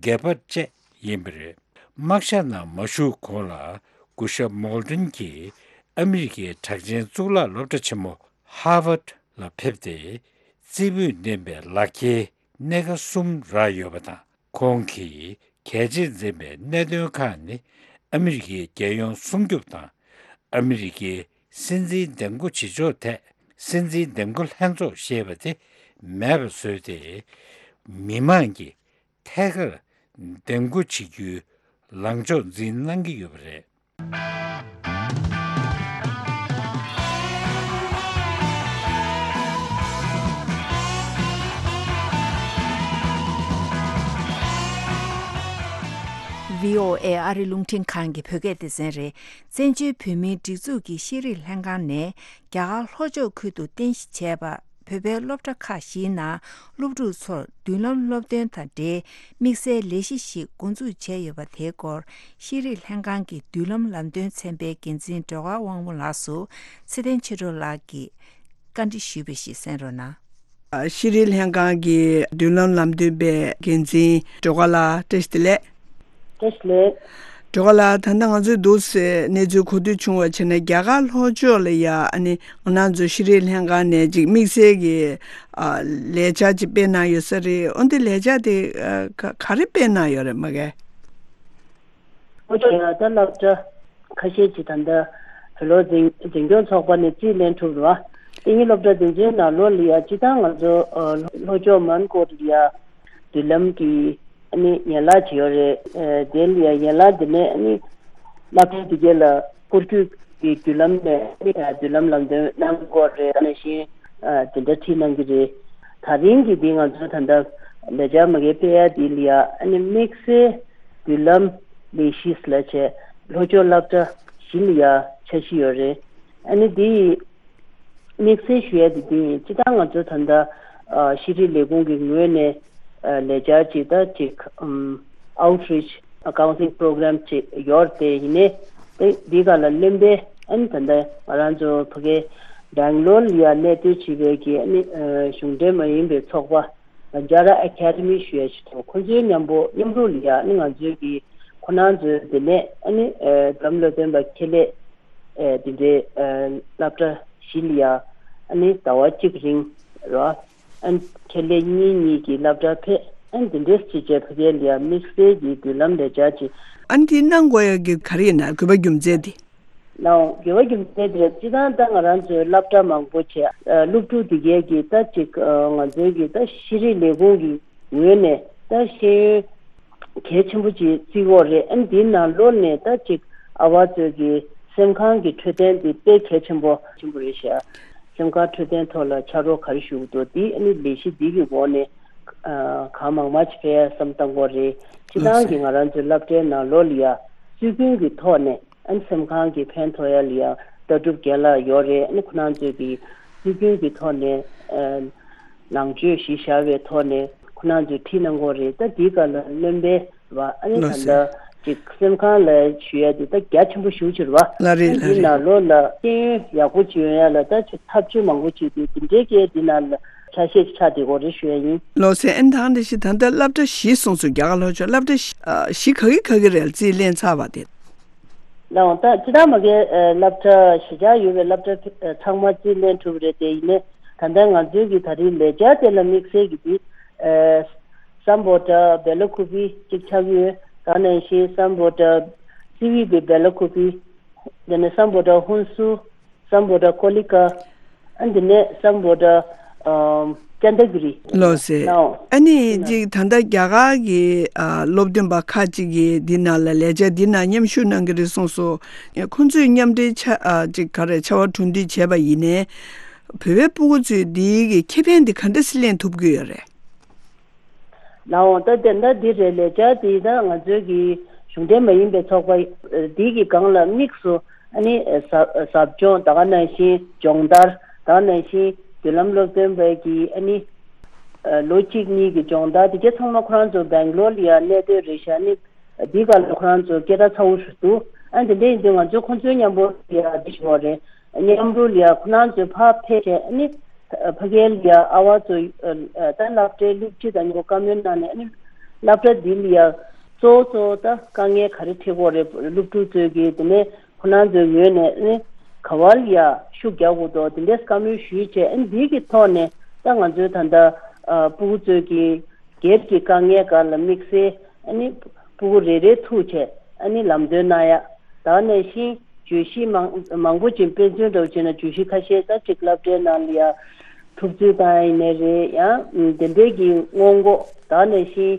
གེ་པར་བཅས་ཡིན་པ་རེད། དམག་ཞབས་ནང་མ་ཞུགས་གོང་ལ་སྐུ་ཞབས་མོལ་ཏོན་གྱིས་ཨ་མི་རི་ཀའི་གྲགས་ཅན་གཙུག་ལག་སློབ་གྲྭ་ཆེན་མོ་ཧར་ཝརཌ་ལ་ཕེབས་ཏེ། རྩེ་ཕུད་ལྡན་པའི་ལག་འཁྱེར་སྣེ་ཁ་གསུམ་རག་ཡོད་པ་དང་། ཁོང་གིས་གལ་ཆེར་འཛིན་པའི་གནད་དོན་ཁག་ནི། ཨ་མི་རི་ཀའི་རྒྱལ་ཡོངས་སྲུང་སྐྱོབ་དང་། ཨ་མི་རི་ཀའི་སྲིད་འཛིན་འདེམས་བསྐོ་བྱེད་ཕྱོགས་ཐད། སྲིད་འཛིན་འདེམས་བསྐོ་ལྷན་ཚོགས་ཞེས་པ་དེ་མེད་པ་བཟོས་ཏེ། མི་མང་གིས་ཐད་ཀར་འདེམས་བསྐོ་བྱེད་རྒྱུའི་ལངས་ཕྱོགས་འཛིན་གནང་གི་ཡོད་པ་རེད། བྷི་ཨོ་ཨེ་ཨ་རི་རླུང་འཕྲིན་ཁང་གི་བོད་སྐད་སྡེ་ཚན་རེད། བཙན་བྱོལ་བོད་མིའི་སྒྲིག་འཛུགས་ཀྱི་ཤེས་རིག་ལྷན་ཁང་ནས་རྒྱ་གར་ལྷོ་ཕྱོགས་ཁུལ་དུ་རྟེན་གཞི་བྱས་པ། བོད་པའི་སློབ་གྲྭ་ཁག་བཞིའི་ནང་སློབ་ཕྲུག་ཚོར་མདུན་ལམ་སློབ་སྟོན་དང་འབྲེལ་དམིགས་བསལ་ལས་གཞི་ཞིག་འགོ་འཛུགས་བྱས་ཡོད་པ་དེའི་སྐོར། ཤེས་རིག་ལྷན་ཁང་གི་མདུན་ལམ་ལམ་སྟོན་ཚན་པའི་འགན་འཛིན་སྒྲོལ་དཀར་དབང་མོ་ལགས་སུ་ཚེ་བརྟན་ཆོས་སྒྲོན་ལགས་ཀྱིས་བཀའ་འདྲི་ཞུས་པ་ཞིག་གསན་རོགས་གནང་། ཤེས་རིག་ལྷན་ཁང་གི་མདུན་ལམ་ལམ་སྟོན་པའི་འགན་འཛིན་སྒྲོལ་དཀར་ལགས། བཀྲ་ཤིས་བདེ་ལེགས། བཀྲ་ཤིས་བདེ་ལེགས། སྒྲོལ་དཀར་ལགས། ད་ལྟ་ང་ཚོས་འདུག་སེ་གནས་ཚུལ་གོ་ཐོས་བྱུང་བ་བྱས་ན། རྒྱ་གར་ལྷོ་ཕྱོགས་ལ་ཡ་ཨ་ནི་ང་རང་ཚོ་ཤེས་རིག་ལྷན་ཁང་ནས་ཅིག་དམིགས་བསལ་གྱི་ཨ་ལས་འཆར་ཅིག་སྤེལ་གནང་ཡོད་ས་རེད། འོན་ཏེ་ལས་འཆར་དེ་ཨ་ག་ག་རེ་སྤེལ་གནང་ཡོད་རེད་མ་གལ། ལྷོ་ཕྱོགས་ལ་ད་སློབ་གྲྭ་ཁ་ཤས་ཅིག་ད་ལྟ་བོད་ལོ་འཛིན་འཛིན་སྐྱོང་ཚོགས་པ་ནས་རྩིས་ལེན་ཐུབ་རེད་བ། དེ་ཡིན་སློབ་གྲྭ་འཛིན་སྐྱོང་ནང་ལོ་ལ་ཡ་སྤྱི་བཏང་ང་ཚོ་ཨ་ལྷོ་ཕྱོགས་མོན་གྷོ་ལ་ཡ་མདུན་ལམ་གྱི་ཨ་ནི་ཡན་ལག་ཅིག་ཡོད་རེད། ཨ་དེ་ལ་ཡ་ཡན་ལག་འདི་ནས་ཨ་ནི་སློབ་གྲྭའི་དེ་གས་ལ་སྐོར་སྐྱོད་ཀྱི་བརྒྱུད་ལམ་ནས་ཨ་ནི་བརྒྱུད་ལམ་ལམ་སྟོན་གནང་དགོས་རེད། ད་ནང་བཞིན་ཨ་དེ་འདྲ་ཁྲིད་གནང་གི་རེད། ད་རིང་གི་འདི་ང་ཚོ་ད་ལྟ་ལས་འཆར་མ་གི་སྤེལ་ཡ་འདི་ལ་ཡ་ཨ་ནི་དམིགས་བསལ་བརྒྱུད་ལམ་ལས་གཞི་ལ་བྱས་ལྷོ་ཕྱོགས་སློབ་གྲྭ་བཞི་ལ་ཡ་འཆར་གཞི་ཡོད་རེད། ཨ་ནི་འདི་དམིགས་བསལ་ཞུ་ཡ་དེ་འདི་ཡིན། སྤྱི་བཏང་ང་ཚོ་ད་ལྟ་ཨ་ཤེས་རིག་ལས་ཁུངས་ཀྱི་ངོས་ནས་ཨ་ལས་འཆར་ཅིག་དང་ཅིག་ཨམ་outreach counselling program ཅིག་ཡོད་རེད། དེ་ཡིན་ནའི་དེ་འདི་ག་ལ་གླེང་པའི་ཨ་ནི་ད་ལྟ་ང་རང་ཚོ་ཕ་གི་སྦེང་ལོར་ལ་ཡ་གནས་སྡོད་བྱེད་པའི་གི་ཨ་ནི་ཨ་གཞུང་འབྲེལ་མ་ཡིན་པའི་ཚོགས་པ་Banjara Academy ཞུ་ཡ་ཞིག་འདུག་ཁོ་ཚོའི་མཉམ་པོ་མཉམ་རུབ་ལ་ཡ་ཨ་ནི་ང་ཚོའི་གི་ ཁོ་རང་ཚོའི་དེ་ནས་ཨ་ནི་ཨ་འཛམ་གླིང་སྟོན་པ་ཁེ་ལས་ཨ་དེ་འདྲའི་ཨ་སློབ་གྲྭ་བཞི་ལ་ཡ་ཨ་ནི་ཟླ་བ་གཅིག་རིང་ར་ཨ་ནི་ཁེ་ལས་གཉིས་གཉིས་ཀྱི་སློབ་གྲྭ་ཕེབས། ཨ་ནི་དེ་འདྲས་བྱས་བྱས་ཕ་གིར་ལ་ཡ་དམིགས་བསལ་གྱི་མདུན་ལམ་ལས་འཆར་ཅིག་ཨ་ནི་དེ་གནང་དགོས་ཡ་གི་ག་རེ་ཡིན་ན་དགོས་པ་རྒྱུ་མཚན་དེ། ལའོ། དགེ་བ་རྒྱུ་མཚན་དེ་རེད། སྤྱིར་བཏང་ད་ང་རང་ཚོའི་སློབ་གྲྭ་མང་པོ་བྱས་ཨ་སློབ་ཕྲུག་དེ་གས་ཀྱིས་ད་ཅིག་ཨ་ང་ཚོའི་གི་ད་ཤེས་རིག་ལས་ཁུངས་ཀྱི་ངོས་ནས་ད་ཤེས་ཡོན་གལ་ཆེན་པོ་ཅིག་བརྩི་གི་ཡོད་རེད། ཨ་ནི་དེའི་ནང་ལོགས་ནས་ད་ཅིག་ཨ་བ་ཚོའི་གི་སེམས་ཁམས་ཀྱི་འཕྲོད་བསྟེན་དེ་དཔེ་གལ་ཆེན་པོ་ཆེན་པོ་རེད་ཤག་སེམས་ཁམས་འཕྲོད་བསྟེན་ཐོག་ལ་ཕྱག་རོགས་ག་རེ་ཞུ་གི་འདུག་དེ་ཨ་ནི་ལས་གཞི་འདི་གི་འོག་ནས་ཨ་གང་མང་མང་ཅིག་ཕེབས་ཡ་བསམ་བཏང་གི་ཡོད་རེད། སྤྱིར་བཏང་གི་ང་རང་ཚོའི་སློབ་གྲྭའི་ནང་ལོགས་ལ་ཡ་སྲོལ་རྒྱུན་གྱི་ཐོག་ནས། ཨ་ནི་སེམས་ཁམས་ཀྱི་ཕན་ཐོགས་ཡ་ལ་ཡ་ལྟ་གྲུབ་རྒན་ལགས་ཡོད་རེད། ཨ་ནི་ཁོ་རང་ཚོས་ཀྱི་སྲོལ་རྒྱུན་གྱི་ཐོག་ནས་ཨ་ནང་ཆོས་གཞི་བཞག་པའི་ཐོག་ནས་ཁོ་རང་ཚོས་ཁྲིད་གནང་གི་ཡོད་རེད། ད་འདིའི་སྐབས་ལ་སློབ་དཔོན་བ་ཨ་ནི་ལགས་ད་སེ། ལྟ་ཅིག་སེམས་ཁམས་ལ་ཞུ་ཡ་དེ་ད་རྒྱ་ཆེན་པོ་ཞེ་པོ་ཅིག་རེད་བ། ལགས་རེད། ཨ་ལགས་འདིའི་རེད། ནང་ལོགས་ལ་ཤེས་ཡོན་ཡག་པོ་ཅིག་ཡོང་ཡ་ལ་ད་ཅིག་ཐབས་བྱུས་མང་པོ་ཅིག་འདུག་དེ་འདྲའི་སྐད་འདི་ནང་ལ་ཆ་ཤས་ཆགས་བསྡད་ཀྱི་ཡོད་རེད་ཞུ་ཡ་ཡིན། ལགས་སེ། ཨ་ནི་ད་ག་ནང་བཞིན་ད་ལྟ་སློབ་གྲྭ་བཞི་གསུངས་སོང་། རྒྱ་གར་ལྷོ་ཕྱོགས་སློབ་གྲྭ་བཞི་ཨ་བཞི་ག་གི་ག་གི་རེད་རྩིས་ལེན་ཚར་བ་དེ། ལའོ། ད་སྤྱིར་བཏང་མ་གིའི་ཨ་སློབ་གྲྭ་གཞིས་ཆགས་ཡོད་པའི་སློབ་གྲྭ་ཨ་ཚང་མ་རྩིས་ལེན་གྲུབ་རེད། དེ་ཡིན་ནའི་ད་ལྟ་ང་ཚོའི་གི་ད་རེས་ལས་འཆར་དེ་ལ་དམིགས་བསལ་གྱི་དེ་ཨ་སམ་བྷོ་ཊ་བེ་ལ་ཀུ་པི་གཅིག་ཆགས་ཡོད། ད་ནང་བཞིན་སམ་བྷོ་ཊ་སི་ཝི་པི་བེ་ལ་ཀུ་པི། དེ་ནས་སམ་བྷོ་ཊ་ཧུན་སུར། སམ་བྷོ་ཊ་ཀོ་ལི་ཀ། ཨ་འདི་ནས་སམ་བྷོ་ཊ་ཨམ་ཅན་ད་གི་རི། ལགས་སེ། ལའོ། ཨ་ནི་ཅིག་ད་ལྟ་རྒྱ་གར་གྱི་ཨ་སློབ་སྟོན་པ་ཁག་ཅིག་གིས་འདི་ནང་ལ་ལས་འཆར་འདི་ནང་མཉམ་ཞུགས་གནང་གི་རེད་གསུངས་སོང་། ཁོང་ཚོས་མཉམ་འབྲེལ་ཆ་ཨ་ཅིག་ག་རེ་བྱ་བ་གྲུབ་འདེགས་བྱས་པ་ཡིན་ནའི། བོད་པའི་སྤུ་གུ་ཚོས་འདིའི་གི་ཁེ་ཕན་འདི་ག་འདྲ་སེ་ལེན་ཐུབ་ཀྱི་ཡོད་རེད། ལའོ། ད་དེ་འདྲ་འདི་རེད། ལས་འཆར་འདི་ད་ང་ཚོའི་གི་གཞུང་འབྲེལ་མ་ཡིན་པའི་ཚོགས་པ་འདི་གི་སྒང་ལ་དམིགས་སུ་ཨ་ནི་ཟབ་ཟབ་སྦྱོང་ད་ག་ནང་བཞིན་སྦྱོང་བརྡར་ད་ག་ནང་བཞིན་མདུན་ལམ་སློབ་སྟོན་པའི་གི་ཨ་ནི་ལོ་གཅིག་གཉིས་ཀྱི་སྦྱོང་བརྡར་དེ་གའི་ཚང་མ་ཁོ་རང་ཚོ་སྦེང་ལོར་ལ་ཡ་གནས་སྡོད་རེད་ཤག་ཨ་ནི་འདི་ག་ལ་ཁོ་རང་ཚོ་སྐད་གྲགས་ཚ་བོ་ཞིག་འདུག་ཨ་དེ་འདྲ་ཡིན་དུས་ང་ཚོ་ཁོང་ཚོའི་མཉམ་པོ་ཡ་འདི་ཞིག་ཡོད་རེད། མཉམ་རུབ་ལ་ཡ་ཁོ་རང་ཚོའི་ཕར་ཕེབས་བྱས་ཨ་ནི་ཕ་གིར་ལ་ཡ་ཨ་བ་ཚོ་ད་སློབ་གྲྭའི་སློབ་སྤྱི་དང་མཉམ་པོ་བཀའ་མོལ་གནང་ནས་ཨ་ནི་སློབ་གྲྭ་འདི་ལ་ཡ་གཙོ་བོ་གཙོ་བོ་ད་དཀའ་ངལ་ག་རེ་འཕྲད་ཀྱི་ཡོད་རེད། སློབ་ཕྲུག་ཚོས་ཀྱིས་དེ་ནས་ཁོ་རང་ཚོའི་ངོས་ནས་ཨ་ནི་ག་བ་ལ་ཡ་ཤུགས་རྒྱག་དགོས་འདུག་དེ་འདྲའི་བཀའ་མོལ་ཞུས་བྱས་ཨ་ནི་འདི་གི་ཐོག་ནས་ད་ང་ཚོའི་ད་ལྟ་ཨ་སྤུ་གུ་ཚོས་ཀྱིས་སྒེར་གྱི་དཀའ་ངལ་སྒང་ལ་དམིགས་བསལ་ཨ་ནི་སྤུ་གུ་རེ་རེ་ཐུག་བྱས་ཨ་ནི་ལམ་སྟོན་གནང་ཡ། ད་ག་ནང་བཞིན་བརྗོད་གཞི་མང་མང་པོ་ཅིག་དཔེ་མཚོན་འདྲ་བོ་བྱས་ན་བརྗོད་གཞི་ཁ་ཤས་ད་ཅིག་སློབ་གྲྭའི་ནང་ལ་ཡ་གྲུབ་ཚུལ་བཏང་ཡ་ཡིན་ནའི་རེད། ཡང་དེ་འདྲའི་གི་སྔོན་འགོག་ད་ག་ནང་བཞིན་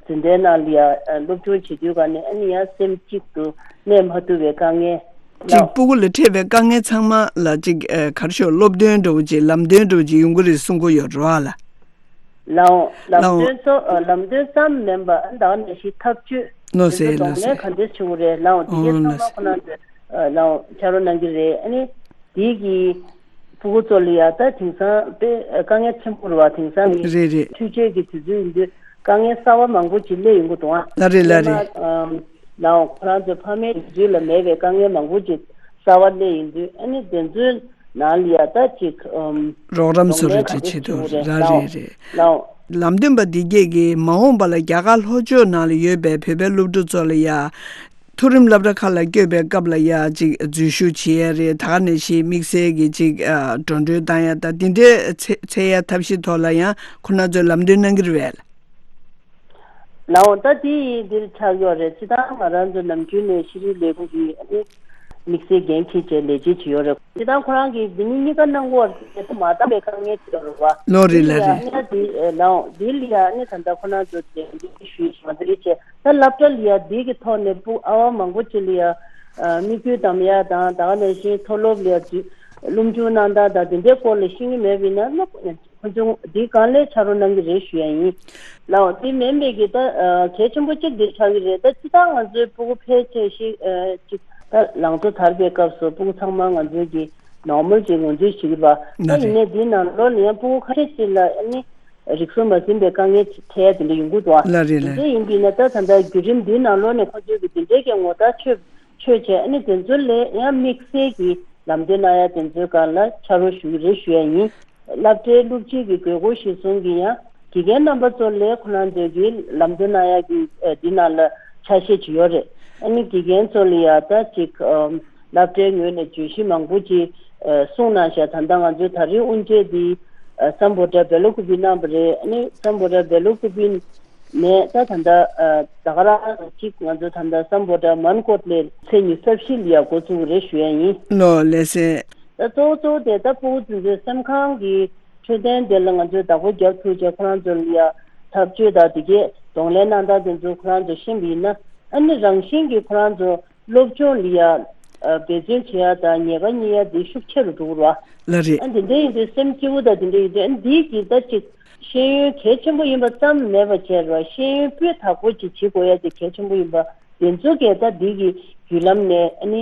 འཛིན་གྲྭའི་ནང་ལ་ཡ་སློབ་སྦྱོང་བྱེད་དུས་ག་ནས་ཨ་ནི་ཡང་སེམས་གཅིག་ཏུ་གནས་མ་ཐུབ་པའི་དཀའ་ངལ། ཅིག་སྤུ་གུ་ལ་འཕྲད་པའི་དཀའ་ངལ་ཚང་མ་ལ་ཅིག་ཨ་ག་རེ་ཞུ་སློབ་སྟོན་འདྲ་བོ་ཅིག་ལམ་སྟོན་འདྲ་བོ་ཅིག་ཡོང་གི་རེད་གསུང་གི་ཡོད་རེད་བ་ལ། ལའོ། ལམ་ལའོ། སྟོན་ཚོ་ཨ་ལམ་སྟོན་ཙམ་མིན་པ་ཨ་ད་ག་ནང་བཞིན་ཐབས་ཇུས་ལོ་དེ་ཚོ་སེ་གདོང་ལོ་ལེན་སེ། ག་འདྲས་བྱེད་དགོས་རེད། ལའོ་དེ་གའི་ཨོ་ཚང་ལོ་མ་སེ། ཁོ་རང་ཚོས་ཨ་ལའོ་ཕྱག་རོགས་གནང་གི་རེད། ཨ་ནི་དེའི་གི་ཕྲུ་གུ་ཚོ་ལ་ཡ་ད་དེང་སང་དཔེ་དཀའ་ངལ་ཆེན་པོ་རེད་བ། དེང་སང་གི་རེད་རེད། འཕྲུལ་ཆས་ཀྱི་དུས་ཚོད་ཡིན་དུས་དཀའ་ངལ་གསར་བ་མང་པོ་ཅིག་སླེབས་ཡོང་གི་འདུག་ཨ། ལ་རེད་ལ་རེད། སླེབས་ན་ཨམ་ལའོ་ཁོ་རང་ཚོའི་ཕ་མའི་དུས་ཚོད་ལ་མེད་པའི་དཀའ་ངལ་མང་པོ་ཅིག་གསར་བ་སླེབས་ཡོང་དུས་ཨ་ནི་དེ་ཚོའི་ནང་ལ་ཡ་ད་ཅིག་ཨམ་རོགས་རམ་བཟོ་རེས་ཅིག་བྱེད་ཐུབ་རེད། ལ་རེད་རེད། ལའོ། ལམ་སྟོན་པ་འདི་གས་ཀྱིས་མ་འོངས་པ་ལ་རྒྱ་གར་ལྷོ་ཕྱོགས་ནང་ལ་ཡོད་པའི་བོད་པའི་སློབ་ཕྲུག་ཚོ་ལ་ཡ། མཐོ་རིམ་སློབ་གྲྭ་ཁག་ལ་བསྐྱོད་པའི་སྐབས་ལ་ཡ་ཅིག་འཛུལ་ཞུགས་བྱེད་ཡ་རེད། ད་ག་ནང་བཞིན་དམིགས་བསལ་གྱི་ཅིག་ཨ་འགྲོ་གྲོན་བཏང་ཡ་ད་འདི་འདྲའི་འཚོལ་འཚོལ་ཡ་ཐབས་ཤེས་ཐོག་ལ་ཡང་ཁོ་རང་ཚོས་ལམ་སྟོན་གནང་གི་རེད་པས། ལའོ་ད་འདི་འདིར་ཆགས་ཡོད་རེད། སྤྱིར་བཏང་ང་རང་ཚོ་ནམ་རྒྱུན་ནས་ཤེས་རིག་ལས་ཁུངས་ཀྱི་ཨ་ནི་དམིགས་བསལ་འགན་འཁྱེར་བྱས་ལས་བྱེད་བྱེད་ཡོད་རེད། སྤྱིར་བཏང་ཁོ་རང་གིས་འདི་གཉིས་གཉིས་ཀ་གནང་གི་ཡོད་རེད། མ་འདང་བའི་དཀའ་ངལ་ཅིག་ཡོད་རེད་བ། ལོ་རེད་ལ་རེད། ཡང་འདི་ལའོ་འདི་ལ་ཡ་ཨ་ནི་ད་ལྟ་ཁོ་རང་ཚོ་འདི་ཞུས་ཞུས་མ་འདི་རེད་བྱས། ད་སློབ་གྲྭ་ལ་ཡ་འདི་གི་ཐོག་ནས་སྤུ་ཨ་བ་མང་པོ་ཅིག་ལ་ཡ་ཨ་དམིགས་ཡུལ་གདམ་ཡ་དང་ད་ག་ནང་བཞིན་མཐོ་སློབ་ལ་ཡ་འཛུལ་སློབ་སྦྱོང་གནང་སྟངས་དང་དེ་འདྲའི་སྐོར་ལ་ཤེས་ཀྱི་མེད་པ་ཡིན་ན་ཁོ་ཚོ་འདི་གང་ལེགས་ཕྱག་རོགས་གནང་གི་རེད་ཞུ་ཡ་ཡིན། ལའོ་འདི་མིན་པའི་གི་ད་ཨ་གལ་ཆེན་པོ་གཅིག་འདི་ཆགས་ཀྱི་རེད། ད་སྤྱིར་བཏང་ང་ཚོའི་སྤུ་གུ་ཕལ་ཆེར་ཞིག་ཨ་ཅིག་ད་ལང་ཚོ་དར་བའི་སྐབས་སུ་སྤུ་གུ་ཚང་མ་ང་ཚོའི་གི་ནོར་མལ་གྱི་ངོས་འཛིན་བྱེད་ཀྱི་རེད་པ། ད་ཡིན་ནའི་འདིའི་ནང་ལོགས་ལ་ཡང་སྤུ་གུ་ཁ་ཤས་ཅིག་ལ་ཨ་ནི་རིག་གསུམ་མ་ཟིན་པའི་དཀའ་ངལ་ཅིག་འཕྲད་ཡ་དེ་འདྲ་ཡོང་གི་འདུག་ཨ། ལ་རེད་ལ་དེ་འདྲ་རེད། ཡིན་པས་ན་ད་ད་ལྟ་བརྒྱུད་རིམ་འདིའི་ནང་ལོགས་ནས་ཁོ་ཚོས་ཀྱི་དེ་འདྲའི་གི་ངོ་རྟགས་ཆོད་ཆོད་བྱས་ཨ་ནི་དེ་ཚོ་ལ་ཡང་དམིགས་བསལ་གྱི་ལམ་སྟོན་གནང་ཡ་དེ་ཚོའི་སྒང་ལ་ཕྱག་རོགས་ཞུ་གི་རེད་ཞུ་ཡ་ཡིན། སློབ་གྲྭའི་སློབ་སྤྱི་གི་དགོས་མཁོ་གཞིར་བཟུང་གི་ཡང་དགེ་རྒན་རྣམ་པ་ཚོ་ལས་ཁོ་རང་ཚོས་ཀྱི་ལམ་སྟོན་གནང་ཡ་གི་ཨ་འདི་ནང་ལ་ ཆ་ཤས་ཅིག་ཡོད་རེད། ཨ་ནི་དགེ་རྒན་ཚོ་ལ་ཡ་ད་ཅིག་ཨམ་སློབ་གྲྭའི་ངོས་ནས་བརྗོད་གཞི་མང་པོ་ཅིག་ཨ་གསུངས་གནང་ཤག་ད་ལྟ་ང་ཚོའི་ད་རེས་དབུ་འབྱེད་འདི་ཨ་སམ་བྷོ་ཊ་བེ་ལོ་ཀུ་པི་གནང་བ་རེད། ཨ་ནི་སམ་བྷོ་ཊ་བེ་ལོ་ཀུ་པི་ནས་ད་ད་ལྟ་ཨ་ད་ག་རང་ཅིག་ང་ཚོ་ད་ལྟ་སམ་བྷོ་ཊ་མན་ཀོཊ་ལས་ཚེས་ཉི་ཤུ་རྩ་བཞི་ལ་ཡ་འགོ་བཙུགས་རེད་ཞུ་ཡ་ཡིན། ལོ་ལགས་སེ། ད་གཙོ་བོ་གཙོ་བོ་དེ་ད་ཕྲུ་གུ་ཚོའི་སེམས་ཁམས་ཀྱི་འཕྲོད་བསྟེན་དེ་ལ་ང་ཚོས་བདག་པོ་རྒྱབ་ཐུབ་ཅེས་ཁོ་རང་ཚོ་ལ་ཡ་འཐབ་རྩོད་དང་དེ་གས་གདོང་ལེན་གནང་སྟངས་དེ་ཚོ་ཁོ་རང་ཚོ་ཤེས་པ་ཡིན་ན། ཨ་ནི་རང་བཞིན་གྱིས་ཁོ་རང་ཚོ་སློབ་སྦྱོང་ལ་ཡ་འབད་བརྩོན་བྱེད་ཡ་དང་ཉེས་པ་རྙེད་ཡ་དེ་ཤུགས་ཆེ་རུ་འགྲོ་གི་རེད་བ། ལགས་རེད། ཨ་དེ་འདྲ་ཡིན་དུས་སེམས་སྐྱིད་པོ་དང་དེ་འདྲ་ཡིན་དུས་ཨ་འདིའི་གི་ད་ཅིག་ཤེས་ཡོན་གལ་ཆེན་པོ་ཡིན་པ་ཙམ་མེད་པ་བྱས་རེད་བ། ཤེས་ཡོན་སྤུས་དག་པོ་ཅིག་བྱེད་དགོས་ཡ་དེ་གལ་ཆེན་པོ་ཡིན་པ། དེ་ཚོ་གས་ད་འདི་གི་བརྒྱུད་ལམ་ནས་ཨ་ནི་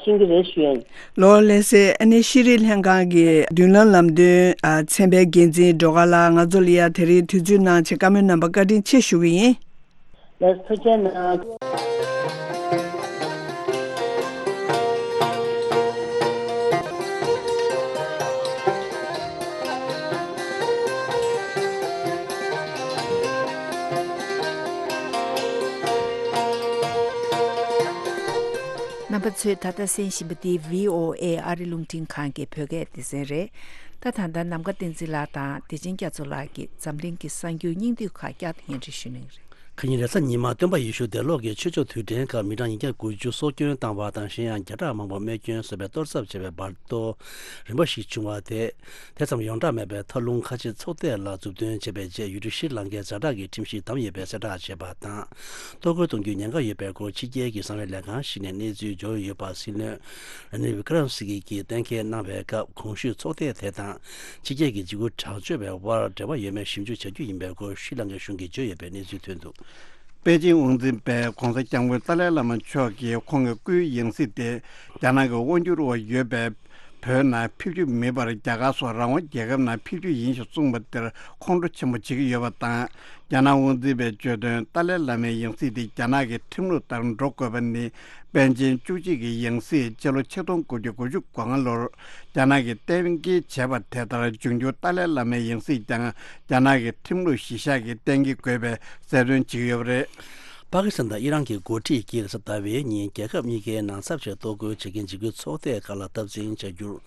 ཤེས་ཀྱི་རེད་ཞུ་ཡ་ཡིན། ལོ་ལགས་སེ། ཨ་ནི་ཤེས་རིག་ལྷན་ཁང་གི་མདུན་ལམ་ལམ་སྟོན་ཨ་ཚན་པའི་འགན་འཛིན་སྒྲོལ་དཀར་ལགས་ང་ཚོ་ལ་ཡ་དེ་རིང་དུས་ཚོད་གནང་ཆེད་བཀའ་མོལ་གནང་བར་བཀའ་དྲིན་ཆེ་ཞུ་གི་ཡིན། ལགས་ཐུགས་རྗེ་གནང་། རྣམ་པ་ཚོས་ད་ལྟ་གསན་བཞིན་པ་འདི་བྷི་ཨོ་ཨེ་ཨ་རི་རླུང་འཕྲིན་ཁང་གི་བོད་སྐད་སྡེ་ཚན་རེད། ད་ད་ལྟ་ནམ་མཁའ་བསྟན་འཛིན་ལགས་དང་བདེ་ཆེན་རྒྱ་མཚོ་ལགས་ཀྱིས་འཛམ་གླིང་གི་གསར་འགྱུར་སྙིང་བསྡུས་ཁག་བསྐྱར་དུ་སྙན་སྒྲོན་ཞུ་གནང་གི་རེད། ཁ་ཉིན་རེས་གཟའ་ཉི་མ་སྟོན་པ་ཡེ་ཤུ་དེ་ལོག་གི་ཆོས་ཕྱོགས་དུས་དྲན་སྐབས་མི་གྲངས་ཉིས་བརྒྱ་དགུ་བཅུ་སྲོག་སྐྱོན་བཏང་བ་དང་གཞན་ཡང་བརྒྱ་ཕྲག་མང་པོ་རྨས་སྐྱོན་བཟོས་པའི་གཏོར་ཚབ་བྱས་པའི་འབར་གཏོར་རིམ་པ་ཞིག་བྱུང་བ་དེ། དེ་ཙམ་ཡོངས་གྲགས་མེད་པའི་མཐའ་ལྷུང་ཁ་ཆེ་ཚོགས་ཐད་ལ་མཛུབ་སྟོན་བྱས་པའི་རྗེས་ཡུལ་གྲུ་ཤྲི་ལང་ཀའི་ཛ་དྲག་གི་ཁྲིམས་གཞི་བསྡམས་ཡོད་པའི་གསལ་བསྒྲགས་བྱས་པ་དང་། གཏོར་རྒོལ་གཏོང་རྒྱུའི་ཉེན་ཁ་ཡོད་པའི་སྐོར་ཕྱི་རྒྱལ་གྱི་གསང་བའི་ལས་ཁང་ཞིག་ནས་གནས་ཚུལ་འབྱོར་ཡོད་པ་སྲིད་བློན་ར་ནིལ་བི་ཀྲ་མ་སིང་གྷེ་གྱིས་གཏན་འཁེལ་གནང་བའི་སྐབས་གོང་ཞུས་ཚོགས་ཐད་དེ་དང་ཕྱི་རྒྱལ་གྱི་འཇིགས་སྐུལ་དྲག་སྤྱོད་པའི་དབར་འབྲེལ་བ་ཡོད་མེད་ཞིབ་འཇུག་བྱ་རྒྱུ་ཡིན་པའི་སྐོར་ཤྲི་ལང་ཀའི་གཞུང་གིས་བརྗོད་ཡོད་པའི་གནས་ཚུལ་ཐོན་འདུག་པེ་ཅིང་དབང་འཛིན་པས་༧གོང་ས་༧སྐྱབས་མགོན་ཏཱ་ལའི་བླ་མ་མཆོག་གིས་ཁོང་གི་སྐུའི་ཡང་སྲིད་དེ་རྒྱ་ནག་གི་དབང་སྒྱུར་འོག་ཡོད་པའི་བོད་ནང་ཕེབས་རྒྱུ་མིན་པར་རྒྱ་གར་སོགས་རང་དབང་རྒྱལ་ཁབ་ནང་ཕེབས་རྒྱུ་ཡིན་ཞེས་གསུངས་པ་དེར་ཁོང་ཁྲོ་ཆེན་པོ་བྱེད་ཀྱི་ཡོད་པ་དང་། རྒྱ་ནག་དབང་འཛིན་པས་བརྗོད་དོན་ཏཱ་ལའི་བླ་མའི་ཡང་སྲིད་དེ་རྒྱ་ནག་གི་ཁྲིམས་ལུགས་ལྟར་འགྲོ་དགོས་པ་ནི། པཎ་ཆེན་བཅུ་གཅིག་གི་ཡང་སྲིད་སྤྱི་ལོ་ཆིག་སྟོང་དགུ་བརྒྱ་དགུ་བཅུ་གོ་ལྔ་ལོར་རྒྱ་ནག་གིས་གཏན་འཁེལ་བྱས་པ་དེ་ལྟར་འབྱུང་འགྱུར་ཏཱ་ལའི་བླ་མའི་ཡང་སྲིད་ཀྱང་རྒྱ་ནག་གི་ཁྲིམས་ལུགས་གཞི་བཞག་གིས་གཏན་འཁེལ་དགོས་པའི་གསལ་སྟོན་བྱེད་ཀྱི་ཡོད་པ་རེད། པ་ཀི་སི་ཐན་དང་ཨི་རན་གྱི་འགོ་ཁྲིད་ཀྱིས་རེས་གཟའ་ཟླ་བའི་ཉིན་རྒྱལ་ཁབ་གཉིས་ཀའི་ནང་ཚབ་བྱས་གཏོར་རྒོལ་བྱེད་མཁན་འཇིགས་སྐུལ་ཚོགས་སྡེ་ཁག་ལ་སྟབས་འཛིན་བྱ་རྒྱུར།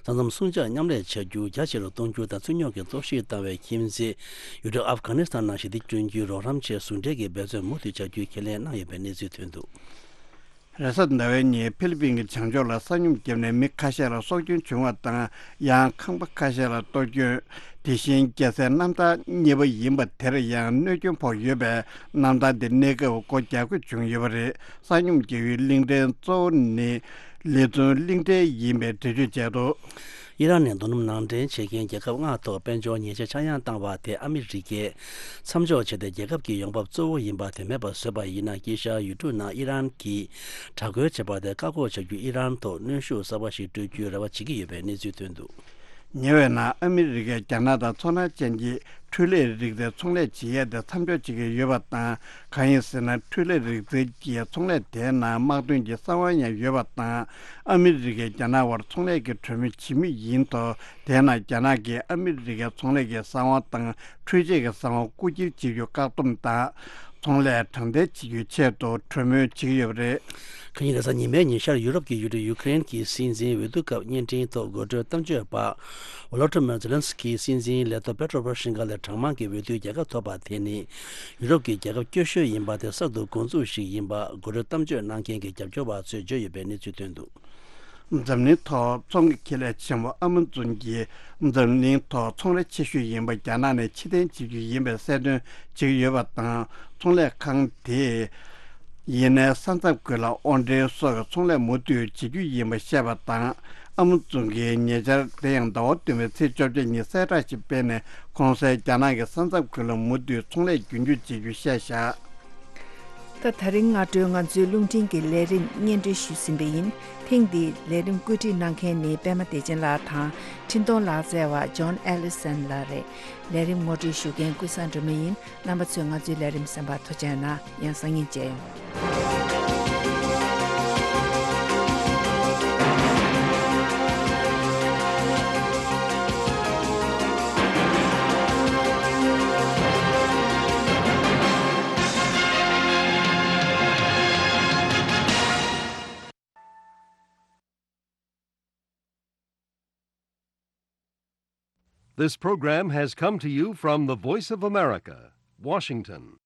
ས་མཚམས་སྲུང་བྱ་མཉམ་ལས་བྱ་རྒྱུ་རྒྱ་ཆེ་རུ་གཏོང་རྒྱུ་དང་རྩོད་རྙོག་གི་གཏོར་བཤིག་བཏང་བའི་ཁྱིམ་མཚེས་ཡུལ་གྲུ་ཨབ་གྷ་ནི་སི་ཐན་ནང་ཞི་བདེ་བསྐྲུན་རྒྱུའི་རོགས་རམ་ཆེད་ཟུང་འབྲེལ་གྱི་འབད་བརྩོན་མུ་མཐུད་བྱ་རྒྱུའི་ཁས་ལེན་གནང་ཡོད་པའི་གནས་ཚུལ་ཐོན་འདུག་རེས་གཟའ་ཟླ་བའི་ཉིན་ཧྥི་ལི་པིན་གྱི་བྱང་ཕྱོགས་ལ་ས་སྨྱུག་བརྒྱབ་ནས་མི་ཁ་ཤས་ལ་སྲོག་སྐྱོན་བྱུང་བ་དང་། ཡང་ཁང་པ་ཁ་ཤས་ལ་གཏོར་སྐྱོན། དེ་བཞིན་རྒྱལ་སའི་གནམ་ཐང་གཉིས་པ་ཡིན་པ་དེར་ཡང་གནོད་སྐྱོན་ཕོག་ཡོད་པས། གནམ་ཐང་དེ་གནས་སྐབས་སྒོ་རྒྱག་དགོས་བྱུང་ཡོད་པ་རེད། ས་སྨྱུག་རྒྱག་ཡུལ་གླིང་ཕྲན་གཙོ་བོ་ནི་ལི་ཙུང་གླིང་ཕྲན་ཡིན་པའི་འགྲེལ་བརྗོད་བྱས་འདུག་ཨི་རན་ནས་རྡོ་སྣུམ་ནང་འདྲེན་བྱེད་མཁན་རྒྱལ་ཁབ་ལྔ་ཐོག་དཔལ་འབྱོར་ཉེས་ཆད་ཆག་ཡང་བཏང་བ་དེ་ཨ་མི་རི་ཀས་མཚམས་འཇོག་བྱས་ཏེ་རྒྱལ་ཁབ་ཀྱི་ཡོང་འབབ་གཙོ་བོ་ཡིན་པ་དེ་མེད་པར་བཟོས་པ་ཡིན་ན། དཀྱིལ་ཤར་ཡུལ་གྲུ་ནང་ཨི་རན་གྱིས་དྲག་རྒོལ་བྱས་པ་དེ་བཀག་འགོག་བྱ་རྒྱུ་ཨི་རན་ཐོག་གནོན་ཤུགས་གསར་པ་ཞིག་སྤྲོད་རྒྱུའི་རེ་བ་བྱེད་ཀྱི་ཡོད་པའི་གནས་ཚུལ་ཐོན་འདུག་ཉེ་བའི་ནང་ཨ་མི་རི་ཀས་རྒྱ་ནག་དང་མཚོ་སྣ་ཅན་གྱི་འཕྲུལ་ལས་རིག་རྩལ་ཚོང་ལས་བྱེད་ཡས་དེ་མཚམས་འཇོག་བྱེད་ཀྱི་ཡོད་པ་དང་། གང་ཡིན་ཟེར་ན་འཕྲུལ་ལས་རིག་རྩལ་གྱི་ཚོང་ལས་དེའི་ནང་དམག་དོན་གྱི་གསང་བ་ཡང་ཡོད་པ་དང་། ཨ་མི་རི་ཀས་རྒྱ་ནག་བར་ཚོང་ལས་ཀྱི་གྲོས་མོལ་བྱེད་མུས་ཡིན་ཐོག་དེའི་ནང་རྒྱ་ནག་གིས་ཨ་མི་རི་ཀའི་ཚོང་ལས་ཀྱི་གསང་བ་དང་འཕྲུལ་ཆས་ཀྱི་གསང་བ་རྐུ་འཁྱེར་བྱེད་རྒྱུ་བཀག་སྡོམ་དང་། ཚོང་ལས་དྲང་བདེན་བྱེད་རྒྱུའི་ཆེད་དུ་གྲོས་མོལ་བྱེད་ཀྱི་ཡོད་པ་རེད། ཁ་ཉིན་རེས་གཟའ་ཉི་མའི་ཉིན་ཤར་ཡུ་རོབ་ཀྱི་ཡུལ་གྲུ་ཡུ་ཀེ་རེན་གྱི་སྲིད་འཛིན་འོས་བསྡུ་སྐབས་བརྙན་འཕྲིན་ཐོག་འགོ་ཁྲིད་གཏམ་བརྗོད་པ་ཝོ་ལོ་ཏི་མིར་ཛེ་ལན་སི་ཀི་སྲིད་འཛིན་ལས་ཐོག་པེ་ཏྲོ་པོ་རོ་ཤིན་ཀ་ལས་གྲངས་མང་གི་འོས་བསྡུའི་རྒྱལ་ཁ་ཐོབ་པ་དེ་ནི་ཡུ་རོབ་ཀྱི་རྒྱལ་ཁབ་སྐྱོ་ཤོས་ཡིན་པ་དེ་གསར་དུ་འགོ་འཛུགས་ཤིག་ཡིན་པ་འགོ་ཁྲིད་གཏམ་བརྗོད་གནང་མཁན་གྱི་རྒྱབ་སྐྱོར་བ་ཚོས་བརྗོད་ཡོད་པའི་གནས་ཚུལ་ཐོན་འདུག་འཛམ་གླིང་ཐོག་ཚོང་གི་ཁེ་ལས་ཆེན་པོ་ཨ་མ་ཛོན་གྱིས་འཛམ་གླིང་ཐོག་ཚོང་ར་ཆེ་ཤོས་ཡིན་པ་རྒྱ་ནག་ནས་ཕྱིར་འཐེན་བྱེད་རྒྱུ་ཡིན་པའི་གསལ་སྟོན་བྱེད་ཀྱི་ཡོད་པ་དང་། ཚོང་ལས་ཁང་དེས་ཡིན་ནའི་ས་མཚམས་ཁུལ་ལ་དབོར་འདྲེན་སོགས་ཀྱི་ཚོང་ལས་མུ་མཐུད་བྱེད་རྒྱུ་ཡིན་པ་བཤད་པ་དང་། ཨ་མ་ཛོན་གྱིས་ཉེ་ཆར་དེ་ཡང་ཟླ་བ་བདུན་པའི་ཚེས་བཅོ་བརྒྱད་ཉིན་གསལ་བསྒྲགས་ཤིག་སྤེལ་ནས། གོང་གསལ་རྒྱ་ནག་གི་ས་མཚམས་ཁུལ་ལ་མུ་མཐུད་ཚོང་ལས་རྒྱུན་སྐྱོང་བྱེད་རྒྱུ་བཤད་བཞག་ད་ད་རིང་སྔ་དྲོའི་ང་ཚོའི་རླུང་འཕྲིན་གྱི་ལས་རིམ་སྙན་སྒྲོན་ཞུས་ཟིན་པ་ཡིན། ཐེངས་འདིའི་ལས་རིམ་བཀོད་སྒྲིག་གནང་མཁན་ནི་པད་མ་བདེ་ཆེན་ལགས་དང་། འཕྲིན་གཏོང་ལག་རྩལ་བ་ཇོན་ཨེ་ལི་སན་ལགས་རེད། ལས་རིམ་ངོ་སྤྲོད་ཞུ་མཁན་ཀུན་བཟང་སྒྲོལ་མ་ཡིན། རྣམ་པ་ཚོས་ང་ཚོའི་ལས་རིམ་གསན་པར་ཐུགས་རྗེ་གནང་། ཡང་སང་ཉིན་མཇལ་ཡོང་། This program has come to you from the Voice of America, Washington.